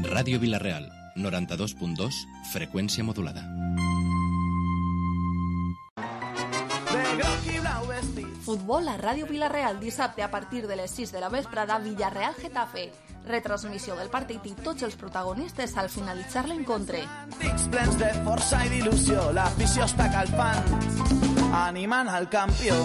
Ràdio Vila-real, 92.2, freqüència modulada. Futbol a Ràdio Vila-real, dissabte a partir de les 6 de la vesprada, Villarreal-Getafe. Retransmissió del partit i tots els protagonistes al finalitzar l'encontre. Plens de força i d'il·lusió, l'afició està calfant, animant al campió.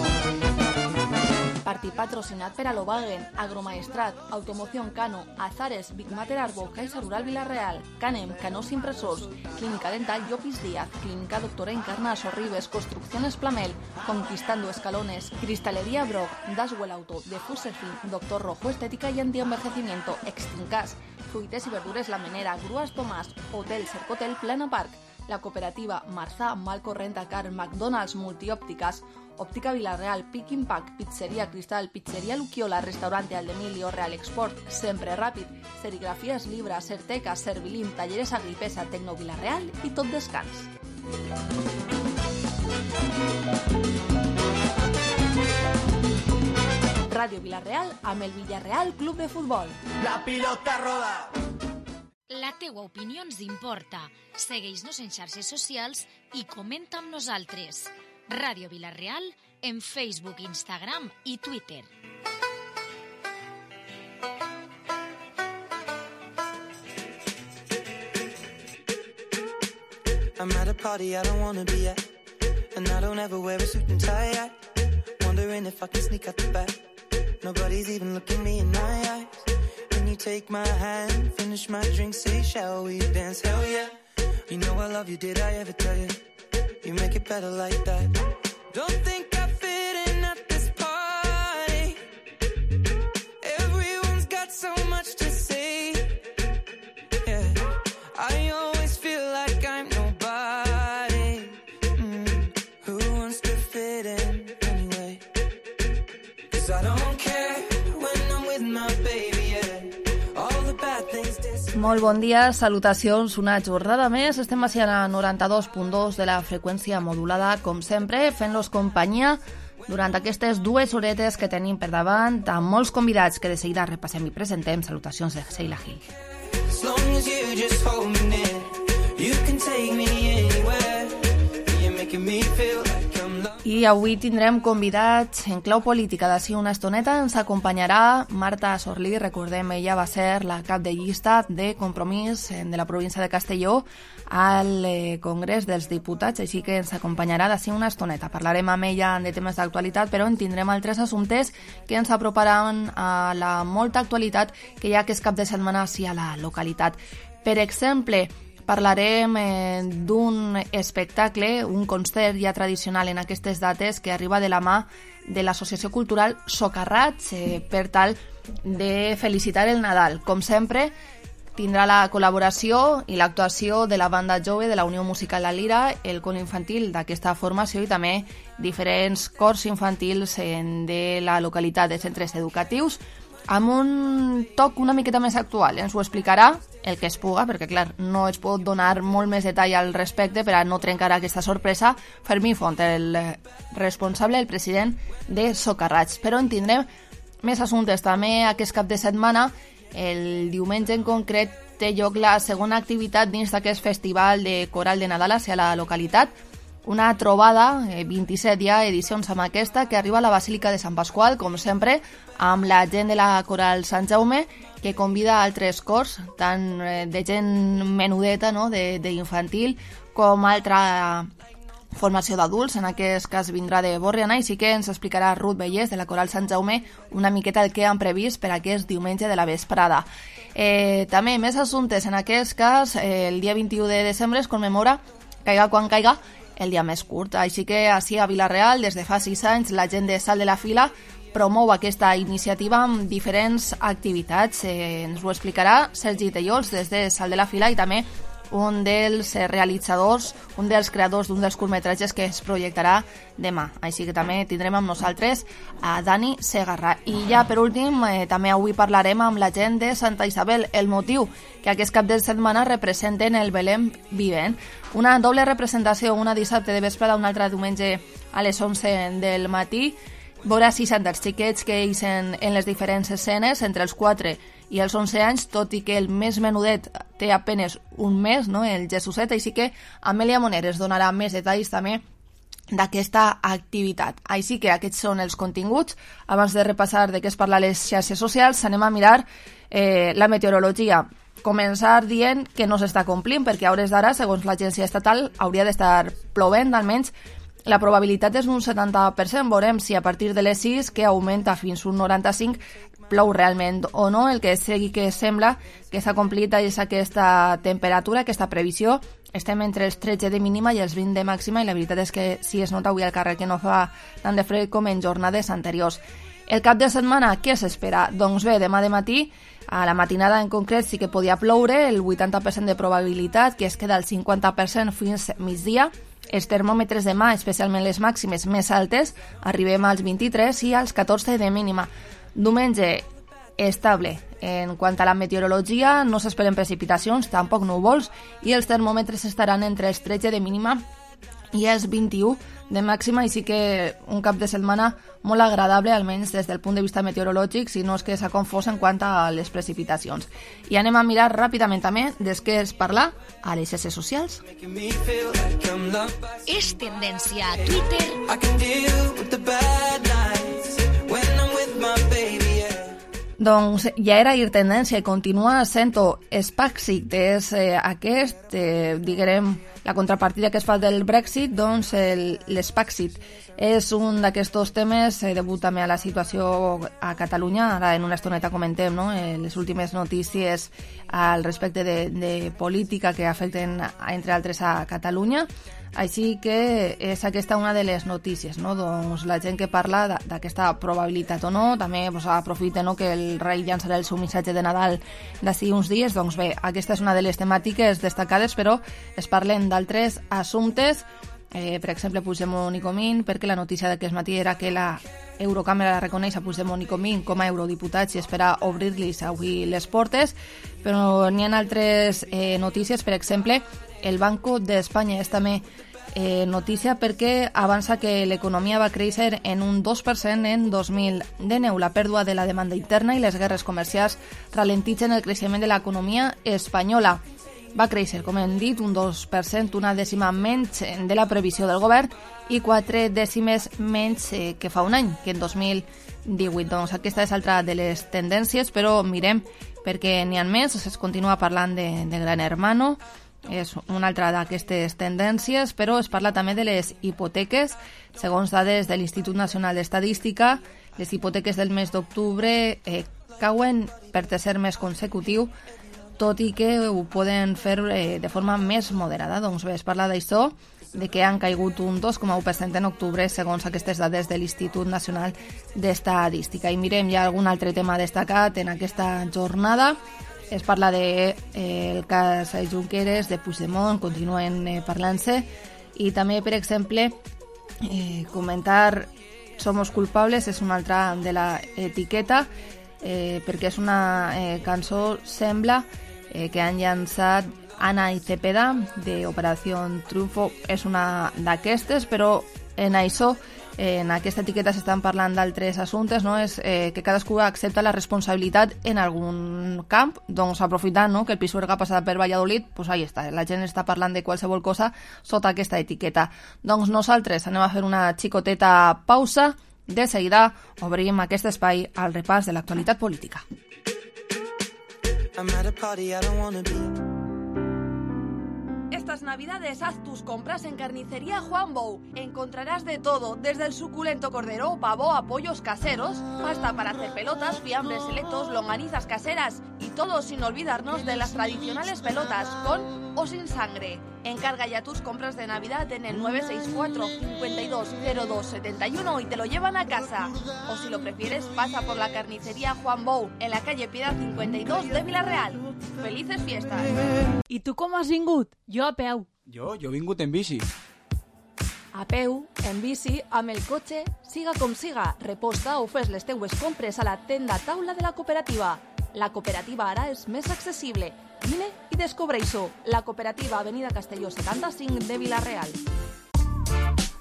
Partit patrocinat per Alobagen, Agromaestrat, Automoción Cano, Azares, Big Mater Arbo, Caixa Rural Vila-real, Canem, Canós Impressors, Clínica Dental Llopis Díaz, Clínica Doctora Encarna Sorribes, Construcciones Plamel, Conquistando Escalones, Cristalería Brock, Daswell Auto, de Fuserfin, Doctor Rojo Estética y Antienvejecimiento, Extincas, Fruites y Verdures La Menera, Grúas Tomàs, Hotel Cercotel Plana Park, la cooperativa Marzà, Malco Rentacar, McDonald's, Multiópticas, Óptica Vila-real, Pick Impact, Pizzería Cristal, Pizzería Luquiola, Restaurante Aldemilio, Real Export, Sempre Ràpid, Serigrafías Libra, Certeca, Servilín, Talleres Agripesa, Tecno Vila-real i Tot Descans. Ràdio Vila-real amb el Villarreal Club de Futbol. La pilota roda. La teua opinió ens importa. Segueix-nos en xarxes socials i comenta amb nosaltres. Ràdio Vila-real en Facebook, Instagram i Twitter. I'm at a party I don't wanna be at, and I don't ever wear a suit and tie yet. Wondering if I can sneak out the back. Nobody's even looking me in my eyes. Can you take my hand, finish my drink, say shall we dance? Hell yeah. You know I love you, did I ever tell you? You make it better like that. Don't think I fit in at this party. Everyone's got so much to say. Yeah, I always feel like I'm nobody. Who wants to fit in anyway? 'Cause I don't care when I'm with my baby, yeah. All the bad things disappear. Molt bon dia, salutacions, una jornada més. Estem així a 92.2 de la freqüència modulada, com sempre, fent-los companyia durant aquestes 2 horetes que tenim per davant, amb molts convidats que de seguida repassem i presentem. Salutacions de Sheila Gil. As long as you just hold me near, you can take me anywhere. You're making me feel like I'm loved. I avui tindrem convidats en clau política. D'ací una estoneta ens acompanyarà Marta Sorlí. Recordem, ella va ser la cap de llista de Compromís de la província de Castelló al Congrés dels Diputats, així que ens acompanyarà d'ací una estoneta. Parlarem amb ella de temes d'actualitat, però en tindrem altres assumptes que ens aproparan a la molta actualitat que hi ha aquest cap de setmana així a la localitat. Per exemple, parlarem d'un espectacle, un concert ja tradicional en aquestes dates que arriba de la mà de l'Associació Cultural Socarrats per tal de felicitar el Nadal. Com sempre, tindrà la col·laboració i l'actuació de la banda jove de la Unió Musical La Lira, el cor infantil d'aquesta formació i també diferents cors infantils de la localitat de centres educatius, amb un toc una miqueta més actual. Ens ho explicarà el que es puga, perquè clar, no es pot donar molt més detall al respecte per a no trencar aquesta sorpresa. Fermí Font, el responsable, el president de Socarrats. Però en tindrem més assumptes també aquest cap de setmana. El diumenge en concret té lloc la segona activitat dins d'aquest festival de coral de Nadal hacia la localitat. Una trobada, 27 ja edicions amb aquesta, que arriba a la Basílica de Sant Pasqual, com sempre, amb la gent de la Coral Sant Jaume, que convida altres cors, tant de gent menudeta, no?, d'infantil, com altra formació d'adults. En aquest cas vindrà de Borriana, i sí que ens explicarà Ruth Bellés, de la Coral Sant Jaume, una miqueta el que han previst per aquest diumenge de la vesprada. També més assumptes. En aquest cas, el dia 21 de desembre es commemora, caiga quan caiga, el dia més curt. Així que així a Vila-real, des de fa 6 anys, la gent de Salt de la Fila promou aquesta iniciativa amb diferents activitats. Ens ho explicarà Sergi Tellols des de Salt de la Fila, i també un dels realitzadors, un dels creadors d'un dels curtmetratges que es projectarà demà. Així que també tindrem amb nosaltres a Dani Segarra. I ja per últim, també avui parlarem amb la gent de Santa Isabel. El motiu que aquest cap de setmana representen el Belém Vivent. Una doble representació, una dissabte de vesprada, una altra diumenge a les 11 del matí, veure si són dels xiquets que eixen en les diferents escenes entre els 4 i els 11 anys, tot i que el més menudet té apenes un mes, no? El Jesuset, així que Amèlia Moneres donarà més detalls també d'aquesta activitat. Així que aquests són els continguts. Abans de repassar de què es parla a les xarxes socials, anem a mirar la meteorologia. Començar dient que no s'està complint, perquè a hores d'ara, segons l'agència estatal, hauria d'estar plovent, almenys la probabilitat és un 70%. Veurem si a partir de les 6, que augmenta fins un 95%, plou realment o no. El que sí que sembla que s'ha complit és aquesta temperatura, aquesta previsió. Estem entre els 13 de mínima i els 20 de màxima, i la veritat és que sí es nota avui al carrer que no fa tant de fred com en jornades anteriors. El cap de setmana, què s'espera? Doncs bé, demà de matí, a la matinada en concret sí que podia ploure, el 80% de probabilitat, que es queda al 50% fins migdia. Els termòmetres demà, especialment les màximes més altes, arribem als 23 i als 14 de mínima. Diumenge, estable. En quant a la meteorologia, no s'esperen precipitacions, tampoc núvols, i els termòmetres estaran entre els 13 de mínima i els 21 de màxima, i sí que un cap de setmana molt agradable, almenys des del punt de vista meteorològic, si no és que s'ha confós en quant a les precipitacions. I anem a mirar ràpidament també des que es parla a les xarxes socials. És tendència a Twitter. Doncs ja era ir tendència i continua sent-ho. Spaxit és aquest, diguem, la contrapartida que es fa del Brexit, doncs l'Spaxit és un d'aquests temes degut també a la situació a Catalunya. Ara en una estoneta comentem, no?, les últimes notícies al respecte de política que afecten, entre altres, a Catalunya. Així que és aquesta una de les notícies, no? Doncs la gent que parla d'aquesta probabilitat o no, també aprofita, no?, que el rei llançarà el seu missatge de Nadal d'ací uns dies. Doncs bé, aquesta és una de les temàtiques destacades, però es parlen d'altres assumptes, per exemple Puigdemont i Comín, perquè la notícia d'aquest matí era que la Eurocàmera reconeix a Puigdemont i Comín com a eurodiputats i espera obrir-los avui les portes, però n'hi ha altres notícies. Per exemple, el Banco d'Espanya és també notícia perquè avança que l'economia va créixer en un 2% en 2019. La pèrdua de la demanda interna i les guerres comercials ralentitzen el creixement de l'economia espanyola. Va créixer, com hem dit, un 2%, una dècima menys de la previsió del govern i 4 dècimes menys que fa un any, que en 2018. Doncs aquesta és altra de les tendències, però mirem perquè n'hi ha més. Es continua parlant de Gran Hermano, és una altra d'aquestes tendències, però es parla també de les hipoteques. Segons dades de l'Institut Nacional d'Estadística, les hipoteques del mes d'octubre cauen per tercer mes consecutiu, tot i que ho poden fer de forma més moderada. Doncs bé, es parla d'això, de que han caigut un 2,1% en octubre, segons aquestes dades de l'Institut Nacional d'Estadística. I mirem ja algun altre tema destacat en aquesta jornada. Es parla del cas Junqueras, de Puigdemont, continuen parlant-se, i també, per exemple, comentar Somos culpables és una altra de la etiqueta, perquè és una cançó, sembla, que han llançat Ana y Cepeda, de Operació Triunfo. És una d'aquestes, però en això, en aquesta etiqueta s'estan parlant d'altres assumptes, no? És que cadascú accepta la responsabilitat en algun camp. Doncs aprofitant, no?, que el Pisuerga passa per Valladolid, doncs ahí està, la gent està parlant de qualsevol cosa sota aquesta etiqueta. Doncs nosaltres anem a fer una xicoteta pausa. De seguida obrim aquest espai al repàs de l'actualitat política. Estas navidades haz tus compras en Carnicería Juan Bou. Encontrarás de todo, desde el suculento cordero, pavo a pollos caseros, pasta para hacer pelotas, fiambres selectos, longanizas caseras y todo sin olvidarnos de las tradicionales pelotas, con o sin sangre. Encarga ya tus compras de Navidad en el 964 520271 y te lo llevan a casa. O si lo prefieres, pasa por la Carnicería Juan Bou, en la calle Piedad 52 de Vila-real. ¡Felices fiestas! I tu com has vingut? Jo a peu. Jo he vingut en bici. A peu, en bici, amb el cotxe, siga com siga, reposta o fes les teues compres a la tenda taula de la cooperativa. La cooperativa ara és més accessible. Vine i descobreix-ho. La cooperativa Avenida Castelló 75 de Vila-real.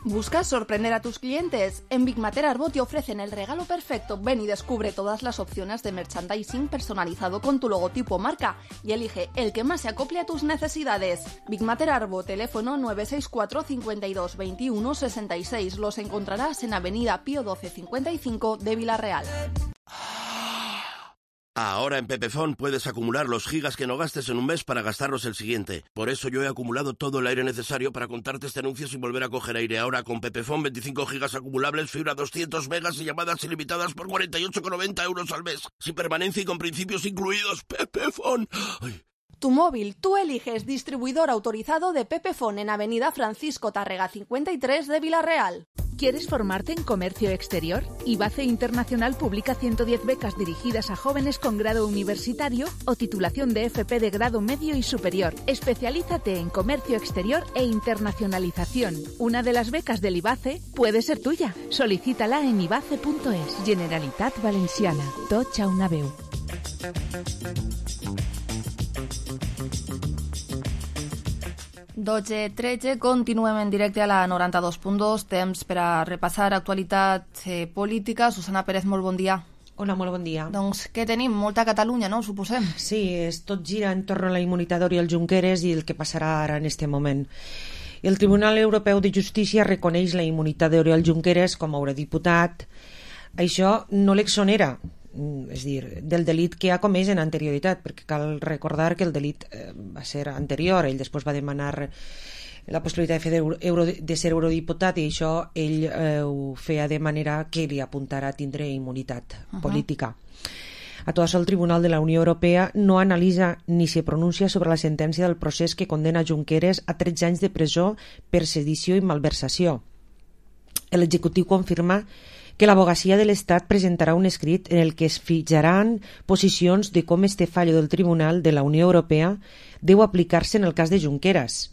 ¿Buscas sorprender a tus clientes? En Big Mater Arbo te ofrecen el regalo perfecto. Ven y descubre todas las opciones de merchandising personalizado con tu logotipo o marca y elige el que más se acople a tus necesidades. Big Mater Arbo, teléfono 964 52 21 66. Los encontrarás en Avenida Pío 12 55 de Vila-real. Ahora en Pepefon puedes acumular los gigas que no gastes en un mes para gastarlos el siguiente. Por eso yo he acumulado todo el aire necesario para contarte este anuncio sin volver a coger aire. Ahora con Pepefon 25 gigas acumulables, fibra 200 megas y llamadas ilimitadas por 48,90 € al mes. Sin permanencia y con principios incluidos. Pepefon. Ay. Tu móvil, tú eliges distribuidor autorizado de Pepefon en Avenida Francisco Tárrega 53 de Vila-real. ¿Quieres formarte en comercio exterior? IBACE Internacional publica 110 becas dirigidas a jóvenes con grado universitario o titulación de FP de grado medio y superior. Especialízate en comercio exterior e internacionalización. Una de las becas del IBACE puede ser tuya. Solicítala en ibace.es. Generalitat Valenciana. Tots a una veu. Dotze 13, continuem en directe a la 92.2, temps per a repassar actualitat política. Susana Pérez, molt bon dia. Hola, molt bon dia. Doncs què tenim? Molta Catalunya, no? Ho suposem. Sí, tot gira entorn a la immunitat d'Oriol Junqueras i el que passarà ara en este moment. El Tribunal Europeu de Justícia reconeix la immunitat d'Oriol Junqueras com a eurodiputat. Això no l'exonera, és dir, del delit que ha comès en anterioritat, perquè cal recordar que el delit va ser anterior. Ell després va demanar la possibilitat de ser eurodiputat i això ell ho feia de manera que li apuntara a tindre immunitat política. A tot això, el Tribunal de la Unió Europea no analitza ni se pronuncia sobre la sentència del procés que condena Junqueras a 13 anys de presó per sedició i malversació. L'executiu confirma que l'Abogacía de l'Estat presentarà un escrit en el que es fijaran posicions de com este fallo del Tribunal de la Unió Europea deu aplicar-se en el cas de Junqueras,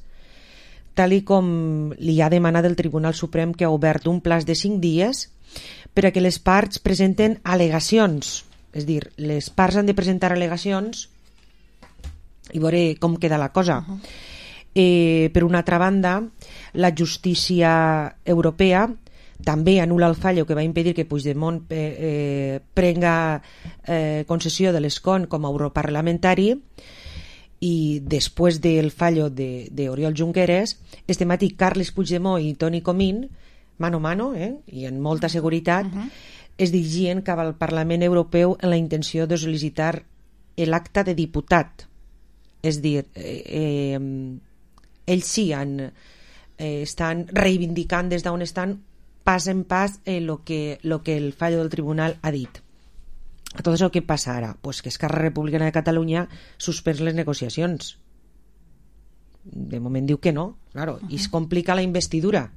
tal i com li ha demanat el Tribunal Suprem, que ha obert un plaç de 5 dies per a que les parts presenten al·legacions. És dir, les parts han de presentar al·legacions i veure com queda la cosa. Per una altra banda, la justícia europea també anul·la el fallo que va impedir que Puigdemont prenga concessió de l'escó com a europarlamentari, i després del fallo d'Oriol Junqueras, este matí Carles Puigdemont i Toni Comín, mano a mano, i amb molta seguretat, es dirigien cap al Parlament Europeu en la intenció de sol·licitar l'acta de diputat. És dir, ells sí estan reivindicant des d'on estan pas en pas lo que el fallo del tribunal ha dit. A tot això, què passa ara? Pues que Esquerra Republicana de Catalunya suspens les negociacions. De moment diu que no, claro, i es complica la investidura.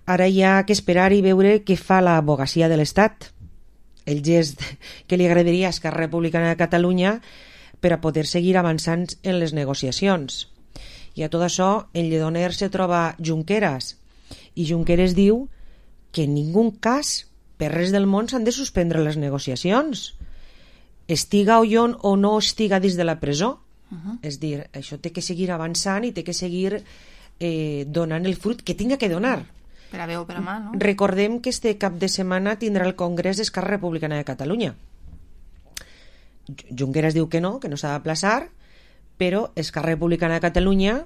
Ara hi ha que esperar i veure què fa l'Abogacía de l'Estat, el gest que li agradaria a Esquerra Republicana de Catalunya per a poder seguir avançant en les negociacions. I a tot això, en Lledoners se troba Junqueras, i Junqueras diu que en ningú cas, per res del món, s'han de suspendre les negociacions, estiga o no estiga dins de la presó. És dir, això té que seguir avançant i té que seguir donant el fruit que tinga que donar. Per a bé o per a mal, no? Recordem que este cap de setmana tindrà el Congrés d'Esquerra Republicana de Catalunya. Junqueras diu que no s'ha d'aplaçar, però Esquerra Republicana de Catalunya,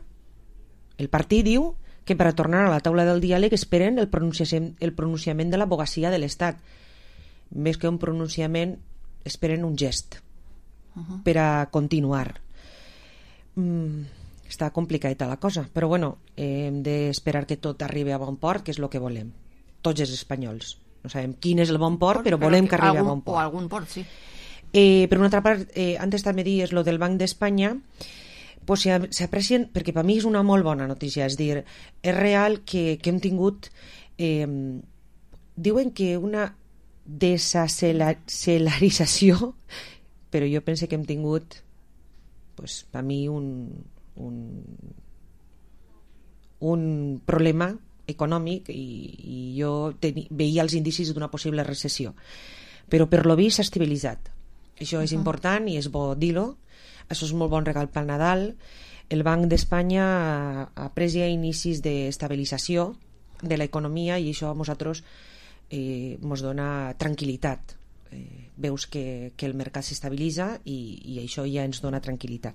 el partit, diu que per a tornar a la taula del diàleg esperen el pronunciament de l'Abogacía de l'Estat. Més que un pronunciament, esperen un gest per a continuar. Està complicada la cosa, però bueno, hem d'esperar que tot arribi a bon port, que és el que volem, tots els espanyols. No sabem quin és el bon port, però volem que arribi a bon port. O algun port, sí. Per una altra part, antes també dies lo del Banc d'Espanya, pues s'aprecien, perquè per mi és una molt bona notícia, és dir, és real que hem tingut, diuen que una desacelerització, però jo penso que hem tingut, pues, per mi un problema econòmic, i jo veia els indicis d'una possible recessió, però per lo vist s'ha estabilitzat. Això és important i és bo dir-ho. Això és molt bon regal pel Nadal. El Banc d'Espanya ha pres ja inicis d'estabilització de l'economia i això a nosaltres ens dona tranquil·litat. Veus que el mercat s'estabilitza i això ja ens dona tranquil·litat.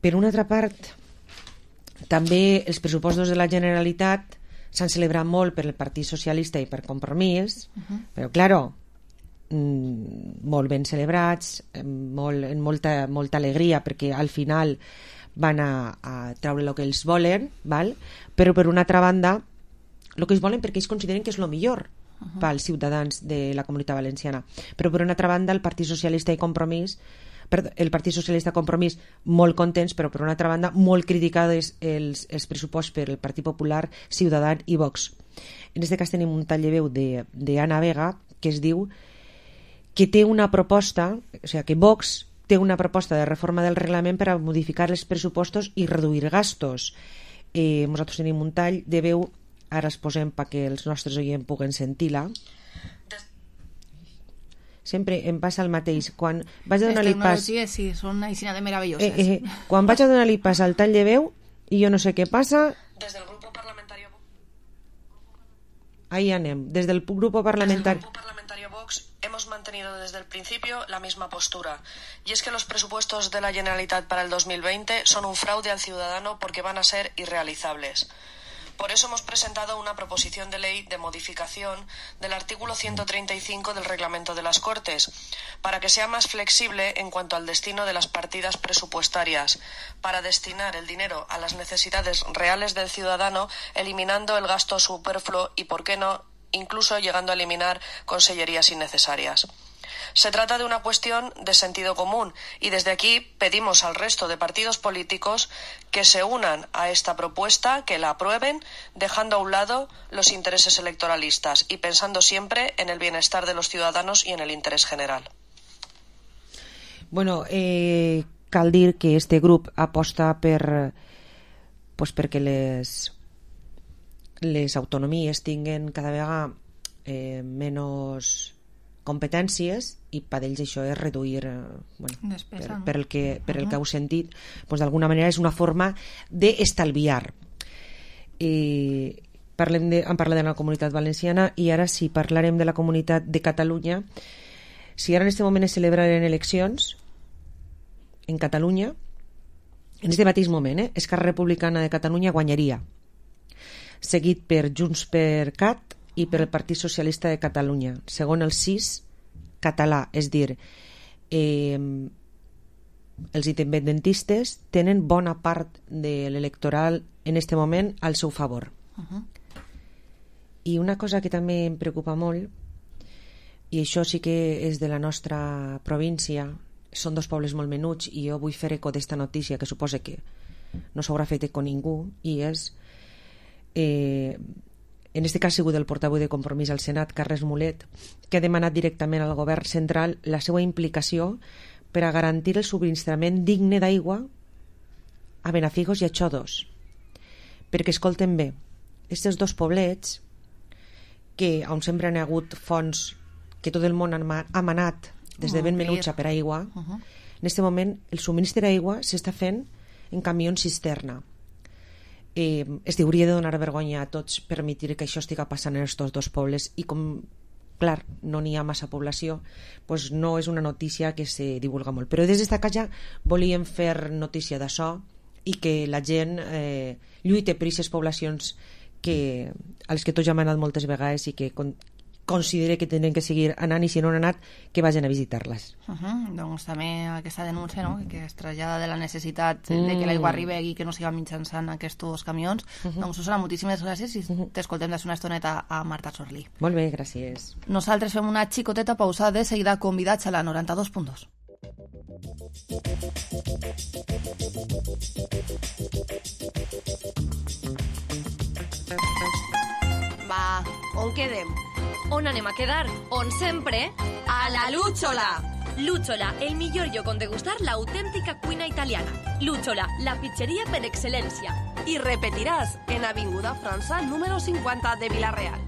Per una altra part, també els pressupostos de la Generalitat s'han celebrat molt per el Partit Socialista i per Compromís, però, claro, molt ben celebrats, amb molta alegria, perquè al final van a treure el que ells volen, val? Però per una altra banda, el que ells volen perquè ells consideren que és el millor pels ciutadans de la Comunitat Valenciana. Però per una altra banda, el Partit Socialista Compromís molt contents, però per una altra banda molt criticades els pressupostos per el Partit Popular, Ciutadans i Vox. En aquest cas tenim un tall de veu d'Anna Vega que es diu que té una proposta, o sigui, que Vox té una proposta de reforma del reglament per a modificar els pressupostos i reduir gastos. Nosaltres tenim un tall de veu, ara es posem perquè els nostres oients puguen sentir-la. Sempre em passa el mateix. Quan vaig a donar-li pas... Sí, són aixina de meravelloses. Quan vaig a donar-li pas al tall de veu i jo no sé què passa... Des del grupo parlamentario... Ahí anem. Des del grupo parlamentario... Vox hemos mantenido desde el principio la misma postura. Y es que los presupuestos de la Generalitat para el 2020 son un fraude al ciudadano porque van a ser irrealizables. Por eso hemos presentado una proposición de ley de modificación del artículo 135 del Reglamento de las Cortes, para que sea más flexible en cuanto al destino de las partidas presupuestarias, para destinar el dinero a las necesidades reales del ciudadano, eliminando el gasto superfluo y, por qué no, incluso llegando a eliminar consellerías innecesarias. Se trata de una cuestión de sentido común y desde aquí pedimos al resto de partidos políticos que se unan a esta propuesta, que la aprueben, dejando a un lado los intereses electoralistas y pensando siempre en el bienestar de los ciudadanos y en el interés general. Bueno, cal dir que este grup aposta perquè les autonomies tinguen cada vegada menys competències i per ells això és reduir per el que heu sentit, d'alguna manera és una forma d'estalviar. Hem parlat de la Comunitat Valenciana i ara si parlarem de la Comunitat de Catalunya. Si ara en aquest moment es celebraren eleccions en Catalunya, en aquest mateix moment Esquerra Republicana de Catalunya guanyaria, seguit per Junts per Cat i per el Partit Socialista de Catalunya, segons el CIS català, és dir, els independentistes tenen bona part de l'electoral en aquest moment al seu favor. I una cosa que també em preocupa molt, i això sí que és de la nostra província, són dos pobles molt menuts i jo vull fer eco d'esta notícia que suposa que no s'haurà fet eco ningú, i és en aquest cas ha sigut el portaveu de Compromís al Senat, Carles Mulet, que ha demanat directament al govern central la seva implicació per a garantir el subministrament digne d'aigua a Benafigos i a Xodos. Perquè, escolten bé, aquests dos poblets, que on sempre han hagut fonts que tot el món ha manat des de ben menutxa per aigua, en aquest moment el subministre d'aigua s'està fent en camions cisterna. Es hauria de donar vergonya a tots permetre que això estiga passant en aquests dos pobles i com, clar, no n'hi ha massa població, doncs no és una notícia que se divulga molt. Però des d'esta casa volíem fer notícia d'això i que la gent lluite per aquestes poblacions a les que tots ja hem anat moltes vegades i que considera que tenen que seguir anant i si no han anat que vagin a visitar-les. Doncs també aquesta denúncia, no? Que es trasllada de la necessitat de que l'aigua arribi i que no siga mitjançant aquests camions. Doncs Susana, moltíssimes gràcies i t'escoltem des d'una estoneta a Marta Sorlí. Molt bé, gràcies. Nosaltres fem una xicoteta pausada, de seguida convidats a la 92.2. Va, on quedem? On anem a quedar? On sempre? A la Lúchola! Lúchola, el millor lloc on degustar l'autèntica cuina italiana. Lúchola, la pizzeria per excel·lència. I repetiràs en Avinguda França número 50 de Vila-real.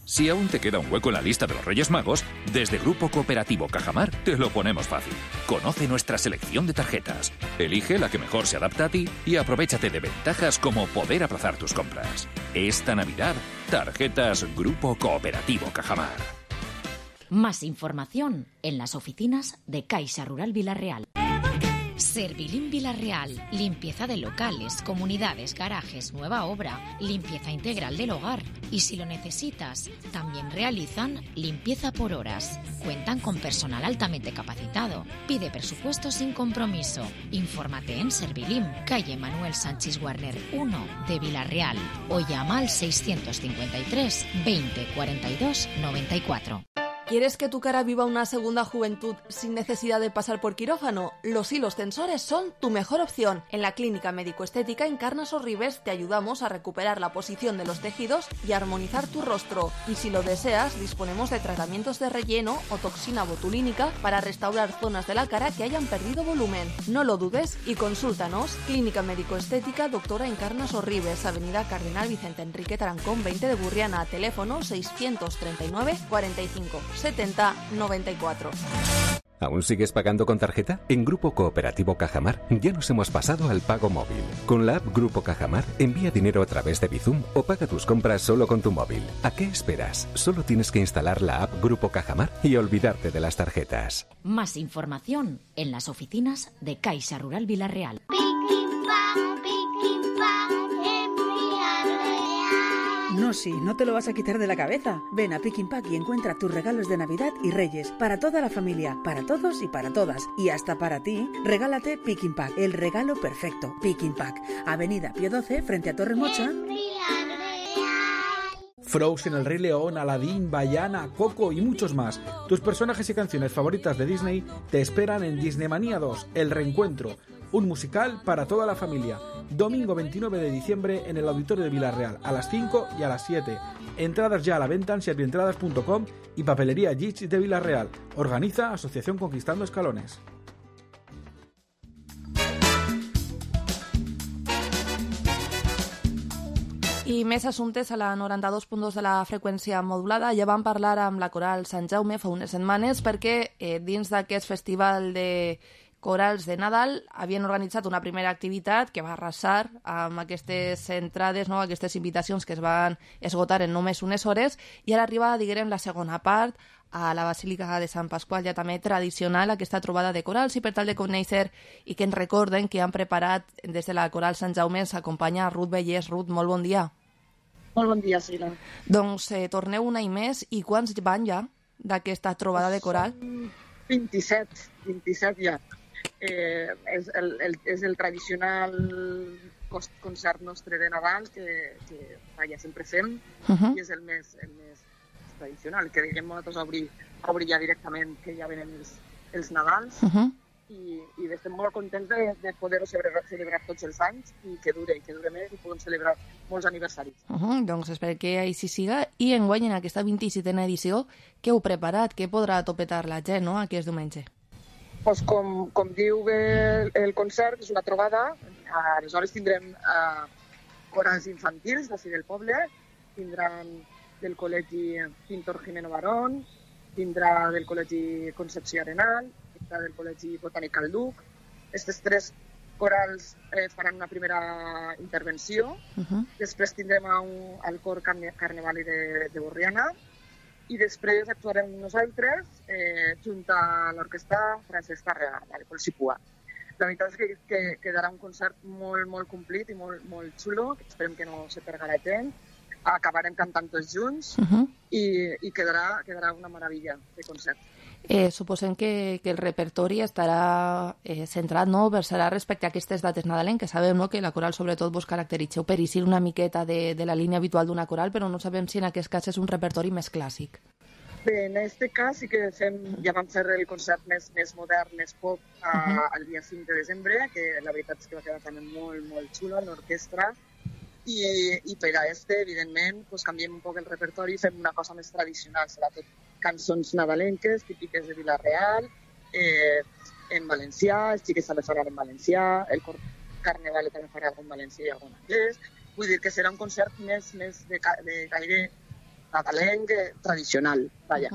Si aún te queda un hueco en la lista de los Reyes Magos, desde Grupo Cooperativo Cajamar te lo ponemos fácil. Conoce nuestra selección de tarjetas, elige la que mejor se adapta a ti y aprovéchate de ventajas como poder aplazar tus compras. Esta Navidad, tarjetas Grupo Cooperativo Cajamar. Más información en las oficinas de Caixa Rural Vilarreal. Servilim Vilarreal, limpieza de locales, comunidades, garajes, nueva obra, limpieza integral del hogar. Y si lo necesitas, también realizan limpieza por horas. Cuentan con personal altamente capacitado. Pide presupuesto sin compromiso. Infórmate en Servilim, calle Manuel Sánchez Warner 1 de Vilarreal o llama al 653 20 42 94. ¿Quieres que tu cara viva una segunda juventud sin necesidad de pasar por quirófano? Los hilos tensores son tu mejor opción. En la Clínica Médico-Estética Encarnas Orribes te ayudamos a recuperar la posición de los tejidos y armonizar tu rostro. Y si lo deseas, disponemos de tratamientos de relleno o toxina botulínica para restaurar zonas de la cara que hayan perdido volumen. No lo dudes y consúltanos. Clínica Médico-Estética Doctora Encarnas Orribes, Avenida Cardenal Vicente Enrique Tarancón 20 de Burriana, teléfono 639 45 70 94. ¿Aún sigues pagando con tarjeta? En Grupo Cooperativo Cajamar ya nos hemos pasado al pago móvil. Con la app Grupo Cajamar, envía dinero a través de Bizum o paga tus compras solo con tu móvil. ¿A qué esperas? Solo tienes que instalar la app Grupo Cajamar y olvidarte de las tarjetas. Más información en las oficinas de Caixa Rural Vilarreal. No, sí, no te lo vas a quitar de la cabeza. Ven a Pick n Pack y encuentra tus regalos de Navidad y Reyes. Para toda la familia, para todos y para todas. Y hasta para ti, regálate Pick n Pack, el regalo perfecto. Pick n Pack, Avenida Pío 12, frente a Torre Mocha. Frozen, El Rey León, Aladdin, Vaiana, Coco y muchos más. Tus personajes y canciones favoritas de Disney te esperan en Disneymanía 2, El Reencuentro. Un musical para toda la familia. Domingo 29 de diciembre en el Auditorio de Vilarreal, a las 5 y a las 7. Entradas ya a la venta en servientradas.com y Papelería Gich de Vilarreal. Organiza Asociación Conquistando Escalones. I més assumptes a la 92.2 de la freqüència modulada. Ja vam parlar amb la Coral Sant Jaume fa unes setmanes perquè dins d'aquest festival de corals de Nadal havien organitzat una primera activitat que va arrasar amb aquestes entrades, no? Aquestes invitacions que es van esgotar en només unes hores, i ara arriba, diguem, la segona part a la Basílica de Sant Pasqual, ja també tradicional, aquesta trobada de corals, i per tal de conèixer i que ens recorden que han preparat des de la Coral Sant Jaume ens acompanya Ruth Vellès. Ruth, molt bon dia. Molt bon dia, Sila. Doncs torneu un any més, i quants van ja d'aquesta trobada de coral? 27 ja. És el tradicional concert nostre de Nadal que sempre fem, i és el més tradicional, que diguem nosaltres obrir ja directament, que ja venen els Nadals, i estem molt contents de poder-ho celebrar tots els anys i que dure més i podem celebrar molts aniversaris. Doncs espero que així siga. I enguany, en aquesta 27a edició, què heu preparat? Què podrà topetar la gent, no?, aquest diumenge? Pues com diu el concert, és una trobada. Aleshores tindrem corals infantils d'ací del poble, tindran del col·legi Pintor Jimeno Barón, tindrà del col·legi Concepció Arenal, tindrà del col·legi Botànic Calduc. Aquests tres corals faran una primera intervenció. Després tindrem el cor Carnevali de Borriana, i després actuarem nosaltres junt a l'orquestra Francesc Tàrrega, de Polsipua. La veritat és que quedarà un concert molt complit i molt xulo, esperem que no se perga la gent. Acabarem cantant tots junts i quedarà una meravella de concert. Suposem que el repertori estarà centrat, no?, versarà respecte a aquestes dates nadalenques. Sabem, no?, que la coral sobretot vos caracteritzeu per eixir una miqueta de la línia habitual d'una coral, però no sabem si en aquest cas és un repertori més clàssic. Bé, en aquest cas sí que ja vam fer el concert més modern, més pop, el dia 5 de desembre, que la veritat és que va quedar també molt xulo, l'orquestra. I per a evidentment, canviem un poc el repertori i fem una cosa més tradicional, serà tot cançons nadalenques, típiques de Vilarreal, en valencià, els xiquets també faran en valencià, el cor Carnevali també farà algun valencià i algun anglès. Vull dir que serà un concert més de caire nadalenc tradicional, vaja.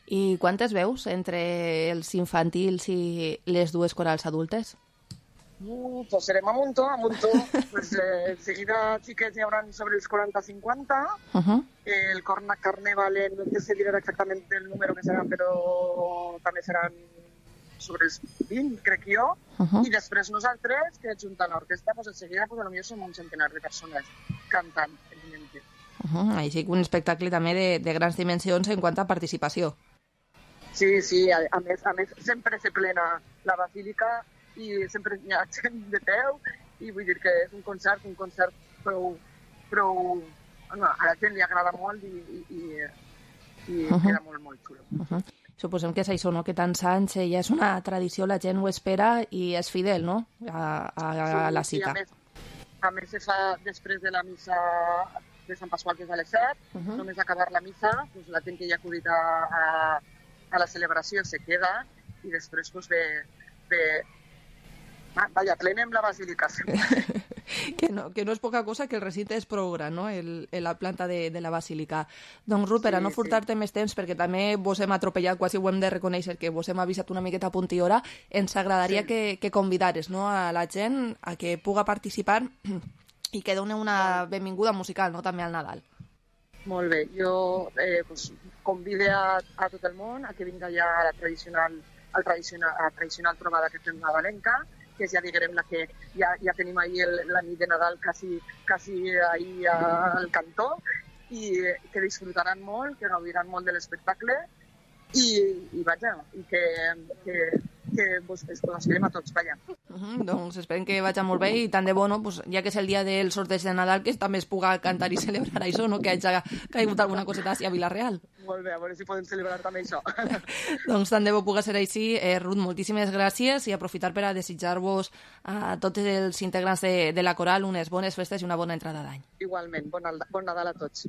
I quantes veus entre els infantils i les dues corals adultes? Pues serem a muntó. Pues, seguida xiquets hi haurà sobre els 40-50. El Cornac Carnaval, no sé dir exactament el número que seran, però també seran sobre els 20, crec jo. I després nosaltres, que juntant l'orquestra, pues, en seguida pues, potser som un centenar de persones cantant, evidentment. Així que un espectacle també de grans dimensions en quant a participació. Sí, a més, sempre se plena la basílica i sempre hi ha gent de peu i vull dir que és un concert prou a la gent li agrada molt i queda molt xulo. Suposem que és això, no? Que tants anys ja és una tradició, la gent ho espera i és fidel, no? A la cita. A més se fa després de la missa de Sant Pasqual, que és a les 7, només acabar la missa, doncs la gent que hi ha acudit a la celebració se queda i després pues, plenem la basílica. que no és poca cosa, que el recinte és prou gran, no? La planta de la basílica. Doncs, Rupert, a no furtar-te més temps, perquè també vos hem atropellat, quasi ho hem de reconèixer, que vos hem avisat una miqueta a punt i hora, ens agradaria que convidares, no, a la gent a que puga participar i que doni una benvinguda musical, no?, també al Nadal. Molt bé, jo convido a tot el món a que vinga ja a la tradicional trobada que fem nadalenca, que ja diguem la que ja tenim ahir la nit de Nadal quasi ahir al cantó, i que disfrutaran molt, que gaudiran molt de l'espectacle i vaja, i que vos coneixerem a tots, vaja. Doncs esperem que vagi molt bé i tant de bo, no? Pues, ja que és el dia del sorteig de Nadal, que també es puga cantar i celebrar això, no? Que hagi caigut alguna coseta així a Vilareal. Molt bé, a veure si podem celebrar també això. Doncs tant de bo puga ser així. Ruth, moltíssimes gràcies i aprofitar per a desitjar-vos a tots els integrants de la coral unes bones festes i una bona entrada d'any. Igualment, bon Nadal a tots.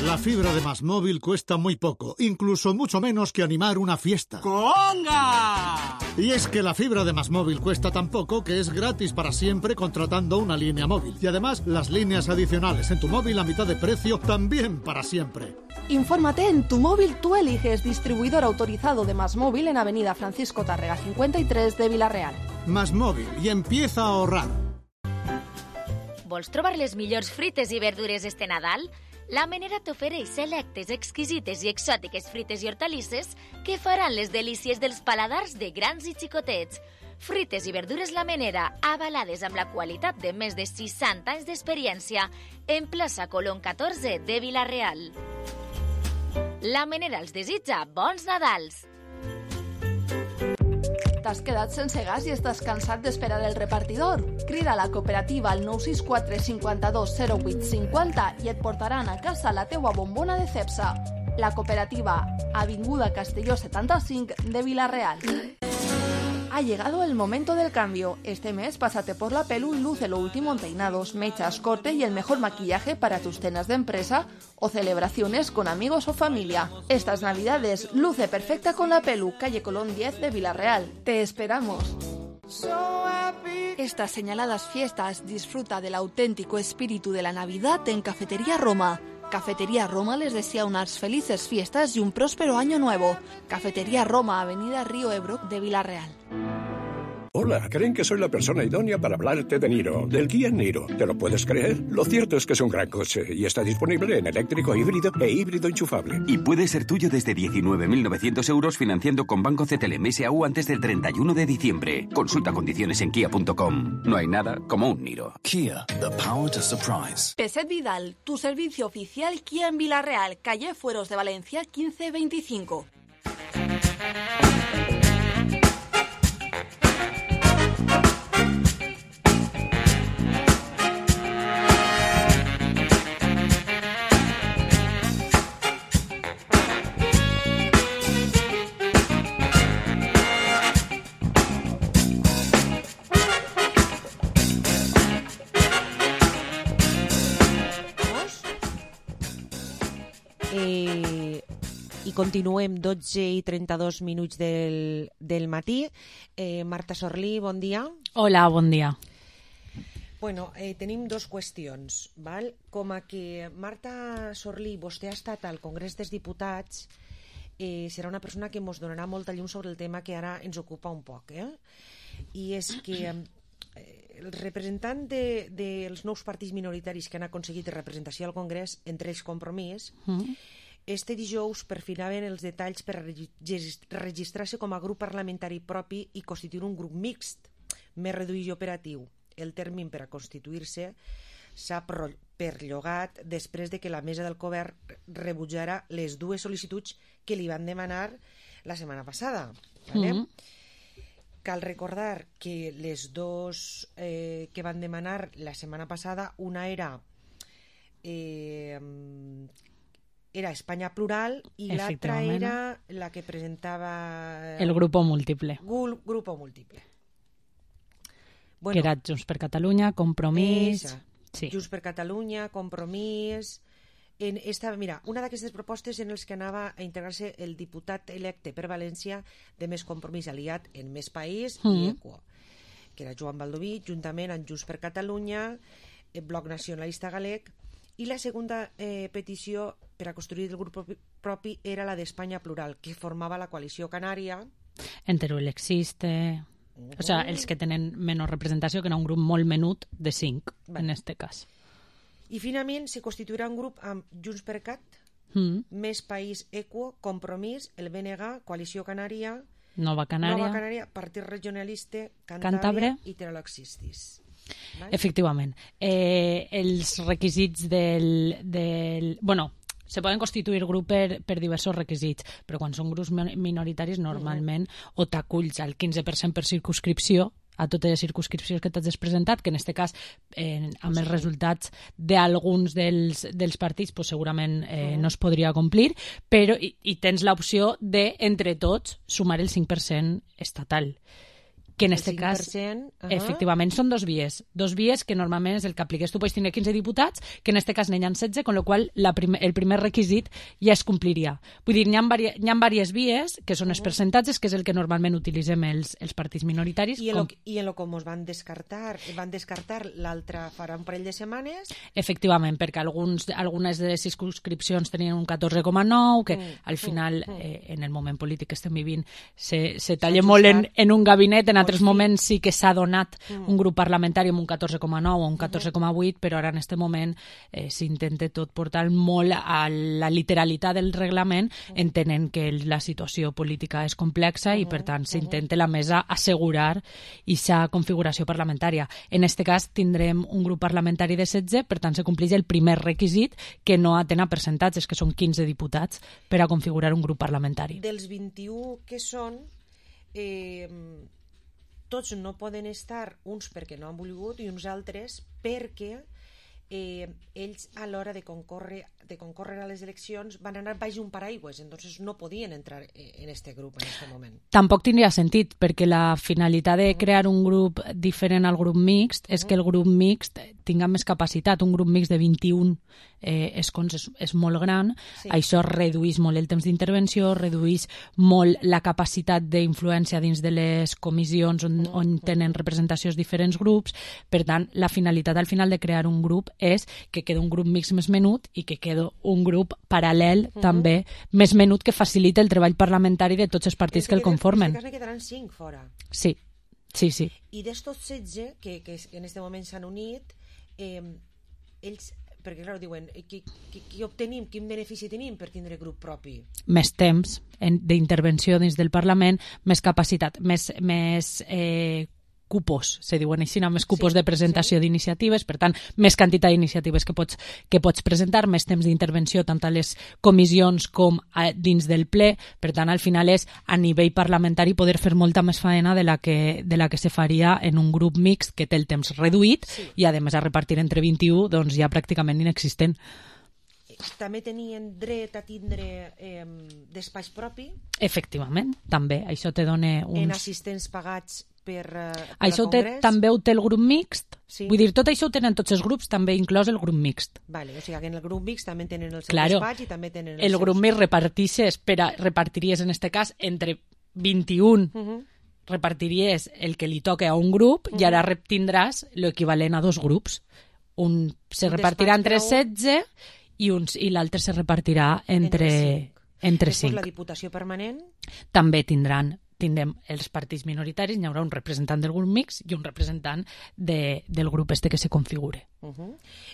La fibra de MásMóvil cuesta muy poco, incluso mucho menos que animar una fiesta. ¡Conga! Y es que la fibra de MásMóvil cuesta tan poco que es gratis para siempre contratando una línea móvil. Y además, las líneas adicionales en tu móvil a mitad de precio también para siempre. Infórmate en Tu Móvil Tú Eliges, distribuidor autorizado de MásMóvil en Avenida Francisco Tárrega 53 de Vila-real. MásMóvil, y empieza a ahorrar. Vols trobar les millors frites i verdures este Nadal? La Menera t'ofereix selectes, exquisites i exòtiques frites i hortalisses que faran les delícies dels paladars de grans i xicotets. Frites i verdures La Menera, avalades amb la qualitat de més de 60 anys d'experiència, en plaça Colón 14 de Vila-real. La Menera els desitja bons Nadals! T'has quedat sense gas i estàs cansat d'esperar el repartidor? Crida a la cooperativa al 964 52 08 50 i et portaran a casa la teua bombona de Cepsa. La cooperativa, Avinguda Castelló 75 de Vila-real. Ha llegado el momento del cambio. Este mes pásate por la Pelu y luce lo último en peinados, mechas, corte y el mejor maquillaje para tus cenas de empresa o celebraciones con amigos o familia. Estas Navidades luce perfecta con la Pelu, calle Colón 10 de Vila-real. ¡Te esperamos! Estas señaladas fiestas disfruta del auténtico espíritu de la Navidad en Cafetería Roma. Cafetería Roma les desea unas felices fiestas y un próspero año nuevo. Cafetería Roma, Avenida Río Ebro de Vila-real. Hola, creen que soy la persona idónea para hablarte de Niro, del Kia Niro. ¿Te lo puedes creer? Lo cierto es que es un gran coche y está disponible en eléctrico híbrido e híbrido enchufable. Y puede ser tuyo desde 19.900 euros financiando con Banco CTLM SAU antes del 31 de diciembre. Consulta condiciones en kia.com. No hay nada como un Niro. Kia, the power to surprise. Peset Vidal, tu servicio oficial Kia en Vila-real, calle Fueros de Valencia 1525. I continuem 12 i 32 minuts del matí. Marta Sorlí, bon dia. Hola, bon dia. Bueno, tenim dos qüestions, val? Com a que Marta Sorlí, vostè ha estat al Congrés dels Diputats, serà una persona que ens donarà molta llum sobre el tema que ara ens ocupa un poc, i és que el representant dels nous partits minoritaris que han aconseguit representació al Congrés, entre ells Compromís, este dijous perfilaven els detalls per registrar-se com a grup parlamentari propi i constituir un grup mixt, més reduït i operatiu. El termini per a constituir-se s'ha perllongat després de que la mesa del govern rebutjara les dues sol·licituds que li van demanar la setmana passada. Cal recordar que les dos que van demanar la setmana passada, una era Espanya Plural i l'altra era la que presentava... El Grupo Múltiple. Grupo Múltiple. Bueno, que era Junts per Catalunya, Compromís... Sí. Junts per Catalunya, Compromís... Mira, una d'aquestes propostes en les que anava a integrar-se el diputat electe per València de Més Compromís aliat en Més País i Equo, que era Joan Baldoví, juntament amb Junts per Catalunya, el Bloc Nacionalista Galeg, i la segona petició per a construir el grup propi era la d'Espanya Plural, que formava la coalició canària. En Teruel existe... O sea, els que tenen menys representació, que era un grup molt menut de 5, en este cas. I finalment se constituirà un grup amb Junts per Cat, Més País, Equo, Compromís, el BNG, Coalició Canària, Nova Canària, Partit Regionalista, Cantàbria i Teroloxistis. Efectivament. Els requisits del... Bueno, se poden constituir grups per diversos requisits, però quan són grups minoritaris normalment o t'aculls al 15% per circumscripció, a totes les circumscripcions que t'has presentat, que en aquest cas, amb els resultats d'alguns dels partits, pues, segurament no es podria complir, però i tens l'opció de, entre tots, sumar el 5% estatal. Que en aquest cas, efectivament, són dos vies que normalment és el que apliques. Tu pots tenir 15 diputats, que en aquest cas n'hi ha 16, con lo qual el primer requisit ja es compliria. Vull dir, n'hi ha diverses vies, que són els percentatges, que és el que normalment utilitzem els partits minoritaris. I en lo com es van descartar l'altre farà un parell de setmanes? Efectivament, perquè algunes de les circumscripcions tenien un 14,9, que al final, en el moment polític que estem vivint, se talla molt en un gabinet, en altres moments sí que s'ha donat un grup parlamentari amb un 14,9 o un 14,8, però ara en aquest moment s'intenta tot portar molt a la literalitat del reglament, entenent que la situació política és complexa i per tant s'intenta la mesa assegurar aquesta configuració parlamentària. En aquest cas tindrem un grup parlamentari de 16, per tant se compleix el primer requisit, que no atén a percentatges, que són 15 diputats per a configurar un grup parlamentari. Dels 21 que són... tots no poden estar, uns perquè no han volgut i uns altres perquè ells a l'hora de concórrer a les eleccions van anar baix un paraigües, entonces no podien entrar en este grup en este moment. Tampoc tindria sentit, perquè la finalitat de crear un grup diferent al grup mixt és que el grup mixt tinga més capacitat. Un grup mixt de 21 escons és molt gran, això redueix molt el temps d'intervenció, redueix molt la capacitat d'influència dins de les comissions on tenen representacions diferents grups. Per tant, la finalitat al final de crear un grup és que queda un grup mixt més menut i que queda un grup paral·lel també més menut, que facilita el treball parlamentari de tots els partits que el conformen. En aquest cas ne quedaran 5 fora. Sí. I d'estos 16 que en aquest moment s'han unit, ells, perquè clar, diuen, què obtenim, quin benefici tenim per tindre grup propi? Més temps d'intervenció dins del Parlament, més capacitat, més cupos, se diuen així, més cupos de presentació d'iniciatives, per tant, més quantitat d'iniciatives que pots presentar, més temps d'intervenció tant a les comissions com dins del ple. Per tant, al final és a nivell parlamentari poder fer molta més faena de la que se faria en un grup mixt que té el temps reduït i a més a repartir entre 21 doncs ja pràcticament inexistent. També tenien dret a tindre despatx propi? Efectivament, també. Això te dona uns... En assistents pagats per això també ho té el grup mixt. Vull dir, tot això ho tenen tots els grups, també inclòs el grup mixt. Vale, o sigui que en el grup mixt també tenen el seu despatx i també tenen el grup mixt repartiries en aquest cas entre 21 repartiries el que li toca a un grup i ara tindràs l'equivalent a 2 grups. Un se repartirà entre 16 i l'altre se repartirà entre 5. La Diputació Permanent? També tindrem els partits minoritaris, hi haurà un representant del grup mixt i un representant del grup que se configure.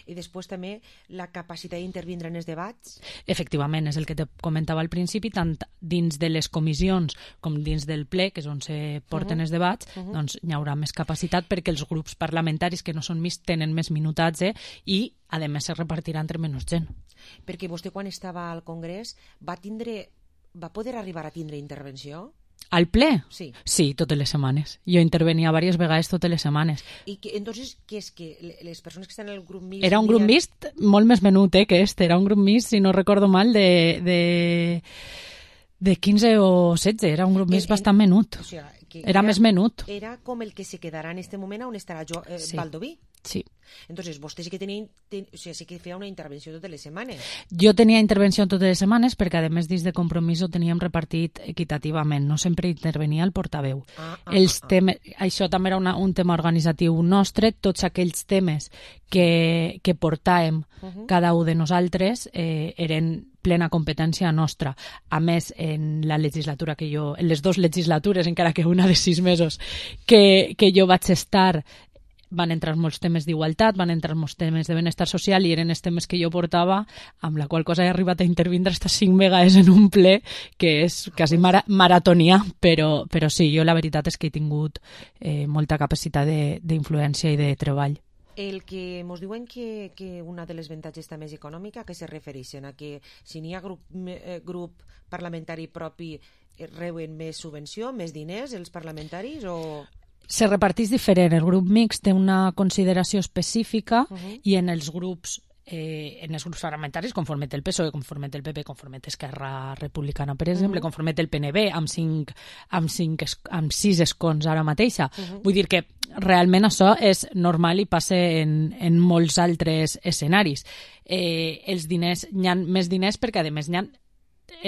I després també la capacitat d'intervindre en els debats? Efectivament, és el que te comentava al principi, tant dins de les comissions com dins del ple, que és on se porten els debats, doncs hi haurà més capacitat perquè els grups parlamentaris que no són mixt tenen més minutatge i, a més, se repartirà entre menys gent. Perquè vostè, quan estava al Congrés, va poder arribar a tindre intervenció? Al ple? Sí. Sí, totes les setmanes. Jo intervenia diverses vegades totes les setmanes. I entonces, què és que les persones que estan en el grup mixt... Era un grup mixt molt més menut que era un grup mixt, si no recordo mal, de 15 o 16, era un grup mixt bastant menut. O sea, era més menut. Era com el que se quedarà en este moment on estarà Baldoví. Sí. Entonces, vostè sí que sí que feia una intervenció totes les setmanes. Jo tenia intervenció totes les setmanes perquè, a més, dins de Compromís ho teníem repartit equitativament. No sempre intervenia el portaveu. Això també era un tema organitzatiu nostre. Tots aquells temes que portàvem cada un de nosaltres eren plena competència nostra. A més, en la legislatura en les 2 legislatures, encara que una de 6 mesos, que jo vaig estar, van entrar molts temes d'igualtat, van entrar molts temes de benestar social i eren els temes que jo portava, amb la qual cosa he arribat a intervindre hasta 5 vegades en un ple, que és quasi maratonià, però sí, jo la veritat és que he tingut molta capacitat d'influència i de treball. El que ens diuen que una de les avantatges també és econòmica, que se refereixen a que si n'hi ha grup parlamentari propi reuen més subvenció, més diners els parlamentaris o... Se reparteix diferent. El grup mixt té una consideració específica i en els grups parlamentaris, conforme té el PSOE, conforme té el PP, conforme té Esquerra Republicana, per exemple, conforme té el PNB, amb 6 escons ara mateixa. Vull dir que realment això és normal i passa en molts altres escenaris. Els diners, hi ha més diners perquè, a més, hi ha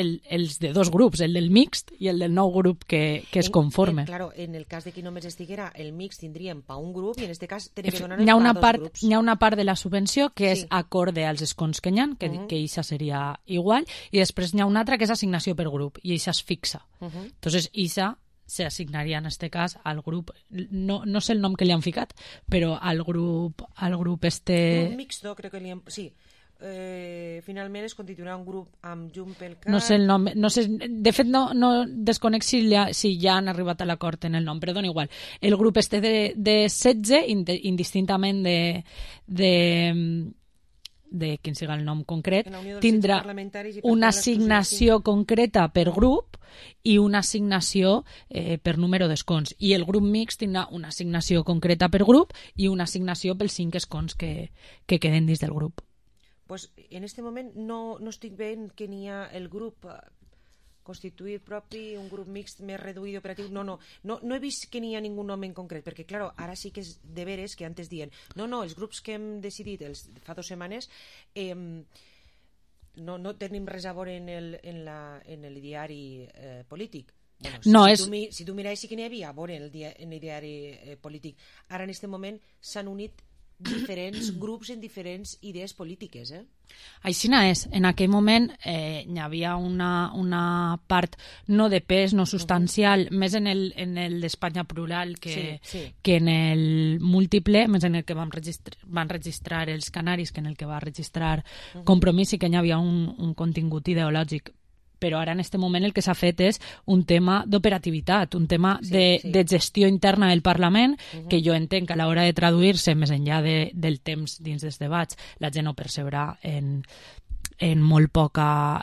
els de 2 grups, el del mixt i el del nou grup que es conforme. Claro, en el cas de que només estiguera el mixt tindríem pa un grup i en aquest cas tenen que donar hi ha una pa a 2 grups. Hi ha una part de la subvenció que és acorde als escons que hi ha, que això seria igual, i després hi ha una altra que és assignació per grup i això es fixa. Entonces, això se assignaria en este cas al grup, no sé el nom que li han ficat, però al grup Grup mixto, crec que li han... Sí. Finalment es constituirà un grup amb Junts pel Cat. No sé el nom, de fet no desconec si ja han arribat a l'acord en el nom, però dona igual. El grup de 16, indistintament de quin siga el nom concret, tindrà una assignació concreta per grup i una assignació per número d'escons. I el grup mixt tindrà una assignació concreta per grup i una assignació pels 5 escons que queden dins del grup. Pues en este moment no estic veient que n'hi ha el grup constituït propi, un grup mixt més reduït operatiu. No he vist que n'hi ha ningú nom en concret, perquè, claro, ara sí que és de veres que antes diuen els grups que hem decidit fa 2 setmanes no tenim res a veure en el diari polític. Si tu miraves sí que n'hi havia a veure en el diari polític. Ara, en aquest moment, s'han unit diferents grups en diferents idees polítiques. Així és. En aquell moment hi havia una part no de pes, no substancial, més en el d'Espanya plural que en el múltiple, més en el que van registrar els canaris que en el que va registrar Compromís, i que hi havia un contingut ideològic. Però ara en aquest moment el que s'ha fet és un tema d'operativitat, un tema de gestió interna del Parlament, que jo entenc que a l'hora de traduir-se més enllà del temps dins dels debats la gent ho percebrà en molt poca...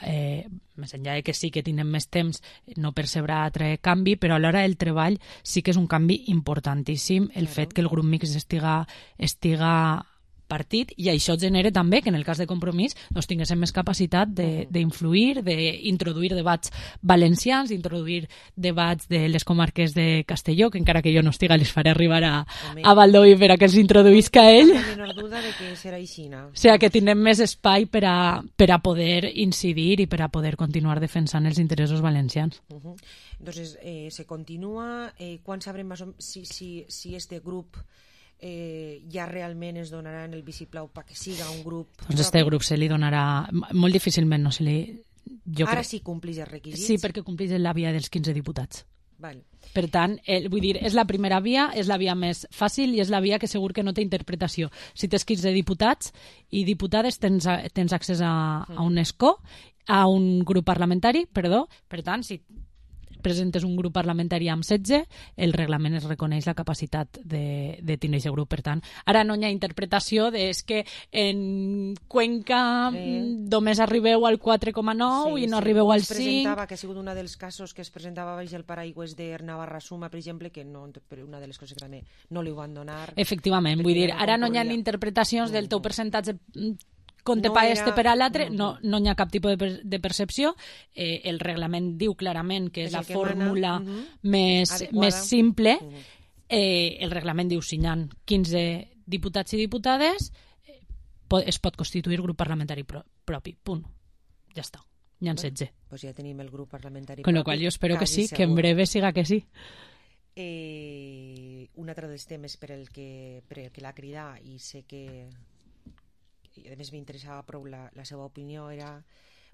més enllà de que sí que tenen més temps, no percebrà altre canvi, però a l'hora del treball sí que és un canvi importantíssim el fet que el grup mixt estiga partit, i això genera també que en el cas de Compromís doncs, tinguéssim més capacitat d'influir, d'introduir debats valencians, d'introduir debats de les comarques de Castelló, que encara que jo no estiga les faré arribar a Baldoví per a que els introduïsca ell. No hi ha menor duda de que serà així. O sigui, que tindrem més espai per a poder incidir i per a poder continuar defensant els interessos valencians. Entonces, se continua. Quan sabrem si este grup ja realment es donarà en el vistiplau perquè siga un grup... Doncs este grup se li donarà... Molt difícilment no se li... Ara sí complís els requisits? Sí, perquè complís la via dels 15 diputats. Val. Per tant, vull dir, és la primera via, és la via més fàcil i és la via que segur que no té interpretació. Si tens 15 diputats i diputades tens accés a un escó, a un grup parlamentari, perdó. Per tant, si presentes un grup parlamentari amb 16, el reglament es reconeix la capacitat de tenir aquest grup. Per tant, ara no hi ha interpretació és que en Cuenca només arribeu al 4,9 i no arribeu al 5. Presentava que ha sigut un dels casos que es presentava baix el paraigües de Navarra Suma, per exemple, que no, una de les coses que també no li ho van donar. Efectivament, vull dir, ara no hi ha interpretacions del teu percentatge compte pa este per a l'altre, no hi ha cap tipus de percepció. El reglament diu clarament que és la fórmula més simple. El reglament diu si hi ha 15 diputats i diputades es pot constituir grup parlamentari propi, punt, ja està, n'hi ha 16. Pues ja tenim el grup parlamentari con lo cual jo espero que sí, que en breve siga que sí. Un altre dels temes per el que l'ha cridat, i sé que i a més m'interessava prou la seva opinió, era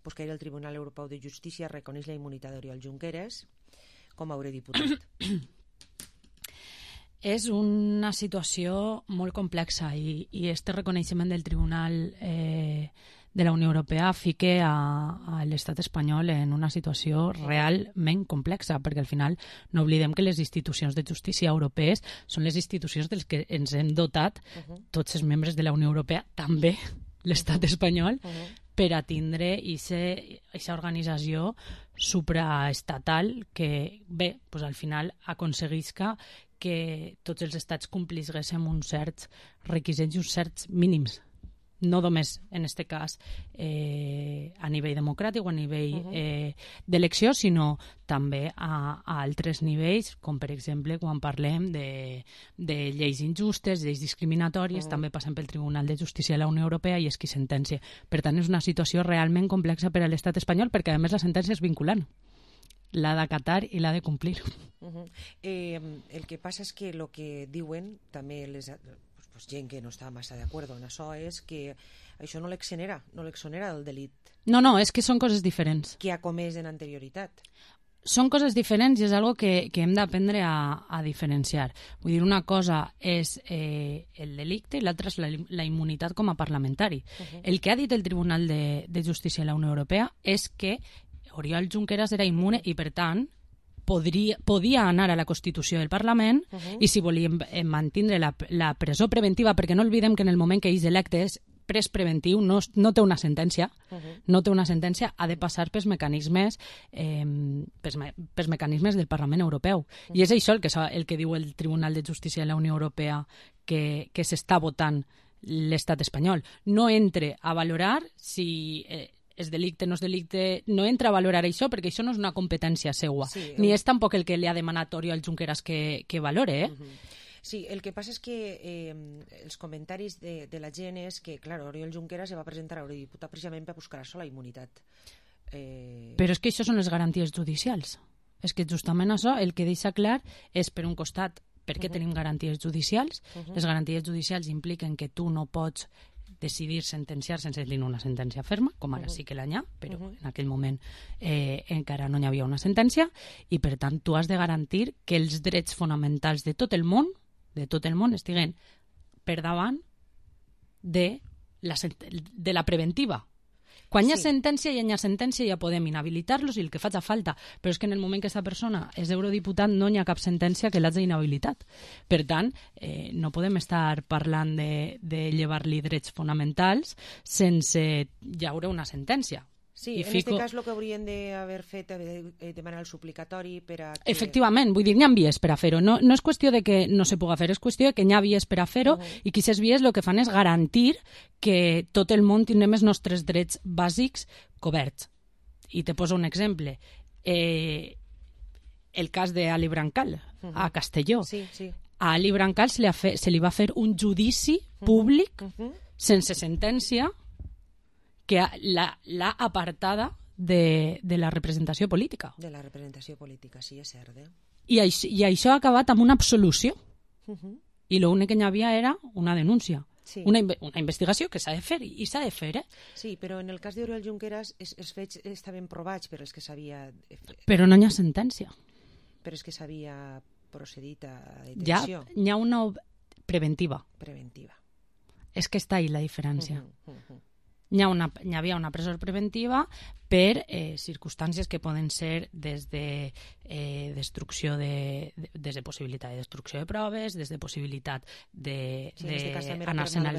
que el Tribunal Europeu de Justícia reconeix la immunitat d'Oriol Junqueras com a eurodiputat. És una situació molt complexa i este reconeixement del Tribunal de la Unió Europea fica a l'estat espanyol en una situació realment complexa, perquè al final no oblidem que les institucions de justícia europees són les institucions dels que ens hem dotat tots els membres de la Unió Europea, també l'estat espanyol, per a tindre aquesta organització supraestatal que, bé, doncs al final aconseguisca que tots els estats complissin uns certs requisits i uns certs mínims. No només, en aquest cas, a nivell democràtic o a nivell d'elecció, sinó també a altres nivells, com per exemple quan parlem de lleis injustes, lleis discriminatòries, també passem pel Tribunal de Justícia de la Unió Europea i és qui sentencia. Per tant, és una situació realment complexa per a l'estat espanyol, perquè a més la sentència és vinculant. L'ha d'acatar i l'ha de complir. El que passa és que el que diuen també gent que no està massa d'acord en això és que això no l'exonera del delit. No, és que són coses diferents. Que ha comès en anterioritat. Són coses diferents i és algo que hem d'aprendre a diferenciar. Vull dir, una cosa és el delicte i l'altra és la immunitat com a parlamentari. El que ha dit el Tribunal de Justícia de la Unió Europea és que Oriol Junqueras era immune i, per tant, podia anar a la Constitució del Parlament i si volien mantenir la presó preventiva, perquè no oblidem que en el moment que és electe és pres preventiu, no té una sentència, ha de passar pels mecanismes del Parlament Europeu. I és això el que diu el Tribunal de Justícia de la Unió Europea que s'està votant l'estat espanyol. No entre a valorar si és delicte, no és delicte, no entra a valorar això perquè això no és una competència seua, ni és tampoc el que li ha demanat Oriol Junqueras que valore, Sí, el que passa és que els comentaris de la gent és que, clar, Oriol Junqueras se va presentar a eurodiputat precisament per buscar això, la immunitat. Però és que això són les garanties judicials. És que justament això, el que deixa clar és, per un costat, per què tenim garanties judicials. Les garanties judicials impliquen que tu no pots decidir sentenciar sense tenir una sentència ferma, com ara sí que l'any ha, però en aquell moment encara no hi havia una sentència, i per tant tu has de garantir que els drets fonamentals de tot el món estiguen per davant de la preventiva. Quan hi ha sentència ja podem inhabilitar-los i el que faci falta, però és que en el moment que aquesta persona és eurodiputat no hi ha cap sentència que l'hagi inhabilitat. Per tant, no podem estar parlant de llevar-li drets fonamentals sense llaure una sentència. Sí, en aquest cas el que haurien d'haver fet és demanar el suplicatori per a... Efectivament, vull dir, n'hi ha vies per a fer-ho. No és qüestió de que no se puga fer, és qüestió de que n'hi ha vies per a fer-ho i que aquestes vies el que fan és garantir que tot el món tindrem els nostres drets bàsics coberts. I te poso un exemple. El cas d'Ali Brancal, a Castelló. Sí. A Ali Brancal se li va fer un judici públic sense sentència que l'ha apartada de la representació política. De la representació política, sí, és cert. I això ha acabat amb una absolució. I l'únic que hi havia era una denúncia. Sí. Una investigació que s'ha de fer, i s'ha de fer, Sí, però en el cas d'Oriol Junqueras els fets estaven provats per els que s'havia... Però no hi ha sentència. Però és que s'havia procedit a detenció. N'hi ha una preventiva. Preventiva. És que està ahí la diferència. Hi havia una presó preventiva per circumstàncies que poden ser des de destrucció des de possibilitat de destrucció de proves, des de possibilitat d'anar-se'n a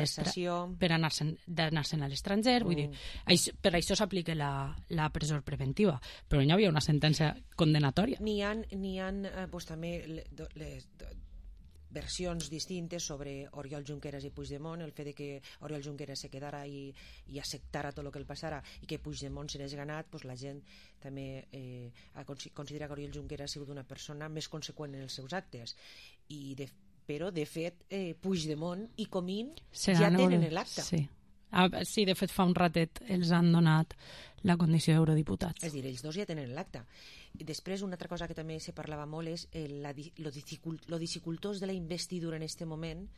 l'estranger, vull dir, per això s'aplica la presó preventiva, però no hi havia una sentència condenatòria. N'hi ha també les versions distintes sobre Oriol Junqueras i Puigdemont, el fet de que Oriol Junqueras se quedara i acceptara tot el que el passara i que Puigdemont serés ganat, la gent també considera que Oriol Junqueras ha sigut una persona més conseqüent en els seus actes, però de fet Puigdemont i Comín ja tenen l'acta. Sí, de fet fa un ratet els han donat la condició d'eurodiputats. És a dir, ells dos ja tenen l'acta. Després, una altra cosa que també se parlava molt és lo dificultós de la investidura en aquest moment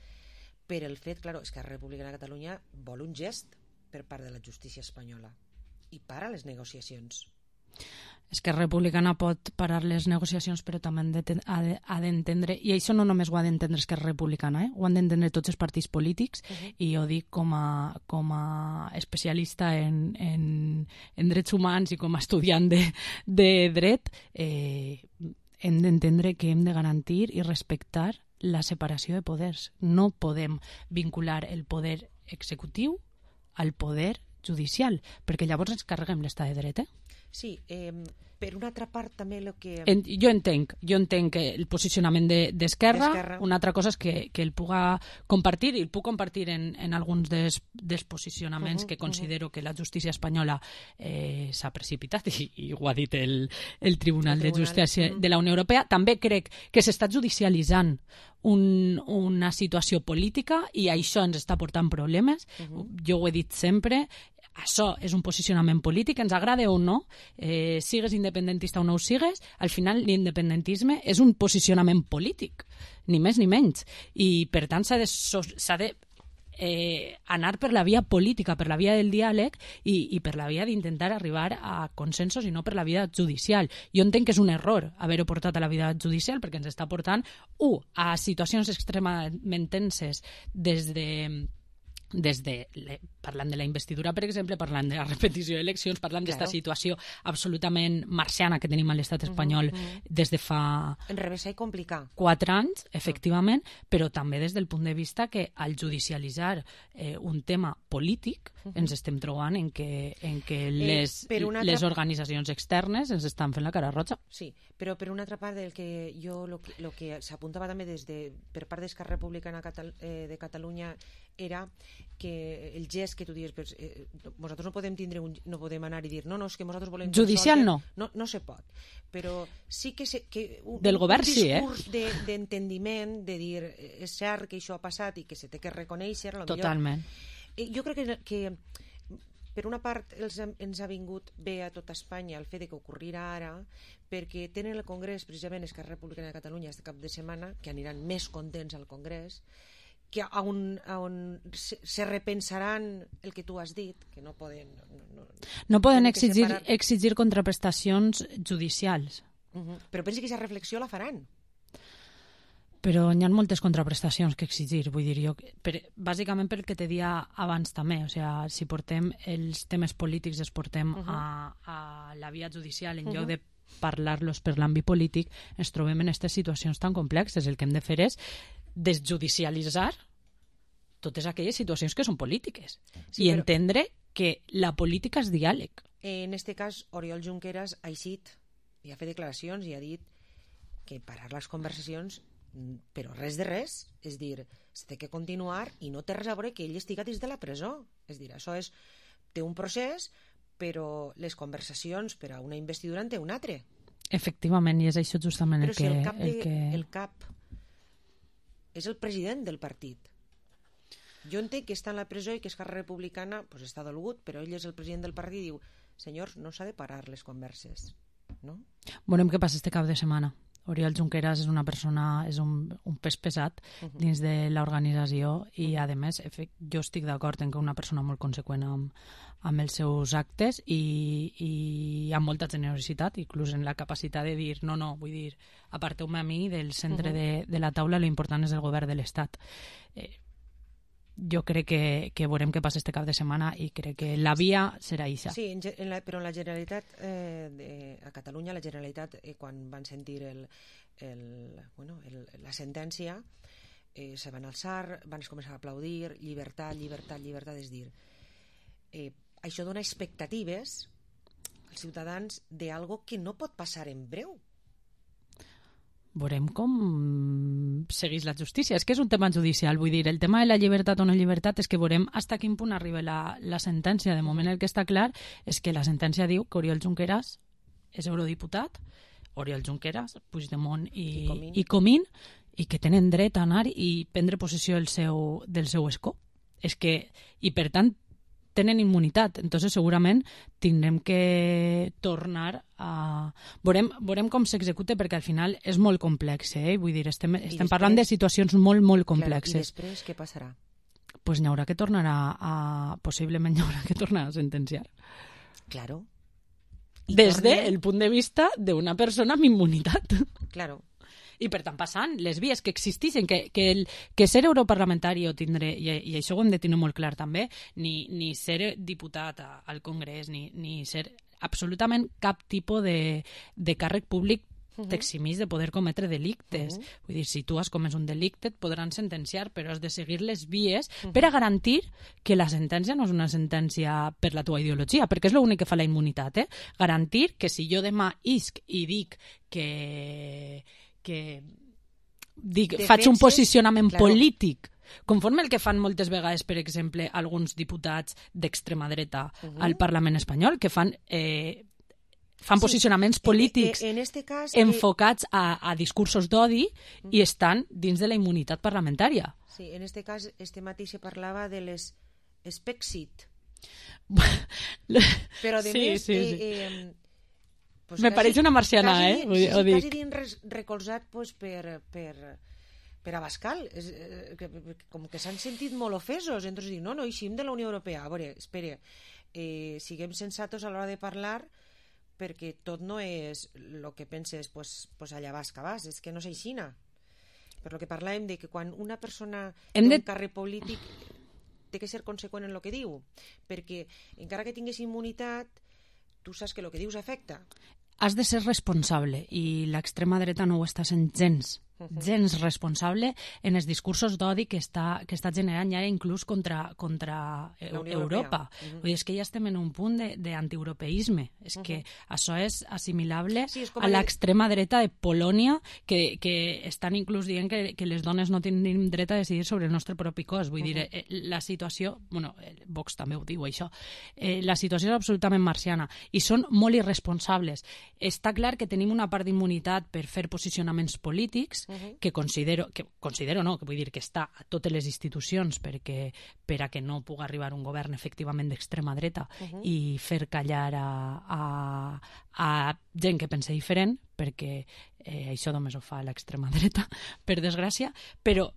per el fet, clar, és que la República de Catalunya vol un gest per part de la justícia espanyola i para les negociacions. És que Republicana pot parar les negociacions, però també ha d'entendre, i això no només ho ha d'entendre Esquerra Republicana, ho han d'entendre tots els partits polítics, i ho dic com a especialista en drets humans i com a estudiant de dret, hem d'entendre que hem de garantir i respectar la separació de poders. No podem vincular el poder executiu al poder judicial, perquè llavors ens carreguem l'estat de dret, Sí, per una altra part també el que... Jo entenc el posicionament d'Esquerra. Una altra cosa és que el puga compartir, i el puc compartir en alguns dels posicionaments que considero que la justícia espanyola s'ha precipitat, i ho ha dit el Tribunal de Justícia de la Unió Europea. També crec que s'està judicialitzant una situació política i això ens està portant problemes. Jo ho he dit sempre, això és un posicionament polític, ens agrada o no, sigues independentista o no ho sigues, al final l'independentisme és un posicionament polític, ni més ni menys, i per tant s'ha de anar per la via política, per la via del diàleg i per la via d'intentar arribar a consensos i no per la via judicial. Jo entenc que és un error haver-ho portat a la via judicial perquè ens està portant, a situacions extremament tenses parlant de la investidura, per exemple, parlant de la repetició d'eleccions, parlant d'esta situació absolutament marciana que tenim a l'estat espanyol des de fa... Enrevessar i complicar. 4 anys, efectivament, però també des del punt de vista que al judicialitzar un tema polític ens estem trobant en que les organitzacions externes ens estan fent la cara roja. Sí, però per una altra part, el que s'apuntava també per part d'Esquerra Republicana de Catalunya era que el gest que tu dius, nosaltres no podem anar i dir no, és que nosaltres volem... Judicial no. No se pot, però sí que del govern sí, un discurs d'entendiment, de dir és cert que això ha passat i que se té que reconèixer. Totalment. Jo crec que per una part ens ha vingut bé a tota Espanya el fet que ocorrirà ara, perquè tenen el Congrés, precisament Esquerra Republicana de Catalunya este cap de setmana, que aniran més contents al Congrés, que on se repensaran el que tu has dit, que no poden... No poden exigir contraprestacions judicials. Però pensi que aquesta reflexió la faran. Però hi ha moltes contraprestacions que exigir, vull dir jo, bàsicament pel que te dia abans també, o sigui, si portem els temes polítics els portem a la via judicial en lloc de parlar-los per l'àmbit polític, ens trobem en aquestes situacions tan complexes. El que hem de fer és desjudicialitzar totes aquelles situacions que són polítiques i entendre que la política és diàleg. En este cas, Oriol Junqueras ha eixit i ha fet declaracions i ha dit que parar les conversacions, però res de res, és dir, es té que continuar i no té res a veure que ell estigui dins de la presó. És dir, això té un procés, però les conversacions per a una investidura en té un altre. Efectivament, i és això justament però el cap és el president del partit. Jo entenc que està en la presó i que Esquerra Republicana està dolgut, però ell és el president del partit i diu, senyors, no s'ha de parar les converses, no? Veurem què passa este cap de setmana. Oriol Junqueras és una persona, és un pes pesat dins de l'organització i, a més, jo estic d'acord en que una persona molt conseqüent amb els seus actes i amb molta generositat, inclús en la capacitat de dir, no, vull dir, aparteu-me a mi del centre de la taula, l'important és el govern de l'Estat. Jo crec que veurem què passa este cap de setmana i crec que la via serà ixa. Sí, però en la Generalitat, a Catalunya, la Generalitat, quan van sentir la sentència, se van alçar, van començar a aplaudir, llibertat, llibertat, llibertat, és dir, això dona expectatives als ciutadans d'algo que no pot passar en breu. Veurem com segueix la justícia. És que és un tema judicial, vull dir, el tema de la llibertat o no llibertat és que veurem fins a quin punt arriba la sentència. De moment el que està clar és que la sentència diu que Oriol Junqueras és eurodiputat, Oriol Junqueras, Puigdemont i Comín, i que tenen dret a anar i prendre possessió del seu escó. I per tant tenen immunitat, entonces segurament tindrem que tornar a... Veurem com s'executa perquè al final és molt complex, vull dir, estem parlant de situacions molt, molt complexes. Clar, i després què passarà? Pues possiblement n'hi haurà que tornar a sentenciar. Claro. Des del punt de vista d'una persona amb immunitat. Claro. I per tant passant les vies que existeixen, que ser europarlamentari o tindre, i això ho hem de tenir molt clar també, ni ser diputat al Congrés, ni ser absolutament cap tipus de càrrec públic t'eximís de poder cometre delictes. Vull dir, si tu has comès un delicte et podran sentenciar, però has de seguir les vies per a garantir que la sentència no és una sentència per la tua ideologia, perquè és l'únic que fa la immunitat, garantir que si jo demà isc i dic faig un posicionament polític conforme el que fan moltes vegades, per exemple, alguns diputats d'extrema dreta al Parlament espanyol, que fan posicionaments polítics enfocats a discursos d'odi i estan dins de la immunitat parlamentària. Sí, en este cas, este matí se parlava de les Spexit. Però, a més... Me pareix una marciana, quasi dins recolzat per Abascal, com que s'han sentit molt ofesos, entonces dic, no, eixim de la Unió Europea. A veure, espera, siguem sensatos a l'hora de parlar, perquè tot no és el que penses, pues allà vas que vas, és que no s'eixina. Per lo que parlàvem de que quan una persona té un càrrec polític té que ser conseqüent en el que diu, perquè encara que tingués immunitat, tu saps que el que dius afecta. Has de ser responsable i l'extrema dreta no ho està sent gens responsable en els discursos d'odi que està generant ja inclús contra Europa. Vull dir, és que ja estem en un punt d'antieuropeisme. És que això és assimilable a l'extrema dreta de Polònia, que estan inclús dient que les dones no tenim dret a decidir sobre el nostre propi cos. Vull dir, la situació... Bueno, Vox també ho diu, això. La situació és absolutament marciana i són molt irresponsables. Està clar que tenim una part d'immunitat per fer posicionaments polítics que vull dir que està a totes les institucions per a que no pugui arribar un govern efectivament d'extrema dreta i fer callar a gent que pensa diferent, perquè això només ho fa l'extrema dreta, per desgràcia, però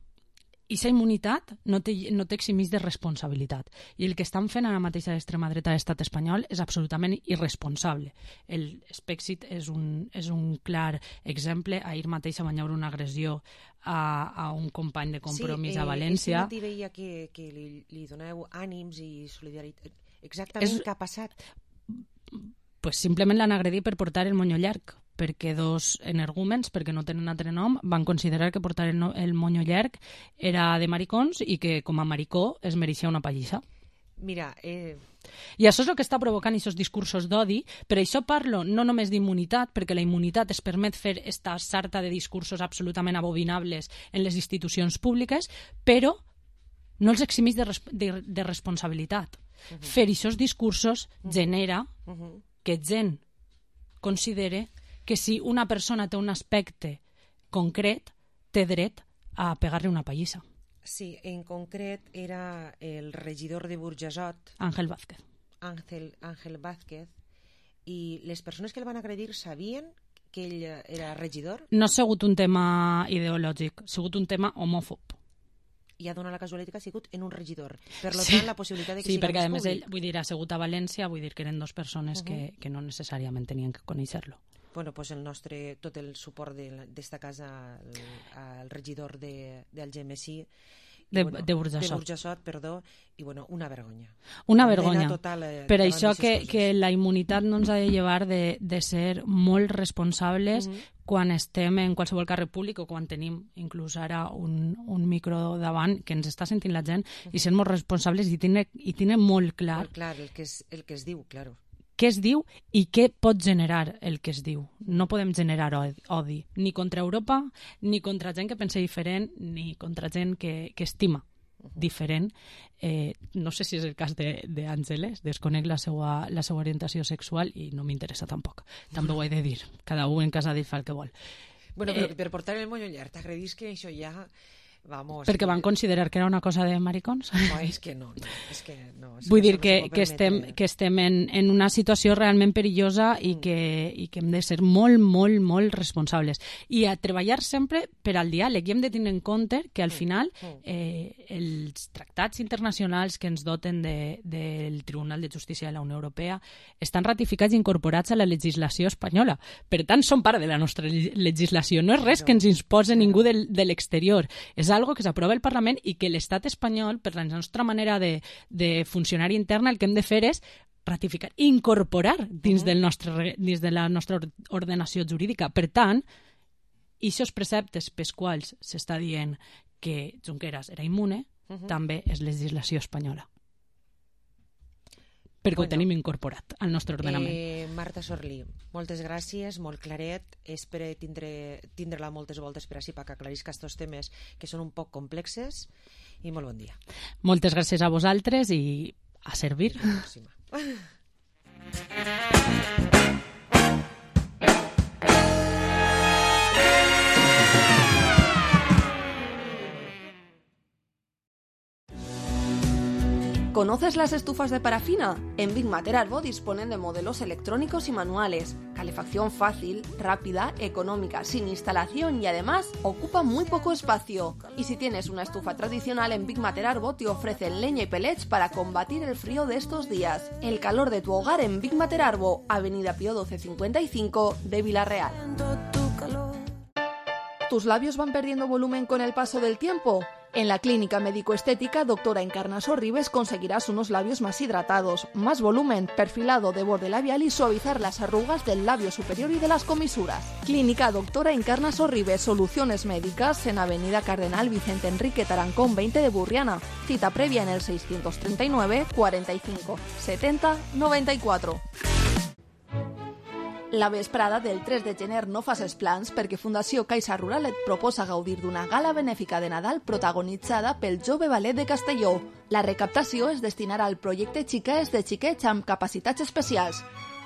aquesta immunitat no t'eximís de responsabilitat. I el que estan fent ara mateix a l'extrema dreta de l'estat espanyol és absolutament irresponsable. El Spexit és un clar exemple. Ahir mateix van haver una agressió a un company de Compromís a València. Sí, veia que li doneu ànims i solidaritat. Exactament què ha passat? Pues simplement l'han agredit per portar el monyo llarg, perquè dos energúmens, perquè no tenen altre nom, van considerar que portar el monyo llarg era de maricons i que com a maricó es mereixia una pallissa. Mira, I això és el que està provocant aquests discursos d'odi. Per això parlo no només d'immunitat, perquè la immunitat es permet fer esta sarta de discursos absolutament abominables en les institucions públiques, però no els eximís de responsabilitat. Fer aquests discursos genera que gent considere que si una persona té un aspecte concret, té dret a pegar-li una pallissa. Sí, en concret era el regidor de Burjassot, Ángel Vázquez. Ángel Vázquez, i les persones que el van agredir sabien que ell era regidor? No ha sigut un tema ideològic, ha sigut un tema homòfob. I ha donat la casualitat que ha sigut en un regidor. Per tant, la possibilitat de que siga perquè, més públic. Vull dir, ha sigut a València, vull dir que eren 2 persones que no necessàriament tenien que conèixer-lo. Bueno, pues tot el suport d'esta casa al regidor del GMSI de Burjassot, i bueno, una vergonya. Una vergonya. Per això que la immunitat no ens ha de llevar de ser molt responsables quan estem en qualsevol càrrec públic o quan tenim inclús ara un micro davant que ens està sentint la gent i ser molt responsables i tindre molt clar, el que es diu, claro. Què es diu i què pot generar el que es diu. No podem generar odi, ni contra Europa, ni contra gent que pensa diferent, ni contra gent que estima diferent. No sé si és el cas d'Àngeles, desconec la seva orientació sexual i no m'interessa tampoc. També ho he de dir, cada un en casa fa el que vol. Bueno, però per portar el moño llarg, t'agredis que això ja... Vamos, perquè van considerar que era una cosa de maricons? No, és que no. Vull dir que estem en una situació realment perillosa i que hem de ser molt, molt, molt responsables. I a treballar sempre per al diàleg. I hem de tenir en compte que al final els tractats internacionals que ens doten del Tribunal de Justícia de la Unió Europea estan ratificats i incorporats a la legislació espanyola. Per tant, són part de la nostra legislació. No és res que ens imposi ningú de l'exterior. És algo que s'aprova al Parlament i que l'estat espanyol, per la nostra manera de funcionar interna, el que hem de fer és ratificar, incorporar dins de la nostra ordenació jurídica. Per tant, aquests preceptes pels quals s'està dient que Junqueras era immune, també és legislació espanyola. Perquè ho tenim incorporat al nostre ordenament. Marta Sorlí, moltes gràcies, molt claret. Espero tindre-la moltes voltes per així perquè aclarisca aquests temes que són un poc complexes i molt bon dia. Moltes gràcies a vosaltres i a servir. ¿Conoces las estufas de parafina? En Big Matter Arbo disponen de modelos electrónicos y manuales, calefacción fácil, rápida, económica, sin instalación y además ocupa muy poco espacio. Y si tienes una estufa tradicional, en Big Matter Arbo te ofrecen leña y pellets para combatir el frío de estos días. El calor de tu hogar en Big Matter Arbo, Avenida Pío 1255 de Villarreal. ¿Tus labios van perdiendo volumen con el paso del tiempo? En la clínica médico-estética Doctora Encarna Sorribes conseguirás unos labios más hidratados, más volumen, perfilado de borde labial y suavizar las arrugas del labio superior y de las comisuras. Clínica Doctora Encarna Sorribes, soluciones médicas en Avenida Cardenal Vicente Enrique Tarancón 20 de Burriana. Cita previa en el 639 45 70 94. La vesprada del 3 de gener no facis plans perquè Fundació Caixa Rural et proposa gaudir d'una gala benèfica de Nadal protagonitzada pel Jove Ballet de Castelló. La recaptació es destinarà al projecte Xiquets de xiquets amb capacitats especials.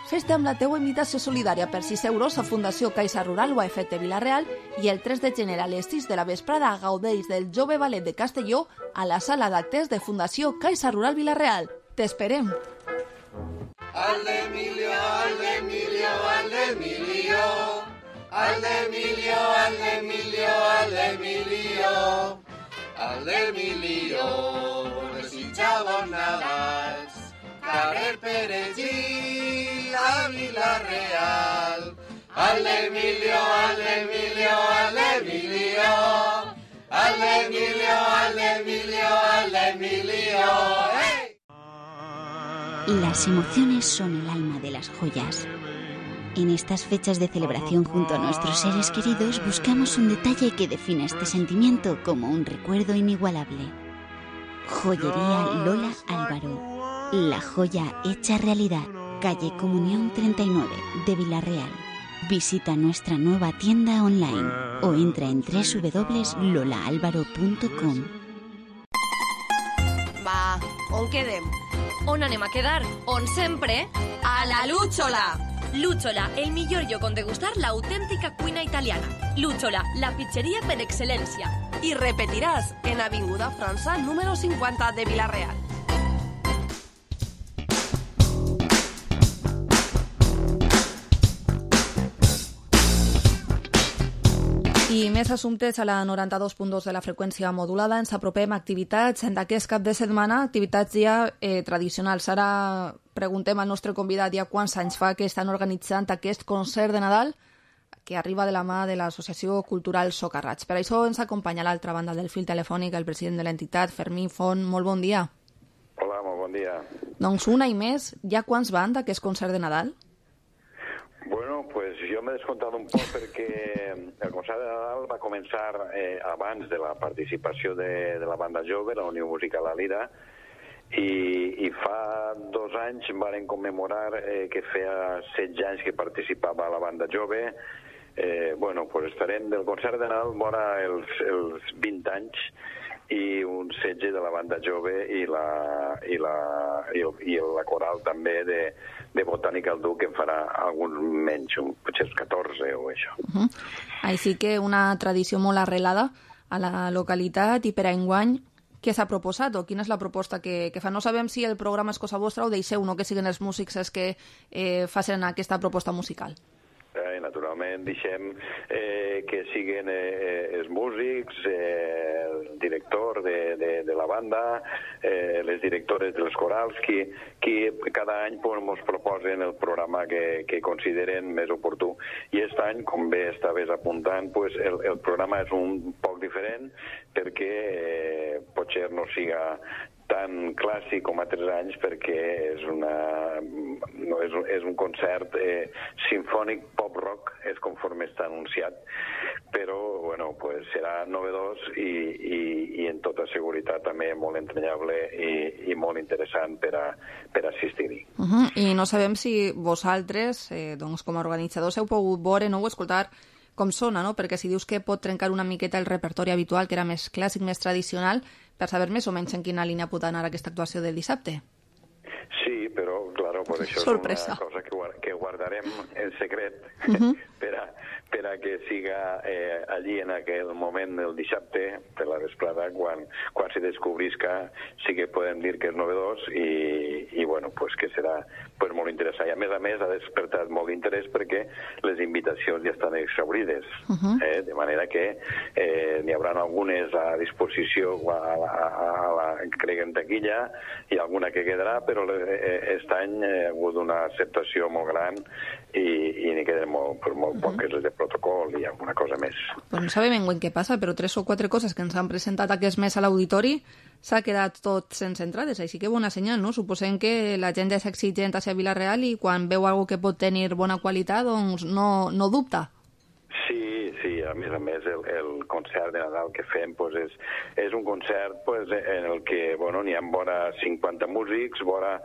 Fes-te amb la teua invitació solidària per 6 euros a Fundació Caixa Rural o a Efecte Vilareal i el 3 de gener a les 6 de la vesprada gaudeix del Jove Ballet de Castelló a la sala d'actes de Fundació Caixa Rural Vilareal. T'esperem! Al de Emilio, al de Emilio, al de Emilio, al de Emilio, al de Emilio, al de Emilio, al de Emilio, desitjava Nadals, carrer Perellí, a Vilareal, al de Emilio, al de Emilio, al de Emilio, al de Emilio, al de Emilio, al de Emilio, ¡hey! Las emociones son el alma de las joyas. En estas fechas de celebración junto a nuestros seres queridos buscamos un detalle que defina este sentimiento como un recuerdo inigualable. Joyería Lola Álvaro. La joya hecha realidad. Calle Comunión 39 de Vila-real. Visita nuestra nueva tienda online o entra en www.lolaalvaro.com. Va, on quedem? On anem a quedar? On sempre? A la Lúchola! Lúchola, el millor lloc on degustar l'autèntica cuina italiana. Lúchola, la pizzeria per excel·lència. I repetiràs en Avinguda França número 50 de Vila-real. I més assumptes a la 92.2 de la freqüència modulada. Ens apropem a activitats d'aquest cap de setmana, activitats ja tradicionals. Ara preguntem al nostre convidat ja quants anys fa que estan organitzant aquest concert de Nadal que arriba de la mà de l'Associació Cultural Socarrats. Per això ens acompanya a l'altra banda del fil telefònic el president de l'entitat, Fermí Font. Molt bon dia. Hola, molt bon dia. Doncs un any més, ja quants van d'aquest concert de Nadal? Bueno, pues jo m'he descomptat un poc perquè el concert de Nadal va començar abans de la participació de la banda jove, la Unió Musical La Lira, i fa 2 anys varen commemorar que feia 16 anys que participava la banda jove. Bueno, pues estarem del concert de Nadal vora els 20 anys i un 16 de la banda jove i la coral també de Botànica al Duc, que en farà algun menys, potser 14 o això. Així que una tradició molt arrelada a la localitat. I per a enguany, què s'ha proposat o quina és la proposta que fa? No sabem si el programa és cosa vostra o deixeu que siguin els músics els que facin aquesta proposta musical. Naturalment deixem que siguin els músics, el director de la banda, les directores dels corals, qui cada any ens proposen el programa que consideren més oportú. I aquest any, com bé estaves apuntant, el programa és un poc diferent perquè potser no siga tan clàssic com altres anys perquè és un concert sinfònic pop-rock, és conforme està anunciat, però bueno, pues serà novedós i en tota seguretat també molt entranyable i molt interessant per assistir-hi. I no sabem si vosaltres, doncs, com a organitzadors, heu pogut veure o escoltar com sona, no? Perquè si dius que pot trencar una miqueta el repertori habitual, que era més clàssic, més tradicional, per saber més o menys en quina línia pot anar aquesta actuació del dissabte. Sí, però, claro, per això sorpresa. És una cosa que guardarem en secret per a que siga allí en aquell moment del dissabte, per la vesprada, quan se descobrisca, sí que podem dir que és novedós i bueno, pues que serà pues molt interessant. I a més ha despertat molt d'interès perquè les invitacions ja estan exhaurides, de manera que n'hi haurà algunes a disposició crec en taquilla i alguna que quedarà, però aquest any ha hagut una acceptació molt gran i n'hi queden molt poques de protocol i alguna cosa més. Pues no sabem en què passa, però 3 o 4 coses que ens han presentat aquest mes a l'auditori s'ha quedat tot sense entrades, així que bona senyal, no? Suposem que la gent és exigent hacia Vila-real i quan veu alguna que pot tenir bona qualitat, doncs no dubta. Sí, a més, el concert de Nadal que fem és un concert en el que n'hi ha vora 50 músics, vora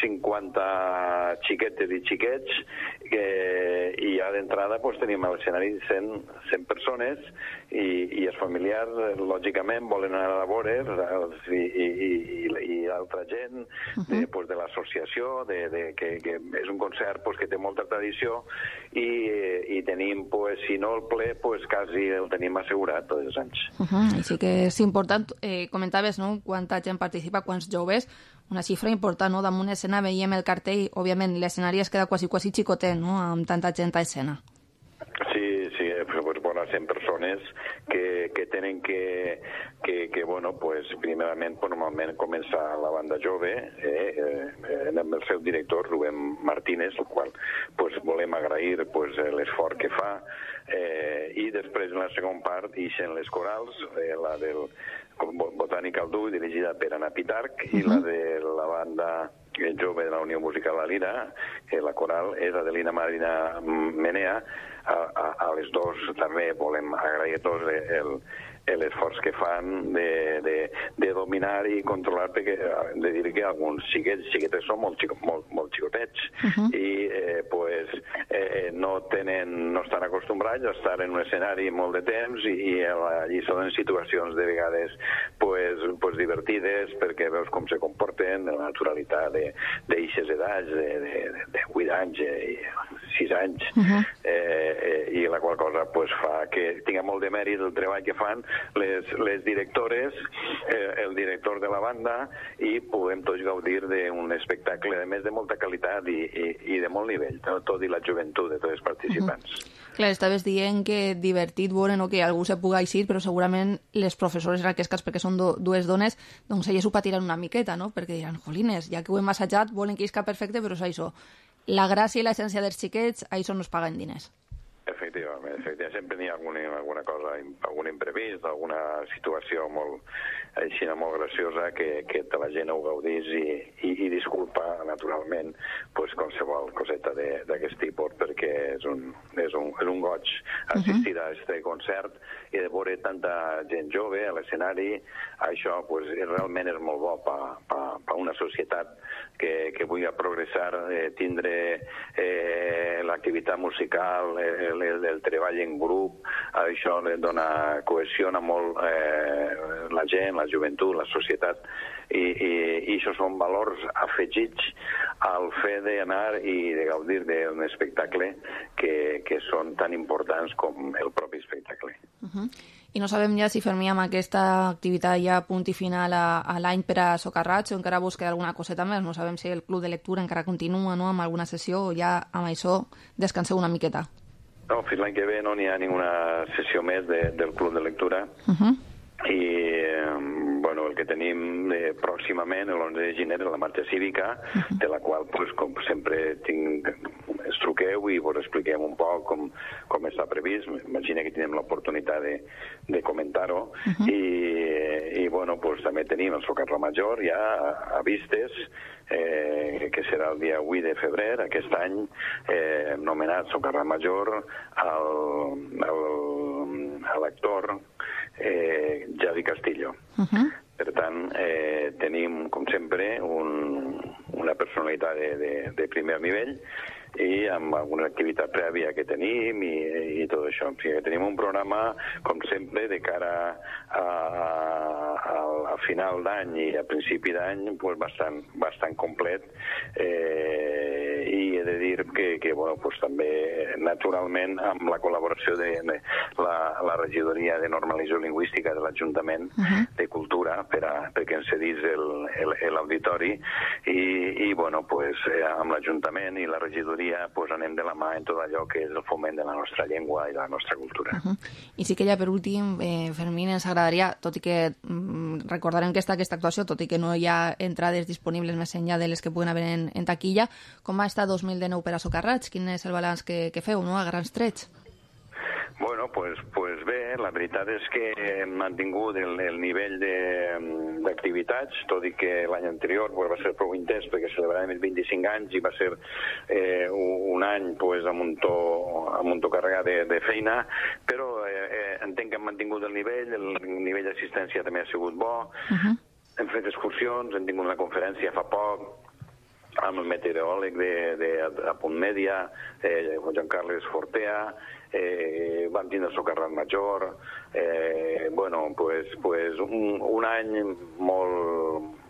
50 xiquetes i xiquets, i ja d'entrada tenim a l'escenari 100 persones i els familiars, lògicament, volen anar a veure's i altra gent de l'associació, que és un concert que té molta tradició i tenim, si no el ple, quasi el tenim assegurat tots els anys. Així que és important, comentaves, no?, quanta gent participa, quants joves, una xifra important, no? Damunt escena veiem el cartell, òbviament l'escenari es queda quasi xicotet, no?, amb tanta gent a escena. Sí, vora 100 persones que tenen que primerament, normalment comença la banda jove amb el seu director, Rubén Martínez, el qual volem agrair l'esforç que fa, i després en la segona part ixen les corals, la del Botànica al Duc, dirigida per Anna Pitarch, i la de la banda jove de la Unió Musical La Lira, la coral és Adelina Marina Menea. A les dos també volem agrair a tots l'esforç que fan de dominar i controlar, perquè hem de dir que alguns xiquetes són molt xicotets i no estan acostumbrats a estar en un escenari molt de temps i allí són en situacions de vegades divertides, perquè veus com se comporten, la naturalitat d'eixes edats, de 8 anys i 6 anys, i la qual cosa fa que tinga molt de mèrit el treball que fan les directores, el director de la banda, i puguem tots gaudir d'un espectacle, a més, de molta qualitat i de molt nivell, tot i la joventut de tots els participants. Clar, estaves dient que divertit veure que algú se pugui eixir, però segurament les professores en aquest cas, perquè són dues dones, doncs elles ho patiran una miqueta, no? Perquè diran, jolines, ja que ho hem assajat, volen que isca perfecte, però és això. La gràcia i l'essència dels xiquets, això no es paguen diners. Efectivament, sempre n'hi ha alguna cosa, algun imprevist, alguna situació molt graciosa que la gent ho gaudís i disculpa, naturalment, qualsevol coseta d'aquest tipus, perquè és un goig assistir a aquest concert i de veure tanta gent jove a l'escenari. Això realment és molt bo per una societat que vulgui progressar, tindre l'activitat musical, el treball en grup. Això dona cohesiona molt la gent, la joventut, la societat, i això són valors afegits al fet d'anar i de gaudir d'un espectacle que són tan importants com el propi espectacle. I no sabem ja si Fermí amb aquesta activitat ja punt i final a l'any per a Socarrats o encara busca alguna coseta més. No sabem si el club de lectura encara continua amb alguna sessió o ja amb això descanseu una miqueta. No, fins l'any que ve no n'hi ha ninguna sessió més del club de lectura. I el que tenim pròximament, l'11 de gener, la marxa cívica, de la qual, com sempre, ens truqueu i vos expliquem un poc com està previst. Imagina que tenim l'oportunitat de comentar-ho. I també tenim el Socarrà Major ja a vistes, que serà el dia 8 de febrer, aquest any, nomenat Socarrà Major a l'actor Javi Castillo. Per tant, tenim, com sempre, una personalitat de primer nivell i amb alguna activitat prèvia que tenim i tot això. O sigui, tenim un programa, com sempre, de cara a final d'any i a principi d'any bastant complet, i he de dir que també, naturalment, amb la col·laboració de la regidoria de normalització lingüística de l'Ajuntament de Cultura perquè ens cedís l'auditori i amb l'Ajuntament i la regidoria anem de la mà en tot allò que és el foment de la nostra llengua i de la nostra cultura. I sí que ja per últim, Fermín, ens agradaria, tot i que recordarem que està aquesta actuació, tot i que no hi ha entrades disponibles més enllà de les que puguen haver en taquilla, com va estar 2019 per a Socarrats? Quin és el balanç que feu, a grans trets? Bueno, pues bé, la veritat és que hem mantingut el nivell d'activitats, tot i que l'any anterior va ser prou intens perquè celebràvem els 25 anys i va ser un any amb un to carregat de feina, però entenc que hem mantingut el nivell d'assistència també ha sigut bo. Hem fet excursions, hem tingut una conferència fa poc amb el meteoròleg de Punt Mèdia, Joan Carles Fortea, vam tindre el Socarrat Major, un any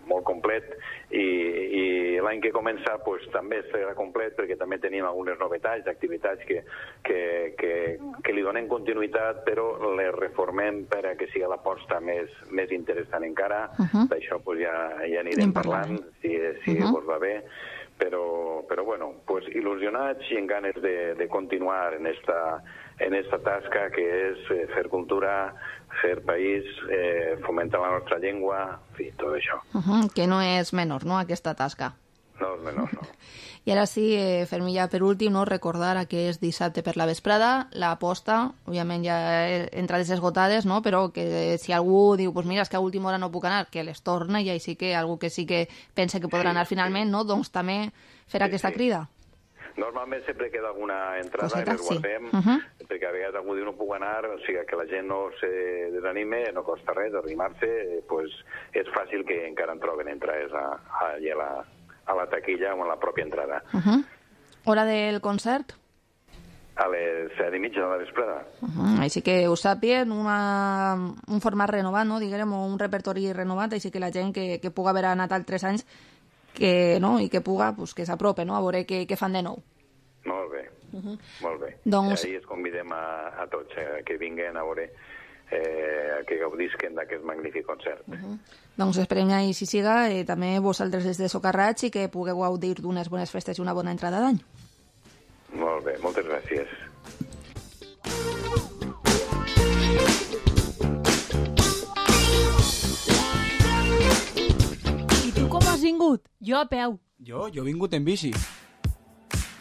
molt complet, i l'any que comença també serà complet perquè també tenim algunes novetats, activitats que li donem continuïtat, però les reformem per a que sigui l'aposta més interessant encara. D'això ja anirem parlant, si vos va bé. Però il·lusionats i en ganes de continuar en esta tasca que és fer cultura, fer país, fomentar la nostra llengua, en fi, tot això. Que no és menor, no?, aquesta tasca. No és menor, no. I ara sí, Fermí, ja per últim, recordar que és dissabte per la vesprada, l'aposta, òbviament ja entrades esgotades, però que si algú diu, mira, és que a última hora no puc anar, que les torna, i així que algú que sí que pensa que podrà anar finalment, doncs també fer aquesta crida. Normalment sempre queda alguna entrada i les guardem, perquè a vegades algú diu no puc anar, o sigui que la gent no se desanime, no costa res arribar-se, pues és fàcil que encara en troben entrades allà a la taquilla o a la pròpia entrada. Hora del concert? A les 7:30 de la vesprada. Així que ho sàpien, un format renovat, no? Diguem, un repertori renovat, així que la gent que puga haver anat altres anys i que puga, pues, que s'aprope, no? A veure què fan de nou. Molt bé, molt bé. Doncs... Ahir es convidem a tots que vinguen a veure, que gaudisquen d'aquest magnífic concert. Doncs esperem que així siga, també vosaltres des de Socarrats i que pugueu gaudir d'unes bones festes i una bona entrada d'any. Molt bé, moltes gràcies. I tu com has vingut? Jo a peu. Jo he vingut en bici.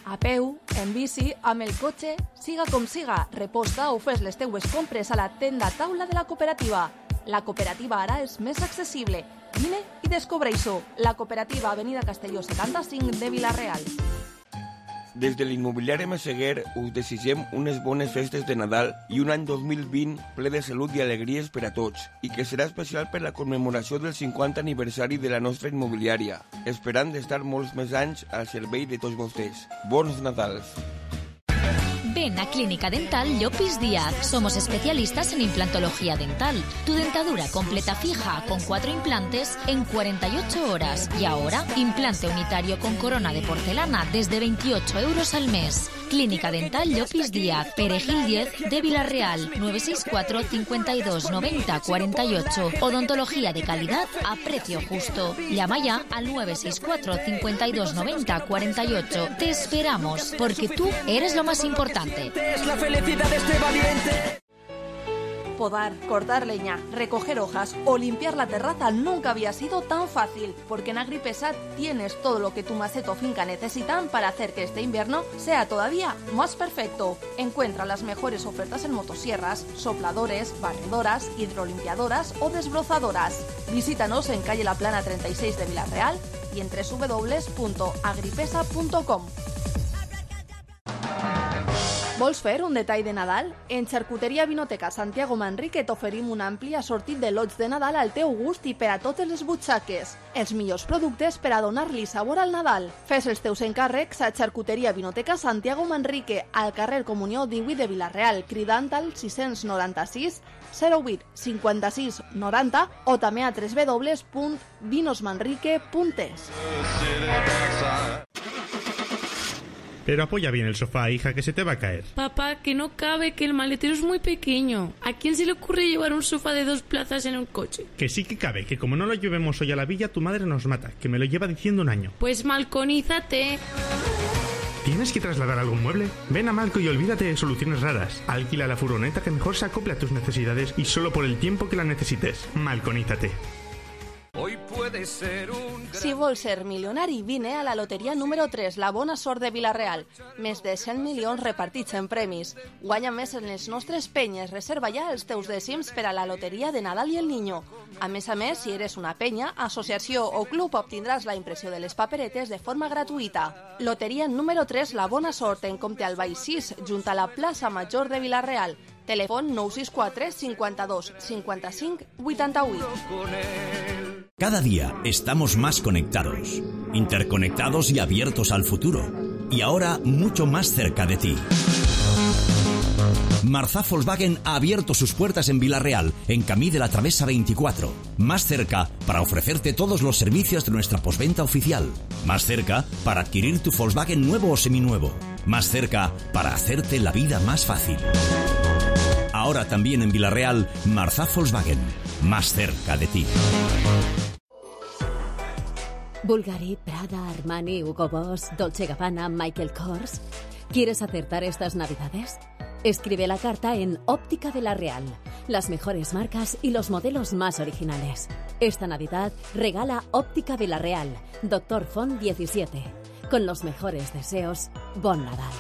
A peu, en bici, amb el cotxe, siga com siga, reposta o fes les teues compres a la tenda taula de la cooperativa. La cooperativa ara és més accessible. Vine i descobreix-ho. La cooperativa Avenida Castelló 75 de Vila-real. Des de l'immobiliari Meseguer us desitgem unes bones festes de Nadal i un any 2020 ple de salut i alegries per a tots, i que serà especial per la commemoració del 50 aniversari de la nostra immobiliària, esperant d'estar molts més anys al servei de tots vostès. Bons Nadals! Ven a Clínica Dental Llopis Díaz. Somos especialistas en implantología dental. Tu dentadura completa fija con 4 implantes en 48 horas. Y ahora, implante unitario con corona de porcelana desde 28 euros al mes. Clínica Dental Llopis Díaz, Perejil 10 de Vila-real, 964 52 90 48. Odontología de calidad a precio justo. Llama ya al 964 52 90 48. Te esperamos, porque tú eres lo más importante. Es la felicidad de este valiente. Podar, cortar leña, recoger hojas o limpiar la terraza nunca había sido tan fácil, porque en Agripesa tienes todo lo que tu maceta o finca necesitan para hacer que este invierno sea todavía más perfecto. Encuentra las mejores ofertas en motosierras, sopladores, barredoras, hidrolimpiadoras o desbrozadoras. Visítanos en calle La Plana 36 de Vila-real y en www.agripesa.com. Vols fer un detall de Nadal? En Xarcuteria Vinoteca Santiago Manrique t'oferim un ampli assortit de lots de Nadal al teu gust i per a totes les butxaques. Els millors productes per a donar-li sabor al Nadal. Fes els teus encàrrecs a Xarcuteria Vinoteca Santiago Manrique, al carrer Comunió 18 de Vila-real, cridant al 696 08 56 90 o també a www.vinosmanrique.es. Pero apoya bien el sofá, hija, que se te va a caer. Papá, que no cabe, que el maletero es muy pequeño. ¿A quién se le ocurre llevar un sofá de 2 plazas en un coche? Que sí que cabe, que como no lo llevemos hoy a la villa, tu madre nos mata, que me lo lleva diciendo un año. Pues malconízate. ¿Tienes que trasladar algún mueble? Ven a Malco y olvídate de soluciones raras. Alquila la furgoneta que mejor se acople a tus necesidades y solo por el tiempo que la necesites. Malconízate. Hoy puede ser un... Si vols ser milionari, vine a la loteria número 3, la bona sort de Vila-real. Més de 100 milions repartits en premis. Guanya més en les nostres penyes. Reserva ja els teus dècims per a la loteria de Nadal i el Niño. A més, si eres una penya, associació o club, obtindràs la impressió de les paperetes de forma gratuïta. Loteria número 3, la bona sort, en Comte al Baix 6, junt a la plaça Major de Vila-real. Telèfon 964 52 55 88. Cada día estamos más conectados, interconectados y abiertos al futuro. Y ahora mucho más cerca de ti. Marzá Volkswagen ha abierto sus puertas en Vila-real, en Camí de la Travesa 24. Más cerca para ofrecerte todos los servicios de nuestra postventa oficial. Más cerca para adquirir tu Volkswagen nuevo o seminuevo. Más cerca para hacerte la vida más fácil. Ahora también en Vila-real, Marzá Volkswagen. Más cerca de ti. Bulgari, Prada, Armani, Hugo Boss, Dolce & Gabbana, Michael Kors. ¿Quieres acertar estas Navidades? Escribe la carta en Óptica Vila-real. Las mejores marcas y los modelos más originales. Esta Navidad regala Óptica Vila-real, Dr. Font 17. Con los mejores deseos, Bon Nadal.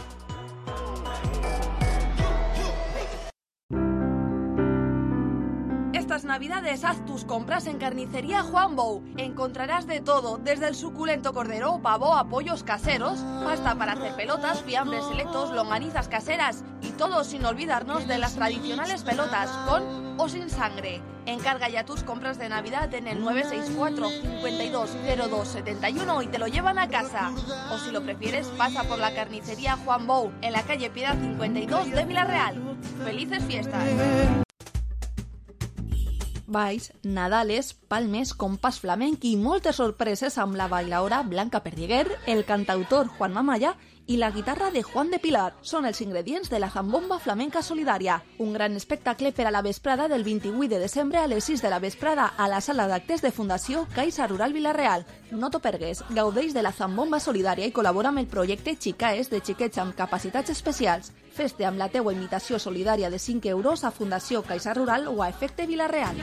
Estas navidades haz tus compras en Carnicería Juan Bou. Encontrarás de todo, desde el suculento cordero, pavo a pollos caseros, pasta para hacer pelotas, fiambres selectos, longanizas caseras y todo sin olvidarnos de las tradicionales pelotas, con o sin sangre. Encarga ya tus compras de Navidad en el 964 5202 71 y te lo llevan a casa. O si lo prefieres, pasa por la Carnicería Juan Bou, en la calle Piedad 52 de Villarreal. ¡Felices fiestas! Balls, Nadales, Palmes, compàs flamenc i moltes sorpreses amb la bailaora Blanca Perdiguer, el cantautor Juan Mamaya i la guitarra de Juan de Pilar. Són els ingredients de la Zambomba Flamenca Solidària, un gran espectacle per a la vesprada del 28 de desembre a les 6 de la vesprada a la sala d'actes de Fundació Caixa Rural Villarreal. No t'ho pergues, gaudeix de la Zambomba Solidària i col·labora amb el projecte Xicaes de xiquets amb capacitats especials. Fes-te amb la teua invitació solidària de 5 euros a Fundació Caixa Rural o a Efecte Villarreal.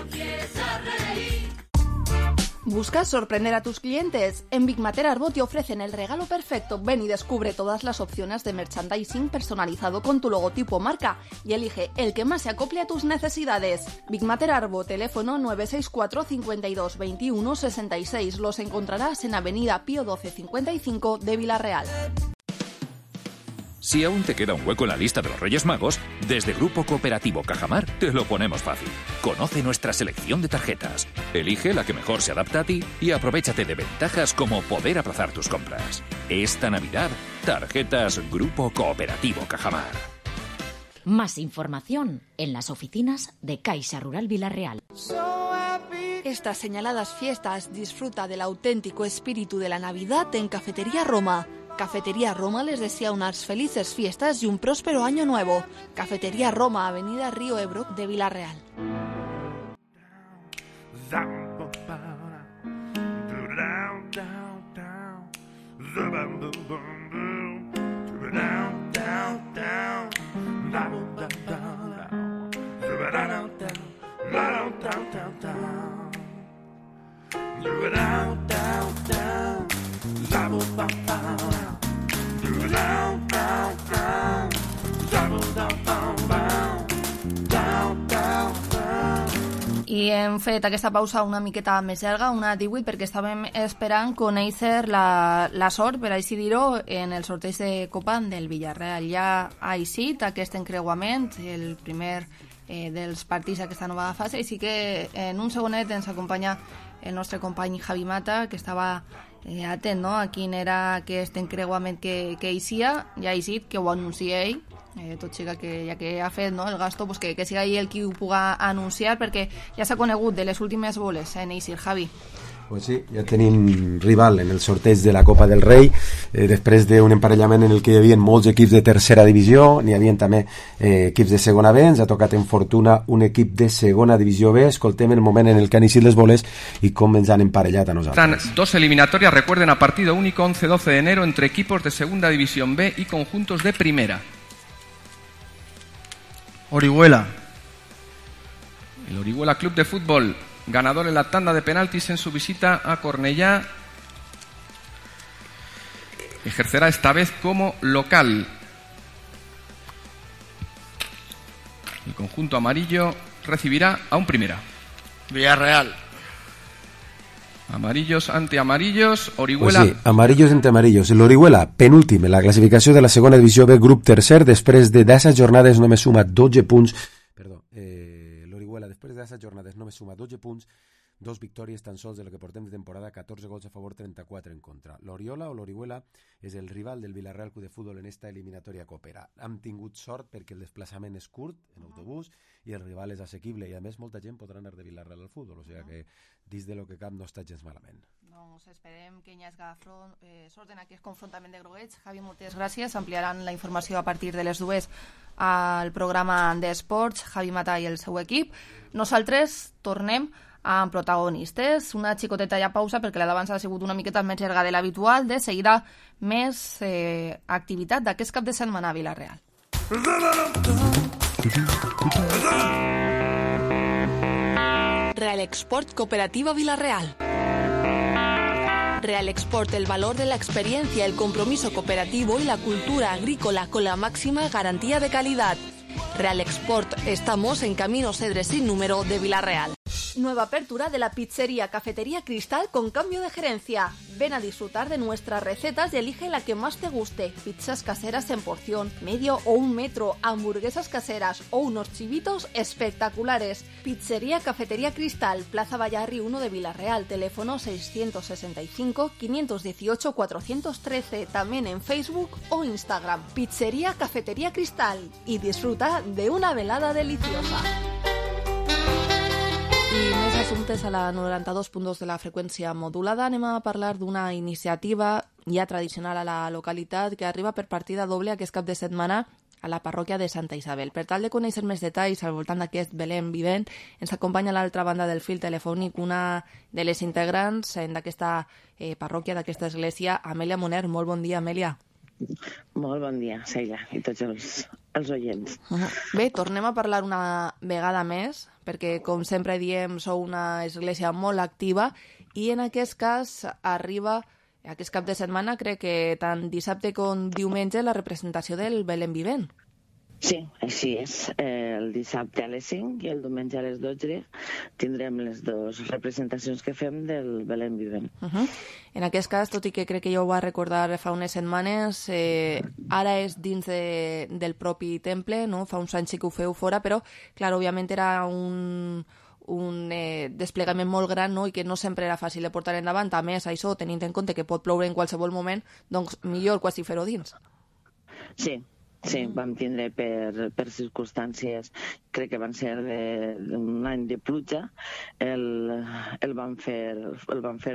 ¿Buscas sorprender a tus clientes? En Big Mater Arbo te ofrecen el regalo perfecto. Ven y descubre todas las opciones de merchandising personalizado con tu logotipo o marca y elige el que más se acople a tus necesidades. Big Mater Arbo, teléfono 964 52 21 66. Los encontrarás en Avenida Pío 12 55 de Villarreal. Si aún te queda un hueco en la lista de los Reyes Magos, desde Grupo Cooperativo Cajamar te lo ponemos fácil. Conoce nuestra selección de tarjetas, elige la que mejor se adapta a ti y aprovéchate de ventajas como poder aplazar tus compras. Esta Navidad, tarjetas Grupo Cooperativo Cajamar. Más información en las oficinas de Caixa Rural Villarreal. Estas señaladas fiestas disfruta del auténtico espíritu de la Navidad en Cafetería Roma. Cafetería Roma les desea unas felices fiestas y un próspero año nuevo. Cafetería Roma, Avenida Río Ebro de Villarreal. I hem fet aquesta pausa una miqueta més llarga, una 18, perquè estàvem esperant conèixer la sort, per així dir-ho, en el sorteig de Copa del Villarreal. Ja ha eixit aquest encreuament, el primer dels partits d'aquesta nova fase, i sí que en un segonet ens acompanya el nostre company Javi Mata, que estava atent, no?, a quin era aquest encreuament que eixia. Ja ha eixit, que ho anuncia ell, tot siga que ja que ha fet, no, el gasto, pues que siga ell el qui ho puga anunciar, perquè ja s'ha conegut de les últimes boles en eixir. Javi. Pues sí, ja tenim rival en el sorteig de la Copa del Rei, després d'un emparellament en el que hi havia molts equips de tercera divisió, n'hi havia també equips de segona B. Ens ha tocat en fortuna un equip de segona divisió B. Escoltem el moment en el que han eixit les boles i com ens han emparellat a nosaltres. Están dos eliminatorias, recuerden, a partido único 11-12 de enero entre equipos de segunda división B y conjuntos de primera. Orihuela. El Orihuela Club de Fútbol, ganador en la tanda de penaltis en su visita a Cornellá, ejercerá esta vez como local. El conjunto amarillo recibirá a un primera. Villarreal. Amarillos ante amarillos, Orihuela... Pues sí, amarillos ante amarillos. L'Orihuela, penúltim en la classificació de la segona divisió B, grup tercer, després de 10 jornades només suma 12 punts. Perdó, l'Orihuela després de 10 jornades només suma 12 punts, 2 victòries tan sols de lo que portem de temporada, 14 gols a favor, 34 en contra. L'Oriola o l'Orihuela és el rival del Villarreal Club de Futbol en esta eliminatòria Coopera. Hem tingut sort perquè el desplaçament és curt, en autobús, i el rival és assequible, i a més molta gent podrà anar de Villarreal al futbol, o sigui que dins de lo que cap no està gens malament. Doncs esperem que hi hagi sort en aquest confrontament de groguets. Javi, moltes gràcies. Ampliaran la informació a partir de les 2 al programa d'esports, Javi Mata i el seu equip. Nosaltres tornem amb protagonistes. Una xicoteta ja pausa perquè la d'abans ha sigut una miqueta més llarga de l'habitual. De seguida més activitat d'aquest cap de setmana a Villarreal. Real Export Cooperativa Villarreal. Real Export, el valor de la experiencia, el compromiso cooperativo y la cultura agrícola con la máxima garantía de calidad. Real Export, estamos en Camino Cedres sin número de Villarreal. Nueva apertura de la pizzería Cafetería Cristal con cambio de gerencia. Ven a disfrutar de nuestras recetas y elige la que más te guste. Pizzas caseras en porción, medio o 1 metro, hamburguesas caseras o unos chivitos espectaculares. Pizzería Cafetería Cristal, Plaza Vallarri 1 de Villarreal, teléfono 665-518-413, también en Facebook o Instagram. Pizzería Cafetería Cristal y disfruta de una velada deliciosa. I més assumptes a la 92.2 de la freqüència modulada. Anem a parlar d'una iniciativa ja tradicional a la localitat que arriba per partida doble aquest cap de setmana a la parròquia de Santa Isabel. Per tal de conèixer més detalls al voltant d'aquest Belén vivent, ens acompanya a l'altra banda del fil telefònic una de les integrants d'aquesta parròquia, d'aquesta església, Amèlia Moner. Molt bon dia, Amèlia. Molt bon dia, Sheila, i tots els oients. Bé, tornem a parlar una vegada més, perquè, com sempre diem, sou una església molt activa i en aquest cas arriba, aquest cap de setmana, crec que tant dissabte com diumenge, la representació del Belén vivent. Sí, així és. El dissabte a les 5 i el diumenge a les 12 tindrem les dues representacions que fem del Belén vivent. En aquest cas, tot i que crec que ja ho va recordar fa unes setmanes, ara és dins del propi temple, no? Fa uns anys sí que ho feu fora, però, clar, òbviament era un desplegament molt gran, no? I que no sempre era fàcil de portar endavant. A més, això, tenint en compte que pot ploure en qualsevol moment, doncs millor quasi fer-ho dins. Sí, vam tindre per circumstàncies, crec que van ser d'un any de pluja, el van fer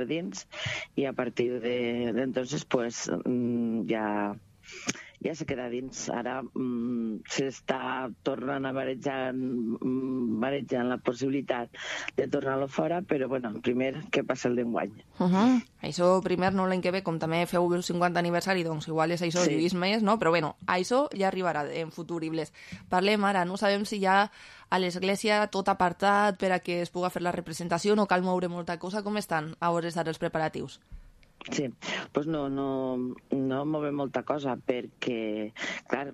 dins i a partir d'entonces pues ja se queda dins. Ara s'està tornant a barejant la possibilitat de tornar-lo fora, però bueno, primer que passa el d'enguany. Això primer, no, l'any que ve, com també feu el 50 aniversari, doncs igual és això, lluís més, no? Però bueno, això ja arribarà en futuribles. Parlem ara, no sabem si ja a l'església tot apartat per a que es puga fer la representació, no cal moure molta cosa. Com estan a hores d'ara els preparatius? Sí, doncs no movem molta cosa perquè, clar,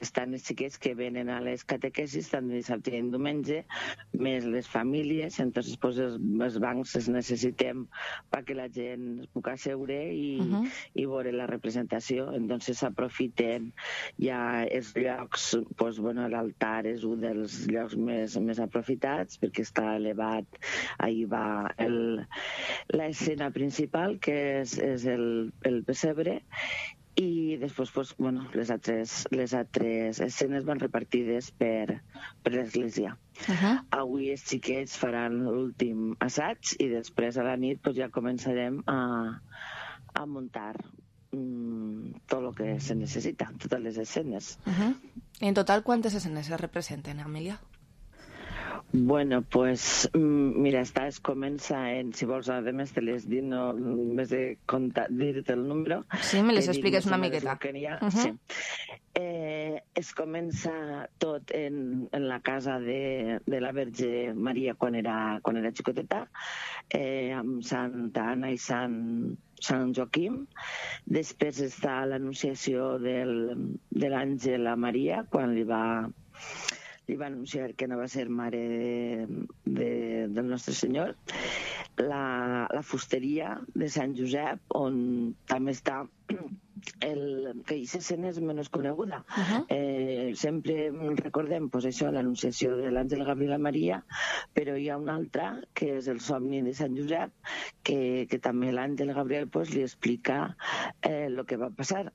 estan els xiquets que venen a les catequesis tant dissabte i diumenge, més les famílies, entonces pues, els bancs els necessitem perquè la gent es pugui asseure i veure la representació. Entonces s'aprofiten ja els llocs, pues, bueno, l'altar és un dels llocs més aprofitats perquè està elevat, ahí va l'escena principal, que és el pessebre, i després pues, bueno, les altres escenes van repartides per l'església. Avui els xiquets faran l'últim assaig i després a la nit pues, ja començarem a muntar tot el que se necessita, totes les escenes. En total, quantes escenes se representen, Amèlia? Bueno, pues mira, es comença en, si vols, a més te les dir, no, més de dir-te el número. Sí, me les expliques una miqueta. Sí. Es comença tot en la casa de la Verge Maria quan era xicoteta, amb Santa Anna i Sant Joaquim. Després està l'anunciació de l'àngel a Maria, quan li va anunciar que no va ser mare del nostre Senyor. La fusteria de Sant Josep, on també està que aquesta escena és menys coneguda. Sempre recordem pues, això, l'anunciació de l'àngel Gabriel a Maria, però hi ha una altra, que és el somni de Sant Josep, que també l'àngel Gabriel pues, li explica el que va passar,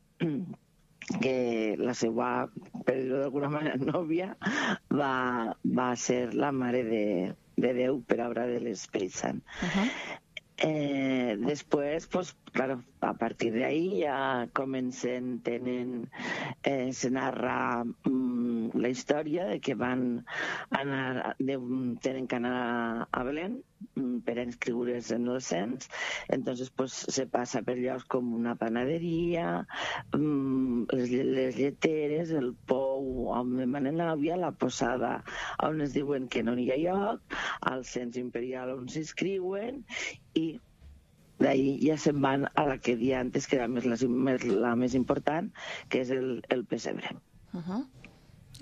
que la seva, per dir-ho d'alguna manera, nòvia va ser la mare de Déu per obra de l'Esperit Sant. Després, pues, claro, a partir d'ahí ja se narra la història de que tenen que anar a Belén per inscriure's en el cens. Entonces pues, se passa per llocs com una panaderia, les lleteres, el pou on demanen l'àvia, la posada on es diuen que no hi ha lloc, al cens imperial on s'inscriuen, i d'ahí ja se'n van a la que dia antes, que era la més important, que és el pessebre.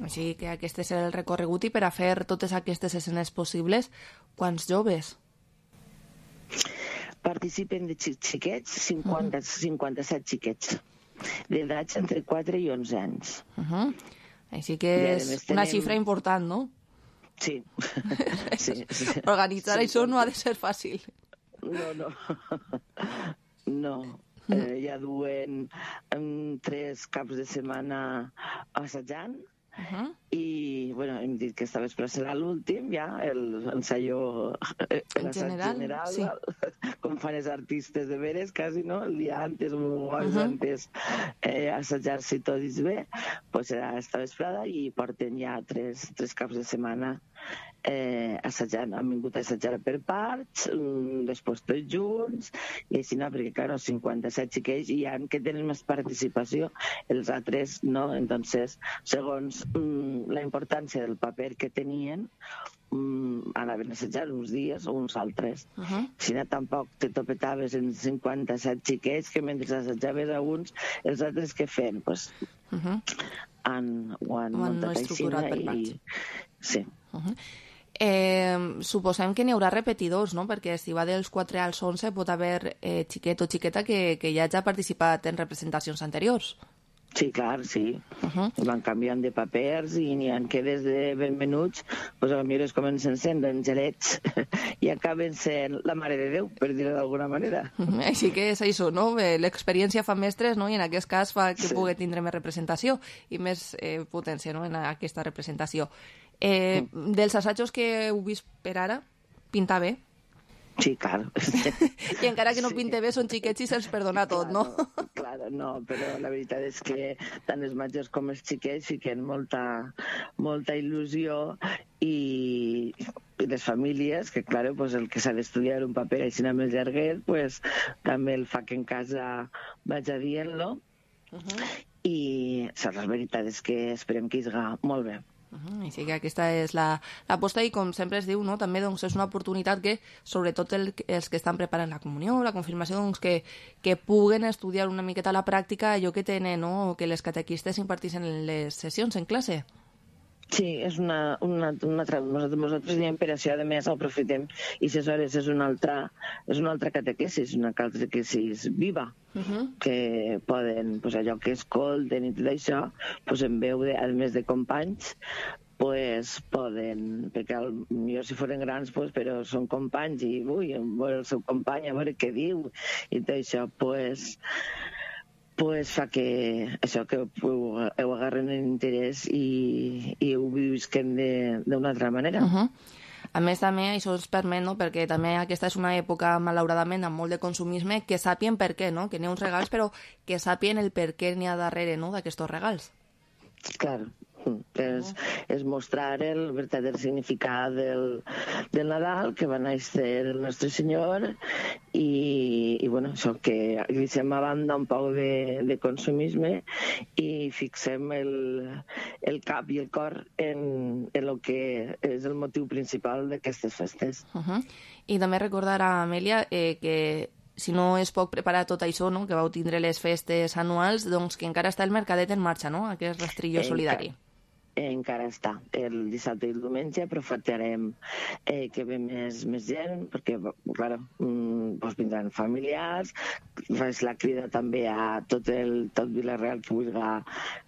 Així que aquest és el recorregut, i per a fer totes aquestes escenes possibles, quants joves? Participen de xiquets, 57 xiquets, d'edats entre 4 i 11 anys. Així que és una xifra important, no? Sí. Organitzar això no ha de ser fàcil. No. Ja duen 3 caps de setmana assajant i hem dit que esta vespre serà l'últim ja, l'ensayo general, sí. Com fan els artistes de veres quasi, no? El dia antes o antes assajar-se tot bé, pues serà esta vesprada i porten ja 3 caps de setmana assajant. Han vingut a assajar per parts, després tots junts, i així no, perquè clar, 57 xiquets hi ha que tenen més participació, els altres no. Entonces, segons la importància del paper que tenien, anaven a assajar uns dies o uns altres. Si no, tampoc te topetaves en 57 xiquets que mentre assajaves a uns, els altres què feien? Pues, han muntat així i... Sí. Suposem que n'hi haurà repetidors, no? Perquè si va dels 4 als 11 pot haver xiquet o xiqueta que ja ha participat en representacions anteriors. Sí, clar, sí. Van canviant de papers i n'hi ha que des de ben menuts, doncs potser es comencen sent angelets i acaben sent la Mare de Déu, per dir-ho d'alguna manera. Així que és això, no? L'experiència fa mestres, no? I en aquest cas fa que pugui tindre més representació i més potència, no? En aquesta representació. Dels assajos que heu vist per ara, pinta bé? Sí, clar. I encara que no pinte bé, són xiquets i se'ls perdona tot, no? Claro, no, però la veritat és que tant els majors com els xiquets fiquen molta il·lusió i les famílies, que clar, pues, el que s'ha d'estudiar un paper així amb el llarguet, pues, també el fa que en casa vaja dient-lo i la veritat és que esperem que isga molt bé. Així que aquesta és l'aposta i com sempre es diu, no? També doncs, és una oportunitat que sobretot els que estan preparant la comunió, la confirmació, doncs, que puguen estudiar una miqueta a la pràctica allò que tenen, no? Que les catequistes imparteixen en les sessions en classe. Sí, és nosaltres diem per això, a més, aprofitem i aleshores és una altra catequesis, una catequesis viva, que poden, pues, allò que escolten i tot això, pues, en veu de, a més de companys, pues, poden, perquè jo si foren grans, pues, però són companys i veure el seu company, a veure què diu i tot això, pues fa que això que ho agarren en interès i ho visquen d'una altra manera. A més, també això ens permet, no? Perquè també aquesta és una època, malauradament, amb molt de consumisme, que sàpien per què, no? Que n'hi ha uns regals, però que sàpien el per què n'hi ha darrere, no? D'aquests regals. Clar, és mostrar el verdader significat del Nadal, que va néixer el nostre Senyor, i bueno, això que deixem a banda un poc de consumisme i fixem el cap i el cor en el que és el motiu principal d'aquestes festes. I també recordar a Amèlia que si no es pot preparar tot això, no? Que vau tindre les festes anuals, doncs que encara està el mercadet en marxa, no? Aquest rastrillo solidari. Encara està. El dissabte i el diumenge aprofitarem que ve més gent, perquè, clar, vindran familiars, faig la crida també a tot Vila-real que vulgui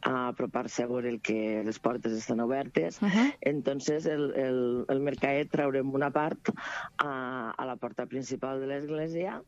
apropar-se a veure que les portes estan obertes. Entonces, el mercadet traurem una part a la porta principal de l'església,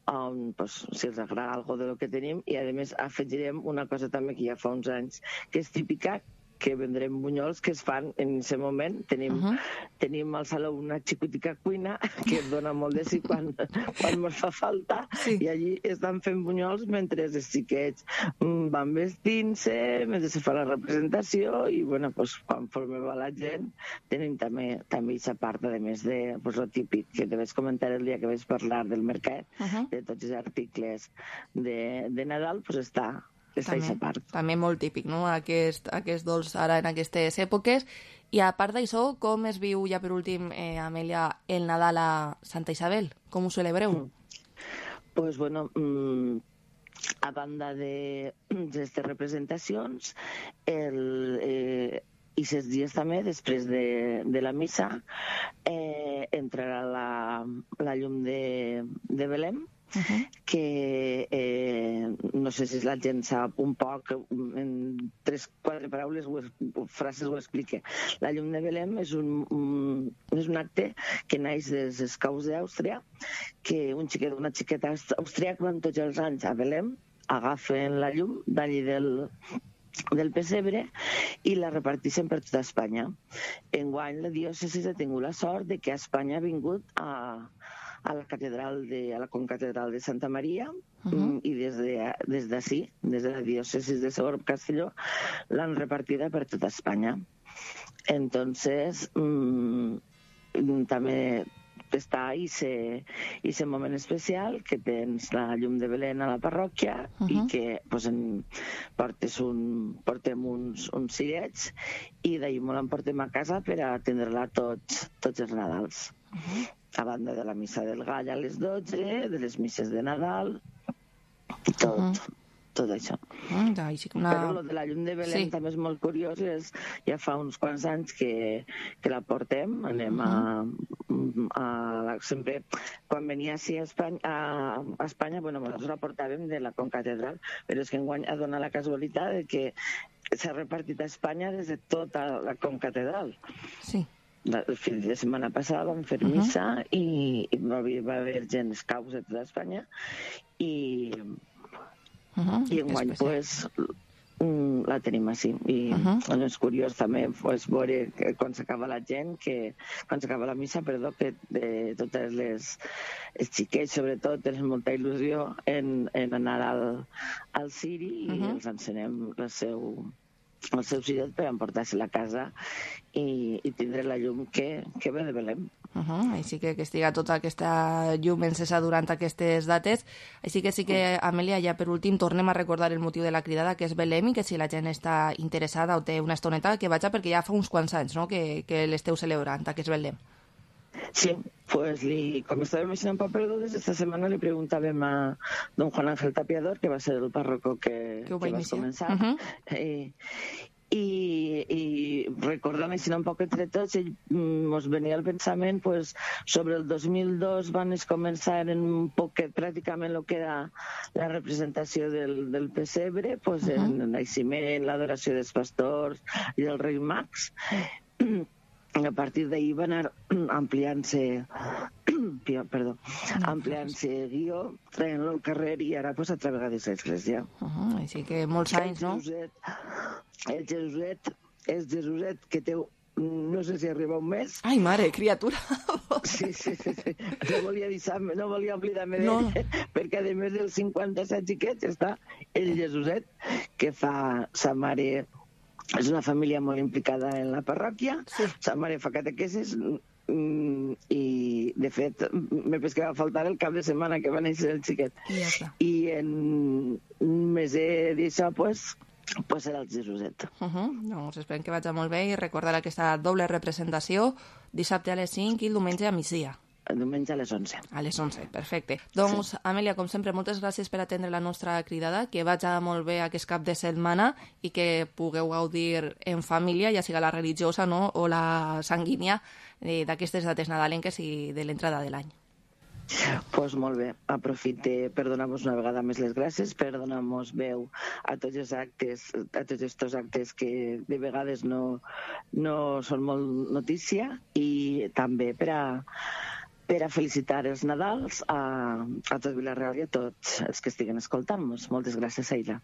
on, pues, si els agrada algo de lo que tenim, i a més afegirem una cosa també que ja fa uns anys que és típica, que vendrem bunyols que es fan en aquest moment. Tenim al saló una xicotica cuina que es dona molt de sí quan ens fa falta, i allí estan fent bunyols mentre els xiquets van vestint-se, mentre se fa la representació, i bueno, pues, conforme va la gent tenim també aquesta part, a més de lo típic que te vaig comentar el dia que vaig parlar del mercat, de tots els articles de Nadal, pues està també molt típic, no? Aquest dolç ara en aquestes èpoques. I a part d'això, com es viu ja per últim, Amèlia, el Nadal a Santa Isabel? Com ho celebreu? Pues bueno, a banda d'aquestes representacions, i 6 dies també després de la missa, entrarà la llum de Belém, que no sé si la gent sap un poc, en 3-4 paraules frases ho explique. La llum de Belém és un acte que naix dels Scouts d'Àustria, que un xiquet o una xiqueta austríac van tots els anys a Belém, agafen la llum d'allí del pessebre i la reparteixen per tota Espanya. Enguany la diòcesi ha tingut la sort de que a Espanya ha vingut a la concatedral de Santa Maria i des d'ací, des de la diòcesi de Segorbe Castelló, l'han repartida per tota Espanya. Entonces, també està aquest moment especial que tens la llum de Belén a la parròquia i que portem uns cirets i d'ahir me l'emportem a casa per a atendre-la tots els Nadals. A banda de la missa del Gall a les 12, de les misses de Nadal, tot això. Però el de la llum de Belén també és molt curiós, ja fa uns quants anys que la portem, anem sempre, quan venia així a Espanya, nosaltres la portàvem de la concatedral, però és que enguany ha donat la casualitat que s'ha repartit a Espanya des de tota la concatedral. Sí. El fin de setmana passada vam fer missa i va haver gent scouts de tota Espanya i enguany la tenim així i és curiós també veure quan s'acaba la gent, quan s'acaba la missa, que de totes les xiquets sobretot tenen molta il·lusió en anar al ciri i els encenem el seu ciret per emportar-se a la casa i tindre la llum que ve de Belém. Així que estiga tota aquesta llum encesa durant aquestes dates. Així que sí que, Amèlia, ja per últim tornem a recordar el motiu de la cridada, que és Belém, i que si la gent està interessada o té una estoneta, que vaja, perquè ja fa uns quants anys, no?, que l'esteu celebrant, aquest Belém. Sí, pues com estàvem així en Paperdudes, esta setmana li preguntàvem a don Juan Ángel Tapiador, que va ser el párroco que va començar, i recordant així un poc entre tots, ens venia el pensament sobre el 2002 van començar un poquet pràcticament el que era la representació del pessebre, en el naixement, l'adoració dels pastors i dels reis mags. A partir d'ahir va anar ampliant-se guió, traient-lo al carrer i ara a través de l'església. Així que molts anys, no? El Jesuset que té, no sé si arriba un mes. Ai, mare, criatura! Sí. No volia oblidar-me d'ell, perquè a més dels 57 xiquets està el Jesuset, que fa sa mare. És una família molt implicada en la parròquia, sa mare fa catequesis i, de fet, me penso que va faltar el cap de setmana que va néixer el xiquet. I en un mes d'això, serà el Jesuset. Doncs esperem que vagi molt bé i recordar aquesta doble representació dissabte a les 5 i el diumenge a migdia. El diumenge a les 11. A les 11, perfecte. Doncs, Amèlia, com sempre, moltes gràcies per atendre la nostra cridada, que vagi molt bé aquest cap de setmana i que pugueu gaudir en família, ja siga la religiosa o la sanguínia, d'aquestes dates nadalenques i de l'entrada de l'any. Doncs molt bé, aprofite per donar-vos una vegada més les gràcies, per donar-nos veu a tots els actes, a tots aquests actes que de vegades no són molt notícia, i també per a felicitar els Nadals a tot Vila-real i a tots els que estiguen escoltant-nos. Moltes gràcies, Aida.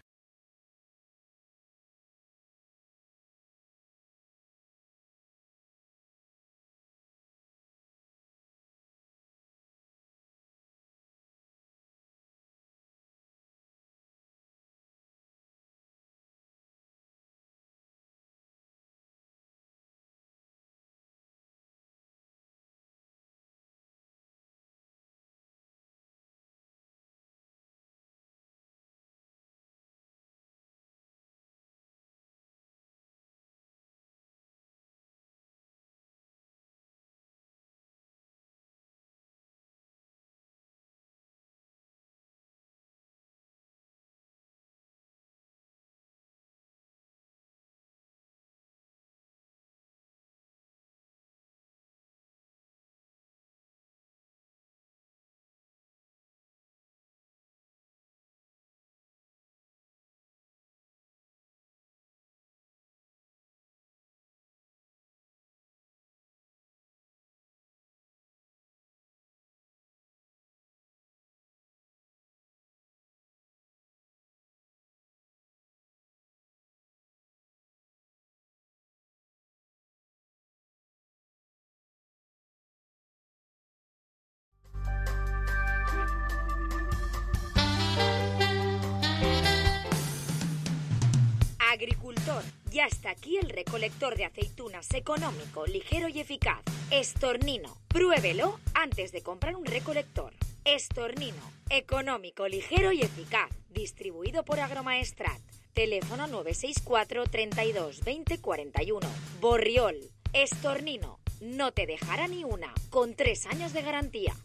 agricultor, ya está aquí el recolector de aceitunas económico, ligero y eficaz. Estornino. Pruébelo antes de comprar un recolector. Estornino. Económico, ligero y eficaz. Distribuido por Agromaestrat. Teléfono 964 32 20 41. Borriol. Estornino. No te dejará ni una. Con 3 años de garantía.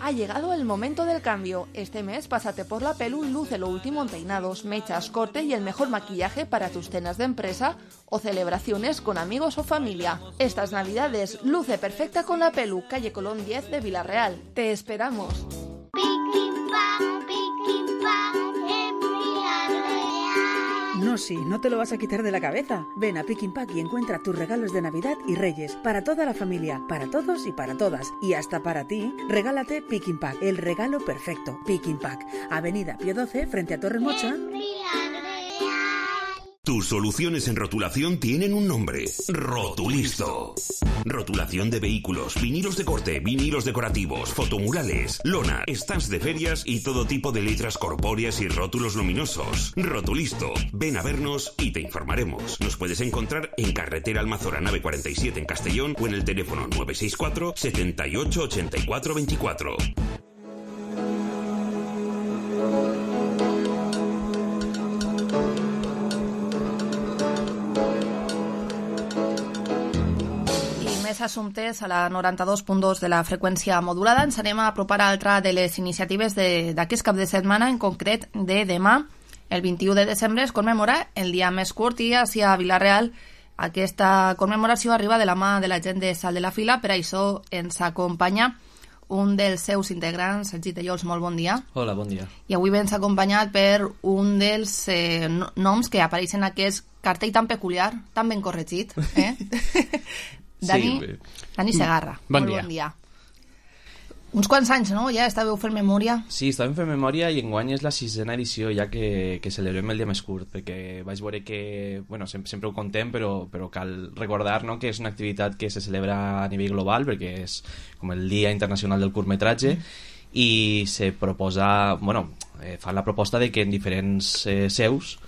Ha llegado el momento del cambio. Este mes pásate por la Pelu y luce lo último en peinados, mechas, corte y el mejor maquillaje para tus cenas de empresa o celebraciones con amigos o familia. Estas navidades luce perfecta con la Pelu, calle Colón 10 de Villarreal. Te esperamos. No, sí, no te lo vas a quitar de la cabeza. Ven a Pick Pack y encuentra tus regalos de Navidad y Reyes. Para toda la familia, para todos y para todas. Y hasta para ti, regálate Pick Pack, el regalo perfecto. Pick Pack, Avenida Pío 12, frente a Torremocha. Tus soluciones en rotulación tienen un nombre: Rotulisto. Rotulación de vehículos, vinilos de corte, vinilos decorativos, fotomurales, lona, stands de ferias y todo tipo de letras corpóreas y rótulos luminosos. Rotulisto. Ven a vernos y te informaremos. Nos puedes encontrar en carretera Almazora nave 47 en Castellón o en el teléfono 964 78 84 24. Assumptes a la 92.2 de la freqüència modulada. Ens anem a apropar a altra de les iniciatives d'aquest cap de setmana, en concret de demà, el 21 de desembre, es commemora el dia més curt i així a Vila-real aquesta commemoració arriba de la mà de la gent de Salt de la Fila. Per això ens acompanya un dels seus integrants, Sergi Tellols, molt bon dia. Hola, bon dia. I avui vens acompanyat per un dels noms que apareixen en aquest cartell tan peculiar, tan ben corregit, Dani Segarra. Bon dia. Uns quants anys, no? Ja estàveu fent memòria. Sí, estàvem fent memòria i enguany és la 6ª edició ja que celebrem el dia més curt, perquè vaig veure que, bueno, sempre ho contem, però cal recordar, no?, que és una activitat que se celebra a nivell global, perquè és com el Dia Internacional del Curtmetratge, i se proposa, bueno, fan la proposta de que en diferents seus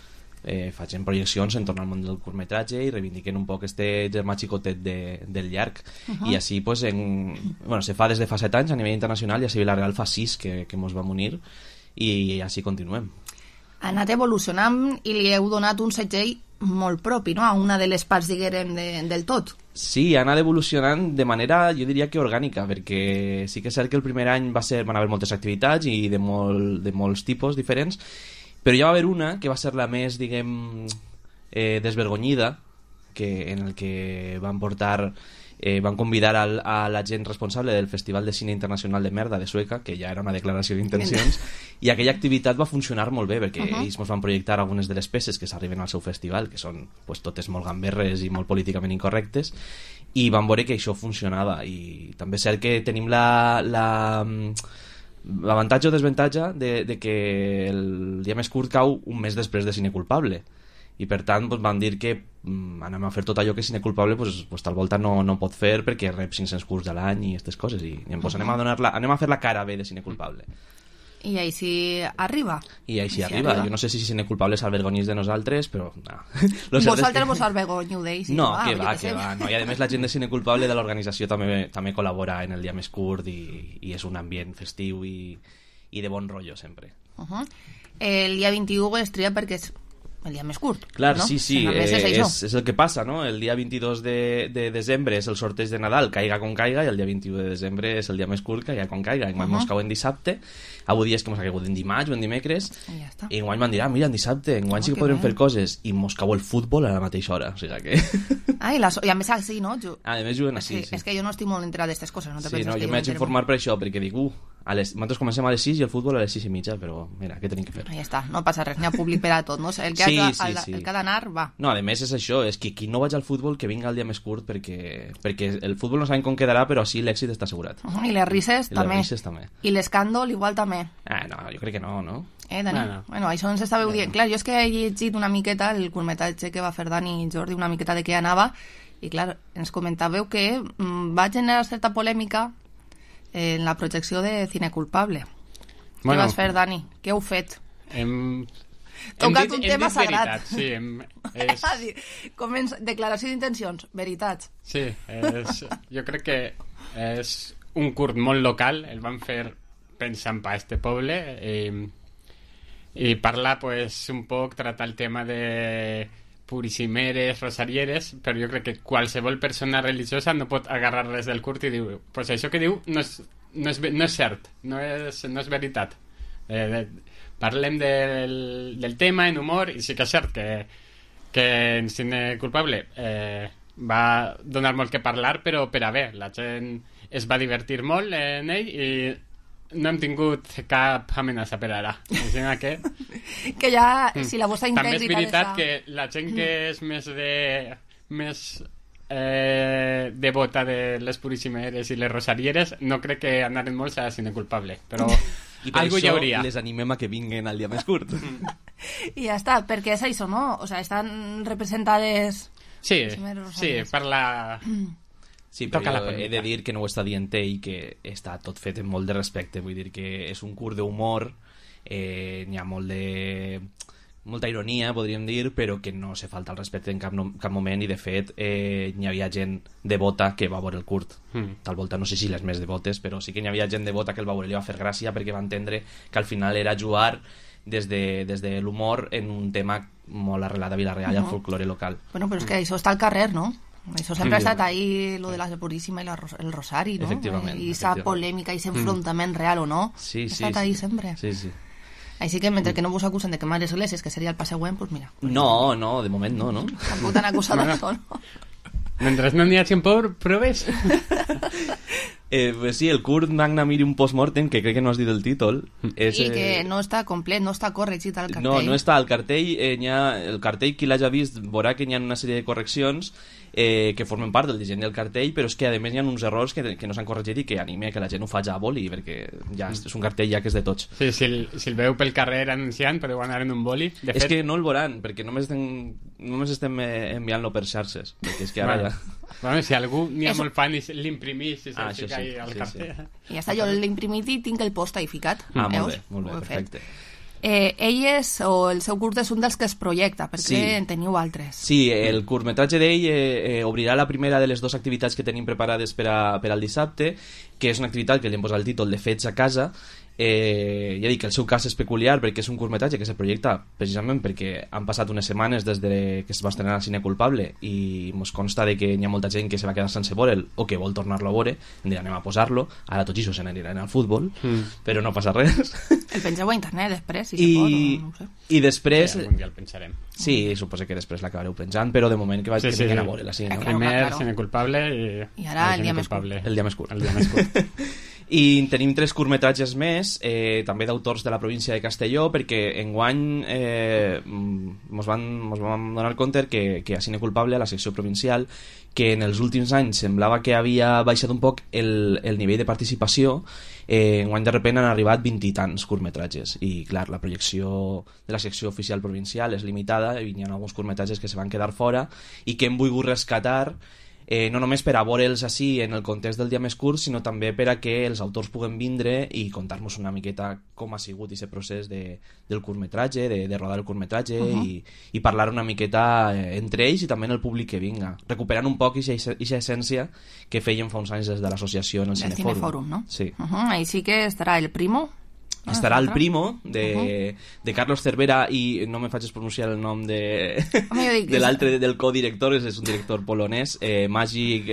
facin projeccions en torno al món del curtmetratge i reivindiquen un poc este germà xicotet del llarg. I així pues, se fa des de fa 7 anys a nivell internacional i a Vila-real fa 6 que mos vam unir i així continuem. Ha anat evolucionant i li heu donat un segell molt propi, no?, a una de les parts, diguem, del tot. Sí, ha anat evolucionant de manera, jo diria que orgànica, perquè sí que és cert que el primer any van haver moltes activitats i de molts tipus diferents, però ja va haver una que va ser la més, diguem, desvergonyida, en el que van convidar a la gent responsable del Festival de Cine Internacional de Merda de Sueca, que ja era una declaració d'intencions, i aquella activitat va funcionar molt bé, perquè ells ens van projectar algunes de les peces que s'arriben al seu festival, que són pues, totes molt gamberres i molt políticament incorrectes, i van veure que això funcionava. I també és cert que tenim l'avantatge o desavantatge de que el dia més curt cau un mes després de Cine Culpable, i per tant pues, van dir que anem a fer tot allò que Cine Culpable pues, tal volta no pot fer perquè rep 500 curts a l'any i aquestes coses, i pues, anem a fer la cara bé de Cine Culpable. I així arriba. I així arriba. Jo no sé si Cine Culpable s'alvergonyís de nosaltres, però no. Vosaltres vos alvergonyiu d'ells. No, que va. No. I a més la gent de Cine Culpable de l'organització també col·labora en el dia més curt i és un ambient festiu i de bon rotllo sempre. El dia 21 es tria perquè és el dia més curt. Clar, no? Sí, és el que passa, no? El dia 22 de desembre és el sorteig de Nadal, caiga com caiga, i el dia 21 de desembre és el dia més curt, caiga com caiga. Enguany mos cau en dissabte, avui és que mos ha caigut en dimarts o en dimecres, i enguany van dir, mira, en dissabte, enguany sí que podrem fer coses, i mos cau el futbol a la mateixa hora, o sigui que... I a més així, no? A més juguen així, sí. És que jo no estic molt enterat d'aquestes coses, no te penses que jo m'haig d'informar per això, perquè dic, nosaltres comencem a les 6 i el futbol a les 6:30, però mira, què tenim que fer? Ja està, no passa res, n'hi ha públic per a tot, no? El que ha d'anar, va. No, a més és això, és que qui no vaig al futbol que vinga el dia més curt, perquè el futbol no sabem com quedarà, però així l'èxit està assegurat. I les risses també. I l'escàndol igual també. No, jo crec que no? Dani? No. Bueno, això ens estàveu dient. Clar, jo és que he llegit una miqueta el curtmetratge que va fer Dani i Jordi, una miqueta de què anava, i clar, ens comentàveu que va generar certa polèmica en la projecció de Cine Culpable. Què vas fer, Dani? Què heu fet? Tocat un tema sagrat. Sí, declaració d'intencions, veritats. Sí, jo crec que és un curt molt local, el van fer pensant per este poble i parlar pues, un poc, tractar el tema de purissimeres, rosarieres, però jo crec que qualsevol persona religiosa no pot agarrar res del curt i diu, pues això que diu no és cert, no és veritat. Parlem del tema en humor i sí que és cert que en Cine Culpable va donar molt que parlar, però per a bé, la gent es va divertir molt en ell i no hem tingut cap amenaça per ara. Que ja, si la vostra integritat... També és veritat que la gent que és més devota de les purissimeres i les rosarieres no crec que anaren molts a Cine Culpable, però i per algú això hi hauria. Les animem a que vinguin al dia més curt. I ja està, perquè és això, no? O sea, estan representades... Sí, per la... Sí, però jo he de dir que no ho està dient ell, que està tot fet amb molt de respecte. Vull dir que és un curt d'humor, n'hi ha molta ironia, podríem dir, però que no se falta el respecte en cap moment, i de fet n'hi havia gent devota que va veure el curt. Tal volta no sé si les més devotes, però sí que n'hi havia gent devota que el va veure i li va fer gràcia perquè va entendre que al final era jugar des de l'humor en un tema molt arrelat a Vila-real i al folklore local. Bueno, però és que això està al carrer, no? Això sempre ha estat ahí, lo de la Puríssima i el Rosari, ¿no? I esa polèmica i ese enfrontament real o no. Sí, ha estat ahí sempre. Sí, sí. Així que mentre que no vos acusen de quemar esglésies, que seria el pas següent, pues mira. No, de moment no. Tampoc t'han acusat d'això, no? Mentre no n'hi hagi proves. Pues sí, el curt Magna Mirium Postmortem, que crec que no has dit el títol, és, i que no està complet, no està corregit al cartell. No està al cartell. El cartell, qui l'hagi vist veurà que hi ha una sèrie de correccions que formen part del disseny del cartell, però és que a més hi ha uns errors que no s'han corregit i que anime que la gent ho faci a boli, perquè ja és un cartell ja que és de tots. Sí, si el veu pel carrer anunciant, podeu anar en un boli. És que no el veuran, perquè només estem enviant-lo per xarxes, perquè és que ara ja... Bueno, si algú n'hi ha molt fan i l'imprimís i se'l fica ahí al cartell. I ja està, jo l'he imprimit i tinc el post ahí ficat. Molt bé, perfecte. Ell o el seu curt és un dels que es projecta, perquè en teniu altres. Sí, el curtmetratge d'ell obrirà la primera de les dues activitats que tenim preparades per al dissabte, que és una activitat que li hem posat el títol de Fets a casa. Ja dic que el seu cas és peculiar perquè és un curtmetratge que se projecta precisament perquè han passat unes setmanes des de que es va estrenar a Cine Culpable i ens consta de que hi ha molta gent que se va quedar sense veure'l o que vol tornar-lo a veure, hem dit anem a posar-lo, ara tots això se n'aniran al futbol, però no passa res. El pengeu a internet després, si se pot, no ho sé. I després... Sí, algun dia el pensarem. Sí, suposo que després l'acabareu penjant, però de moment que vinguin a veure-la, sí, no? Primer Cine Culpable i ara el dia més curt. El dia més curt. I tenim 3 curtmetratges més, també d'autors de la província de Castelló, perquè enguany mos vam donar compte que a Cine Culpable, a la secció provincial, que en els últims anys semblava que havia baixat un poc el nivell de participació, enguany de repent han arribat 20 i tants curtmetratges, i clar, la projecció de la secció oficial provincial és limitada i hi ha alguns curtmetratges que se van quedar fora i que hem volgut rescatar, no només per a veure'ls així en el context del dia més curt, sinó també per a que els autors puguen vindre i contar-nos una miqueta com ha sigut aquest procés del curtmetratge, de rodar el curtmetratge i parlar una miqueta entre ells i també en el públic que vinga, recuperant un poc aquesta essència que fèiem fa uns anys des de l'associació en el Cinefòrum, no? Sí. Ahí sí que estarà el Primo. Estarà el Primo de Carlos Cervera i no me facis pronunciar el nom de l'altre del codirector, és un director polonès, Magic,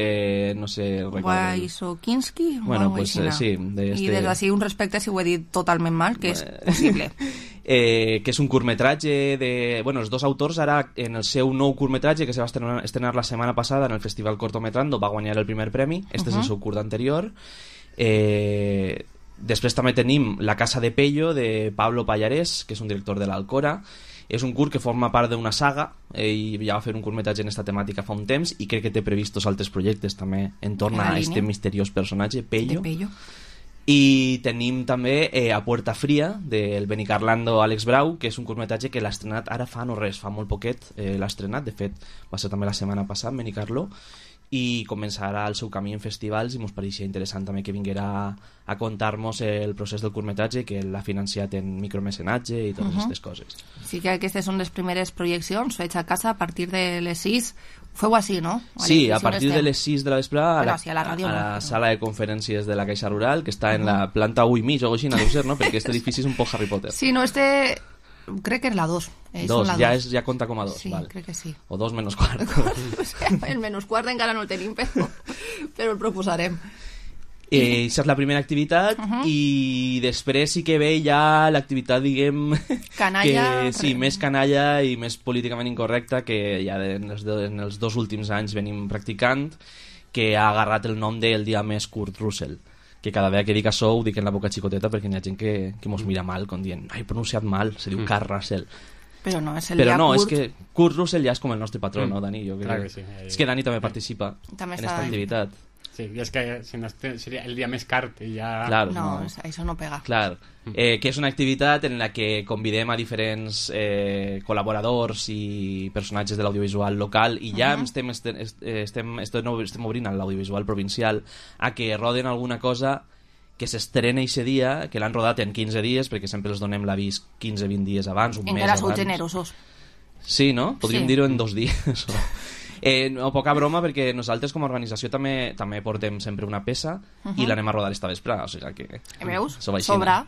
no sé, Wajsokinski, bueno, pues sí, i des d'ací un respecte si ho he dit totalment mal, que és possible. Que és un curtmetratge els dos autors ara en el seu nou curtmetratge que se va estrenar la setmana passada en el Festival Cortometrando va guanyar el primer premi, és el seu curt anterior. Després també tenim La casa de Pello de Pablo Pallarés, que és un director de l'Alcora. És un curt que forma part d'una saga, ell ja va fer un curtmetratge en esta temàtica fa un temps i crec que té previstos altres projectes també entorn a este misteriós personatge, Pello. I tenim també A Puerta Fría, del Benicarlando Àlex Brau, que és un curtmetratge que l'ha estrenat ara fa no res, fa molt poquet l'ha estrenat, de fet va ser també la setmana passada, Benicarlo, i començarà el seu camí en festivals i ens pareixia interessant també que vinguera a contar-nos el procés del curtmetratge, que l'ha financiat en micromecenatge i totes aquestes coses. Sí que aquestes són les primeres projeccions fets a casa a partir de les 6. Feu així, no? Sí, a partir de les 6 de la vesprada a la sala de conferències de la Caixa Rural, que està en la planta 1 i mig o així, no deu ser, no? Perquè aquest edifici és un poc Harry Potter. Sí, no, crec que és la 2. Ja compta com a 2. Sí, val. crec que sí. O 2 menys quart. El menys quart encara no el tenim, però el proposarem. Això és la primera activitat i després sí que ve ja l'activitat, diguem, canalla, més canalla i més políticament incorrecta, que ja en els 2 últims anys venim practicant, que ha agarrat el nom del dia més Kurt Russell, que cada vegada que dic això ho dic en la boca xicoteta perquè hi ha gent que mos mira mal, com dient, he pronunciat mal, se diu Kurt Russell. Però no, és és que Kurt Russell ja és com el nostre patró, no, Dani? Jo crec. Sí. És que Dani també participa en aquesta activitat. Sí, i és que si no seria el dia més cart i ja... Claro, no, això no pega. Clar, que és una activitat en la que convidem a diferents col·laboradors i personatges de l'audiovisual local i ja estem obrint a l'audiovisual provincial a que roden alguna cosa que s'estrena aquest dia, que l'han rodat en 15 dies, perquè sempre els donem l'avís 15-20 dies abans, un mes abans. Encara sou generosos. Sí, no? Podríem dir-ho en 2 dies. No, poca broma, perquè nosaltres com a organització també portem sempre una peça i l'anem a rodar esta vesprada, o sigui que... Veus? Sobra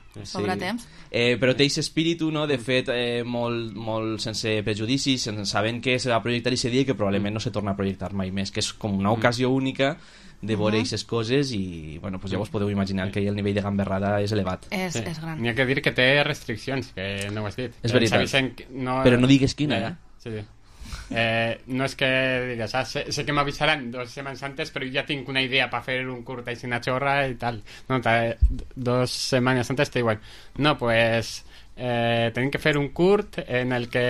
temps. Però té aquest espíritu, no? De fet, molt sense prejudicis, sabent que se va projectar aquest dia i que probablement no se torna a projectar mai més, que és com una ocasió única de veure aquestes coses i, bueno, pues ja us podeu imaginar que el nivell de gamberrada és elevat. És gran. N'hi ha que dir que té restriccions, que no ho has dit. És veritat, però no digues quina, Sí. No és que digues, sé que m'avisaran 2 setmanes antes, però ja tinc una idea per fer un curt així una xorra i tal. No, 2 setmanes antes te diuen, no, pues tenim que fer un curt en el que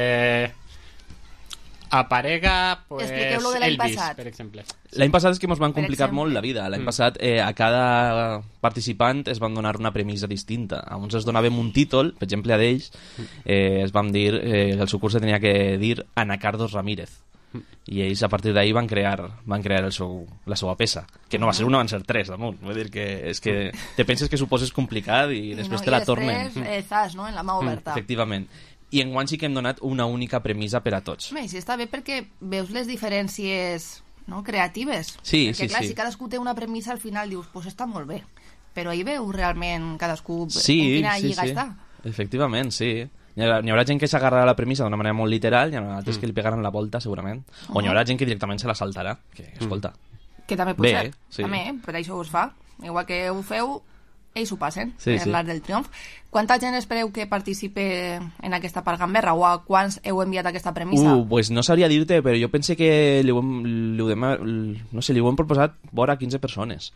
aparega pues, Elvis, per exemple. L'any passat és que ens van complicar molt la vida. L'any passat a cada participant es van donar una premissa distinta. A uns es donàvem un títol, per exemple a d'ells es van dir que el seu curs se tenia que dir Ana Cardos Ramírez. I ells a partir d'ahir van crear la seva peça, que no va ser una, van ser 3 damunt. Vull dir que és que te penses que suposes complicat i després te la tornen. I després zas, no?, en la mà oberta. Efectivament. I enguany sí que hem donat una única premissa per a tots. Sí, està bé perquè veus les diferències, no?, creatives. Sí, perquè, clar, sí. si cadascú té una premissa, al final dius, pues està molt bé. Però ahir veus realment cadascú en quina lliga està. Efectivament, sí. N'hi haurà gent que s'agarrarà la premissa d'una manera molt literal, i hi haurà altres que li pegaran la volta, segurament. O n'hi haurà gent que directament se la saltarà. Que, escolta... Que també pot ser. Sí. També, per això us fa. Igual que ho feu, ells ho passen, sí. l'Arc del Triomf. Quanta gent espereu que participe en aquesta part gamberra o a quants heu enviat aquesta premissa? Pues no sabria dir-te, però jo pense que li ho hem proposat vora 15 persones.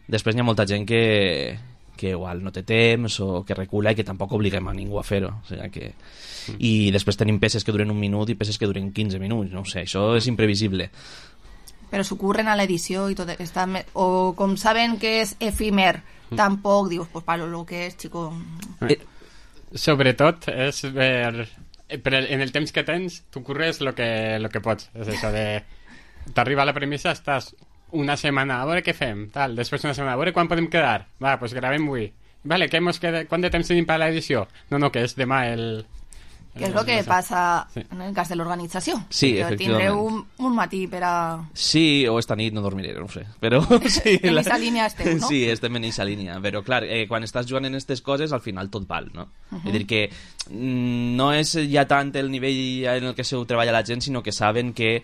Després n'hi ha molta gent que igual no té temps o que recula i que tampoc obliguem a ningú a fer-ho. O sigui que... I després tenim peces que duren 1 minut i peces que duren 15 minuts. No ho sé, això és imprevisible. Però s'ho curren a l'edició i tot està... O com saben que és efímer, tampoc dius, pues para lo que és, chico... Sobretot és ver... Però en el temps que tens, tu curres lo que pots. És això de... T'arriba la premissa, estàs una setmana, a veure què fem, tal. Després una setmana, a veure quan podem quedar. Va, pues gravem avui. Vale, quant de temps tenim per l'edició? No, que és demà el... Que és el que passa en el cas de l'organització. Sí, efectivament. Tindreu un matí per a... Sí, o esta nit no dormiré, no ho sé. Però sí, en aquesta línia esteu, no? Sí, estem en aquesta línia. Però, clar, quan estàs jugant en aquestes coses, al final tot val, no? És a dir, que no és ja tant el nivell en el que se ho treballa la gent, sinó que saben que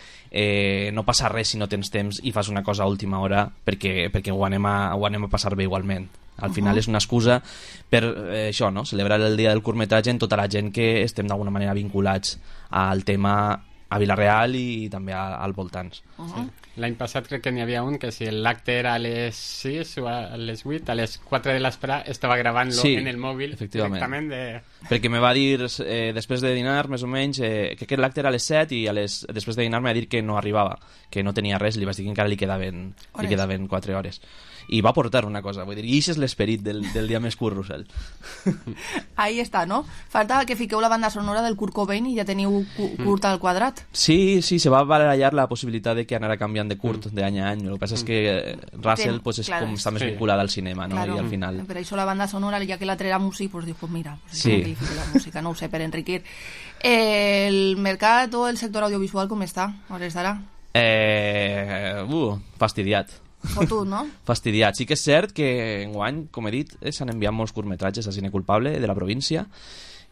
no passa res si no tens temps i fas una cosa a última hora perquè ho anem a passar bé igualment. Al final és una excusa per això, no? Celebrar el dia del curtmetratge en tota la gent que estem d'alguna manera vinculats al tema a Vilareal i també al voltants. Sí. L'any passat crec que n'hi havia un que si l'acte era a les 6 o a les 8, a les 4 de l'esprà estava gravant-lo en el mòbil directament perquè me va dir després de dinar més o menys que l'acte era a les 7 i després de dinar me va dir que no arribava, que no tenia res, li vaig dir que encara li quedaven 4 hores i va portar una cosa, vull dir, i això és l'esperit del dia més curt, Russell. Ahí està, no? Falta que fiqueu la banda sonora del Kurt Cobain i ja teniu Kurt al quadrat. Sí, se va barallar la possibilitat de que anara canviant de Kurt d'any a any. El que passa és que Russell pues, és com està més vinculada al cinema, no? Claro. I al final... Per això la banda sonora, ja que l'altre era músic, pues dius, pues mira, la música, no ho sé, per enriquir. El mercat o el sector audiovisual com està? A hores d'ara? Fastidiat. Fotut, no? Fastidiat. Sí que és cert que enguany, com he dit, s'han enviat molts curtmetratges a Cine Culpable de la província.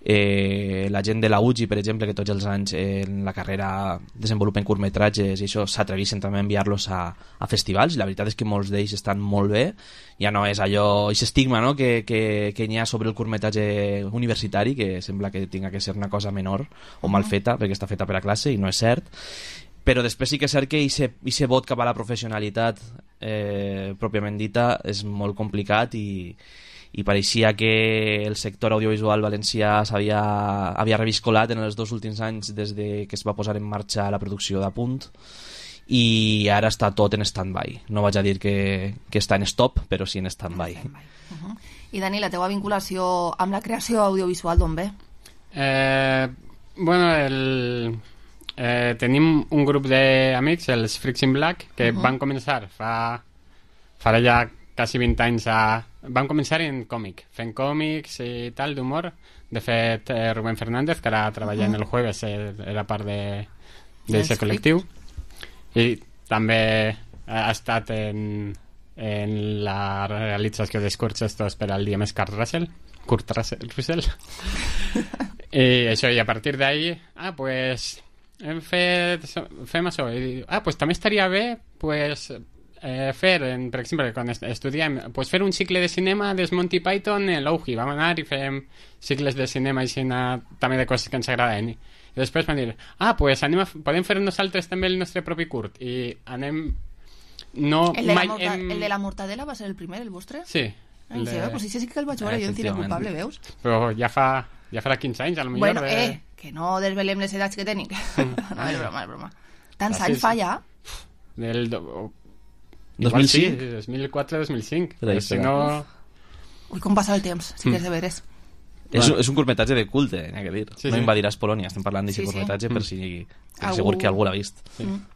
La gent de la UGI, per exemple, que tots els anys en la carrera desenvolupen curtmetratges i això s'atreveixen també a enviar-los a festivals, i la veritat és que molts d'ells estan molt bé. Ja no és allò, aquest estigma, no?, que hi ha sobre el curtmetratge universitari, que sembla que tinga que ser una cosa menor o mal feta perquè està feta per a classe, i no és cert. Però després sí que és cert que aquest vot cap a la professionalitat pròpiament dita és molt complicat i pareixia que el sector audiovisual valencià havia reviscolat en els 2 últims anys des de que es va posar en marxa la producció d'Apunt, i ara està tot en stand-by. No vaig a dir que està en stop, però sí en stand-by. I Dani, la teva vinculació amb la creació audiovisual d'on ve? Tenim un grup d'amics, els Freaks in Black, que van començar farà ja quasi 20 anys van començar en còmic, fent còmics i tal, d'humor. De fet, Rubén Fernández, que ara treballa en El Jueves, era part d'aquest col·lectiu, i també ha estat en la realització dels curts estos per al dia més Kurt Russell. I això, i a partir d'ahí pues fem això, i pues també estaria bé pues fer, per exemple, quan estudiem, pues fer un cicle de cinema des Monty Python en l'Ouhi. Vam anar i fem cicles de cinema i també de coses que ens agraden. I després van dir, pues podem fer nosaltres també el nostre propi curt. I anem... El de la mortadela va ser el primer, el vostre? Sí. Pues sí que el vaig veure jo en Cine Culpable, veus? Però ja farà 15 anys, potser. Bueno, que no desvelem les edats que tenim. No, és broma. Tants anys fa ja? Del... 2005? Sí, 2004-2005. Si no... Ui, com passa el temps, si és de veres. És un curtmetratge de culte, n'hi ha que dir. Sí, no invadiràs Polònia, estem parlant d'aquest curtmetratge per si segur que algú l'ha vist.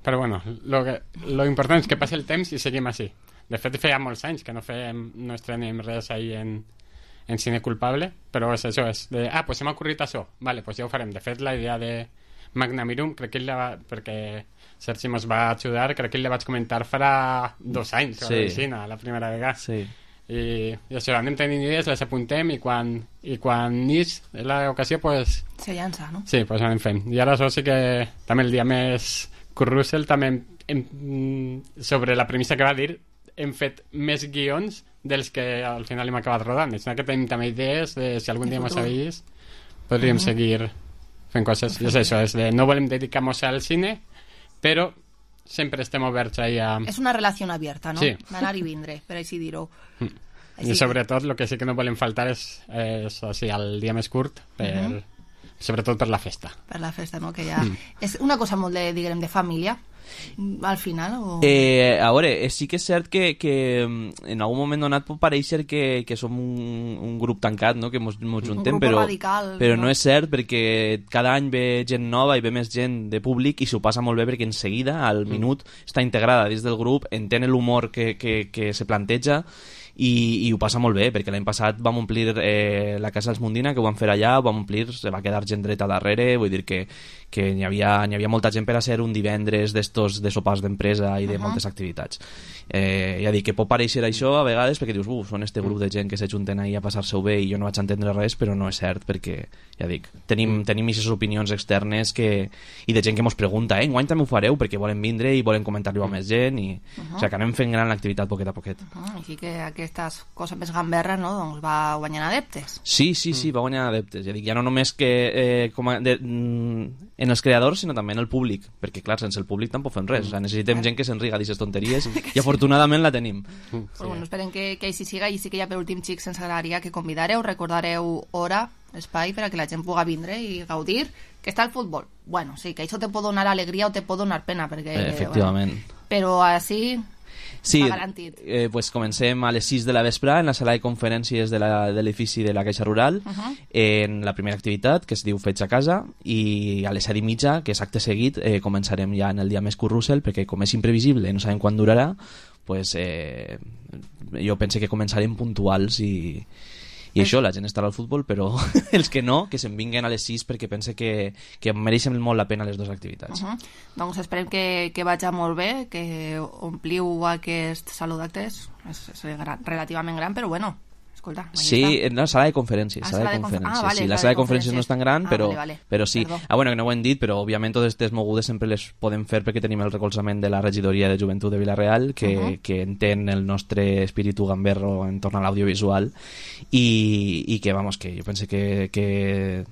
Però bueno, lo important és que passi el temps i seguim així. De fet, feia molts anys que no estrenem res ahir en Cine Culpable, però és això, és de, pues se m'ha ocorrit això, vale, pues ja ho farem. De fet, la idea de Magnamirum, crec que perquè Sergi mos va ajudar, crec que la vaig comentar farà 2 anys, la primera vegada. Sí. I això, anem tenint idees, les apuntem, i quan neix l'ocasió, pues... Se llança, no? Sí, pues anem fent. I ara això sí que també el dia més Kurt Russell, també sobre la premissa que va dir, hem fet més guions dels que al final hem acabat rodant. És que tenim també idees de si algun dia mos sabís, podríem seguir fent coses. I és això, és de no volem dedicar-nos al cine, però sempre estem oberts ahí a... És una relació abierta, no? Sí. D'anar i vindre, per així dir-ho. I sobretot el que sí que no volem faltar és així, el dia més curt, sobretot per la festa. Per la festa, no? Que ja... És una cosa molt de família, al final, o... A veure, sí que és cert que en algun moment donat pot parèixer que som un grup tancat, no?, que mos juntem, però no és cert, perquè cada any ve gent nova i ve més gent de públic i s'ho passa molt bé perquè en seguida, al minut, està integrada dins del grup, entén l'humor que se planteja i ho passa molt bé, perquè l'any passat vam omplir la Casa dels Mundina, que ho vam fer allà, ho vam omplir, se va quedar gent dreta darrere, vull dir que n'hi havia molta gent per a ser un divendres d'estos de sopars d'empresa i de moltes activitats. Ja dic que pot pareixer això a vegades perquè dius, són este grup de gent que s'ajunten ahí a passar-se-ho bé i jo no vaig entendre res, però no és cert, perquè ja dic, tenim aquestes opinions externes i de gent que mos pregunta, enguany també ho fareu perquè volen vindre i volen comentar-li a més gent, i o sigui que anem fent gran l'activitat poquet a poquet. Així que aquestes coses més gamberres, no? Doncs va guanyant adeptes. Sí, va guanyant adeptes. Ja dic, ja no només que en els creadors, sinó també en el públic, perquè clar, sense el públic tampoc fem res. O sigui, necessitem gent que s'enriga d'aquestes tonteries i afortunadament la tenim. Però bueno, esperem que així siga, i sí que ja per últim, xics, ens agradaria que convidareu, recordareu hora, espai, per a que la gent pugui vindre i gaudir, que està el futbol. Bueno, sí, que això te pot donar alegria o te pot donar pena, perquè... Efectivament. Bueno, però així... Sí, pues comencem a les 6 de la vespre en la sala de conferències de l'edifici de la Caixa Rural, en la primera activitat, que es diu Fets a casa, i a les 7:30, que és acte seguit, començarem ja en el dia més currussel, perquè com és imprevisible, no sabem quan durarà, pues, jo pense que començarem puntuals i això, la gent estarà al futbol, però els que no, que se'n vinguen a les 6 perquè pense que mereixen molt la pena les dues activitats. Doncs esperem que vagi molt bé, que ompliu aquest saló d'actes. És relativament gran, però bueno, escolta. Sí, en la sala de conferències. Sí, la sala de conferències no és tan gran, però sí. Bueno, que no ho hem dit, però òbviament totes aquestes mogudes sempre les podem fer perquè tenim el recolzament de la regidoria de joventut de Vila-real, que entén el nostre espíritu gamberro en torn a l'audiovisual i que, vamos, que jo penso que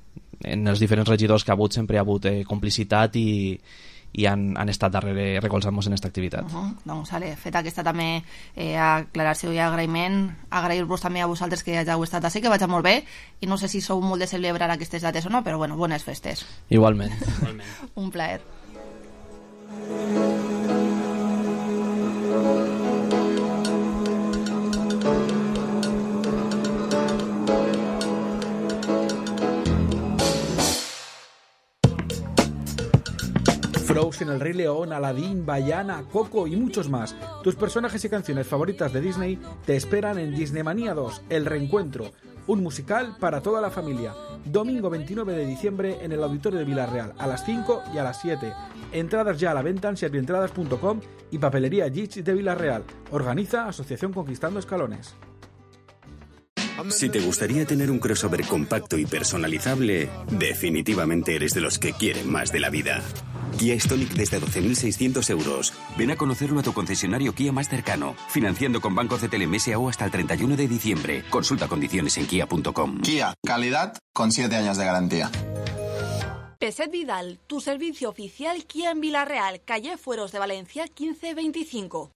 en els diferents regidors que ha hagut sempre hi ha hagut complicitat i han estat darrere recolzant-nos en aquesta activitat. Doncs, feta aquesta també aclaració i agraïment, agrair-vos també a vosaltres que ja heu estat així, que vagi molt bé, i no sé si sou molt de celebrar aquestes dates o no, però bueno, bones festes. Igualment. Un plaer. Frozen, El Rey León, Aladdin, Vaiana, Coco y muchos más. Tus personajes y canciones favoritas de Disney te esperan en Disneymanía 2, El Reencuentro, un musical para toda la familia. Domingo 29 de diciembre en el Auditorio de Vila-real, a las 5 y a las 7. Entradas ya a la venta en servientradas.com y Papelería Gitch de Vila-real. Organiza Asociación Conquistando Escalones. Si te gustaría tener un crossover compacto y personalizable, definitivamente eres de los que quieren más de la vida. Kia Stonic desde 12.600 euros. Ven a conocerlo a tu concesionario Kia más cercano, financiando con Banco CTLM S.A.O. hasta el 31 de diciembre. Consulta condiciones en kia.com. Kia, calidad con 7 años de garantía. Peset Vidal, tu servicio oficial Kia en Vila-real, calle Fueros de Valencia 1525.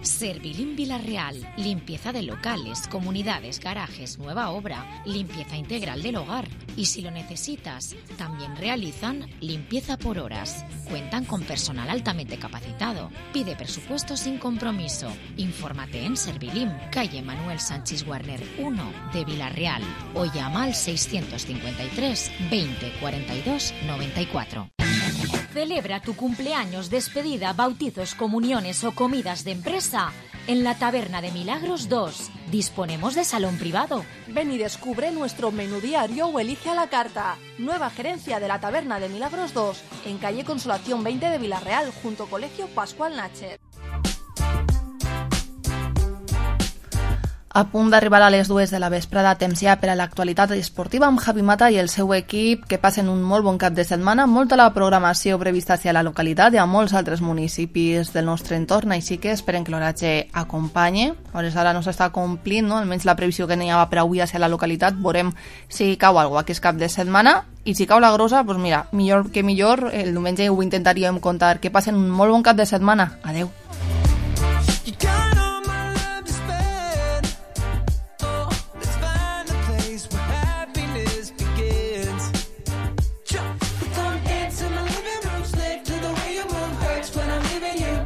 Servilín Vila-real, limpieza de locales, comunidades, garajes, nueva obra, limpieza integral del hogar. Y si lo necesitas, también realizan limpieza por horas. Cuentan con personal altamente capacitado. Pide presupuesto sin compromiso. Infórmate en Servilín, calle Manuel Sánchez Warner 1 de Vila-real, o llama al 653 20 42 94. Celebra tu cumpleaños, despedida, bautizos, comuniones o comidas de empresa en la Taberna de Milagros 2. Disponemos de salón privado. Ven y descubre nuestro menú diario o elige a la carta. Nueva gerencia de la Taberna de Milagros 2, en calle Consolación 20 de Vila-real, junto Colegio Pascual Nacher. A punt d'arribar a les 2 de la vesprada, temps ja per a l'actualitat esportiva amb Javi Mata i el seu equip, que passen un molt bon cap de setmana, molta la programació prevista hacia la localitat i a molts altres municipis del nostre entorn, així que esperem que l'horatge acompanyi. A hores d'ara no s'està complint, no? Almenys la previsió que n'hi havia per avui hacia la localitat. Veurem si cau alguna cosa aquest cap de setmana, i si cau la grossa, doncs mira, millor que millor, el diumenge ho intentaríem contar. Que passen un molt bon cap de setmana. Adeu.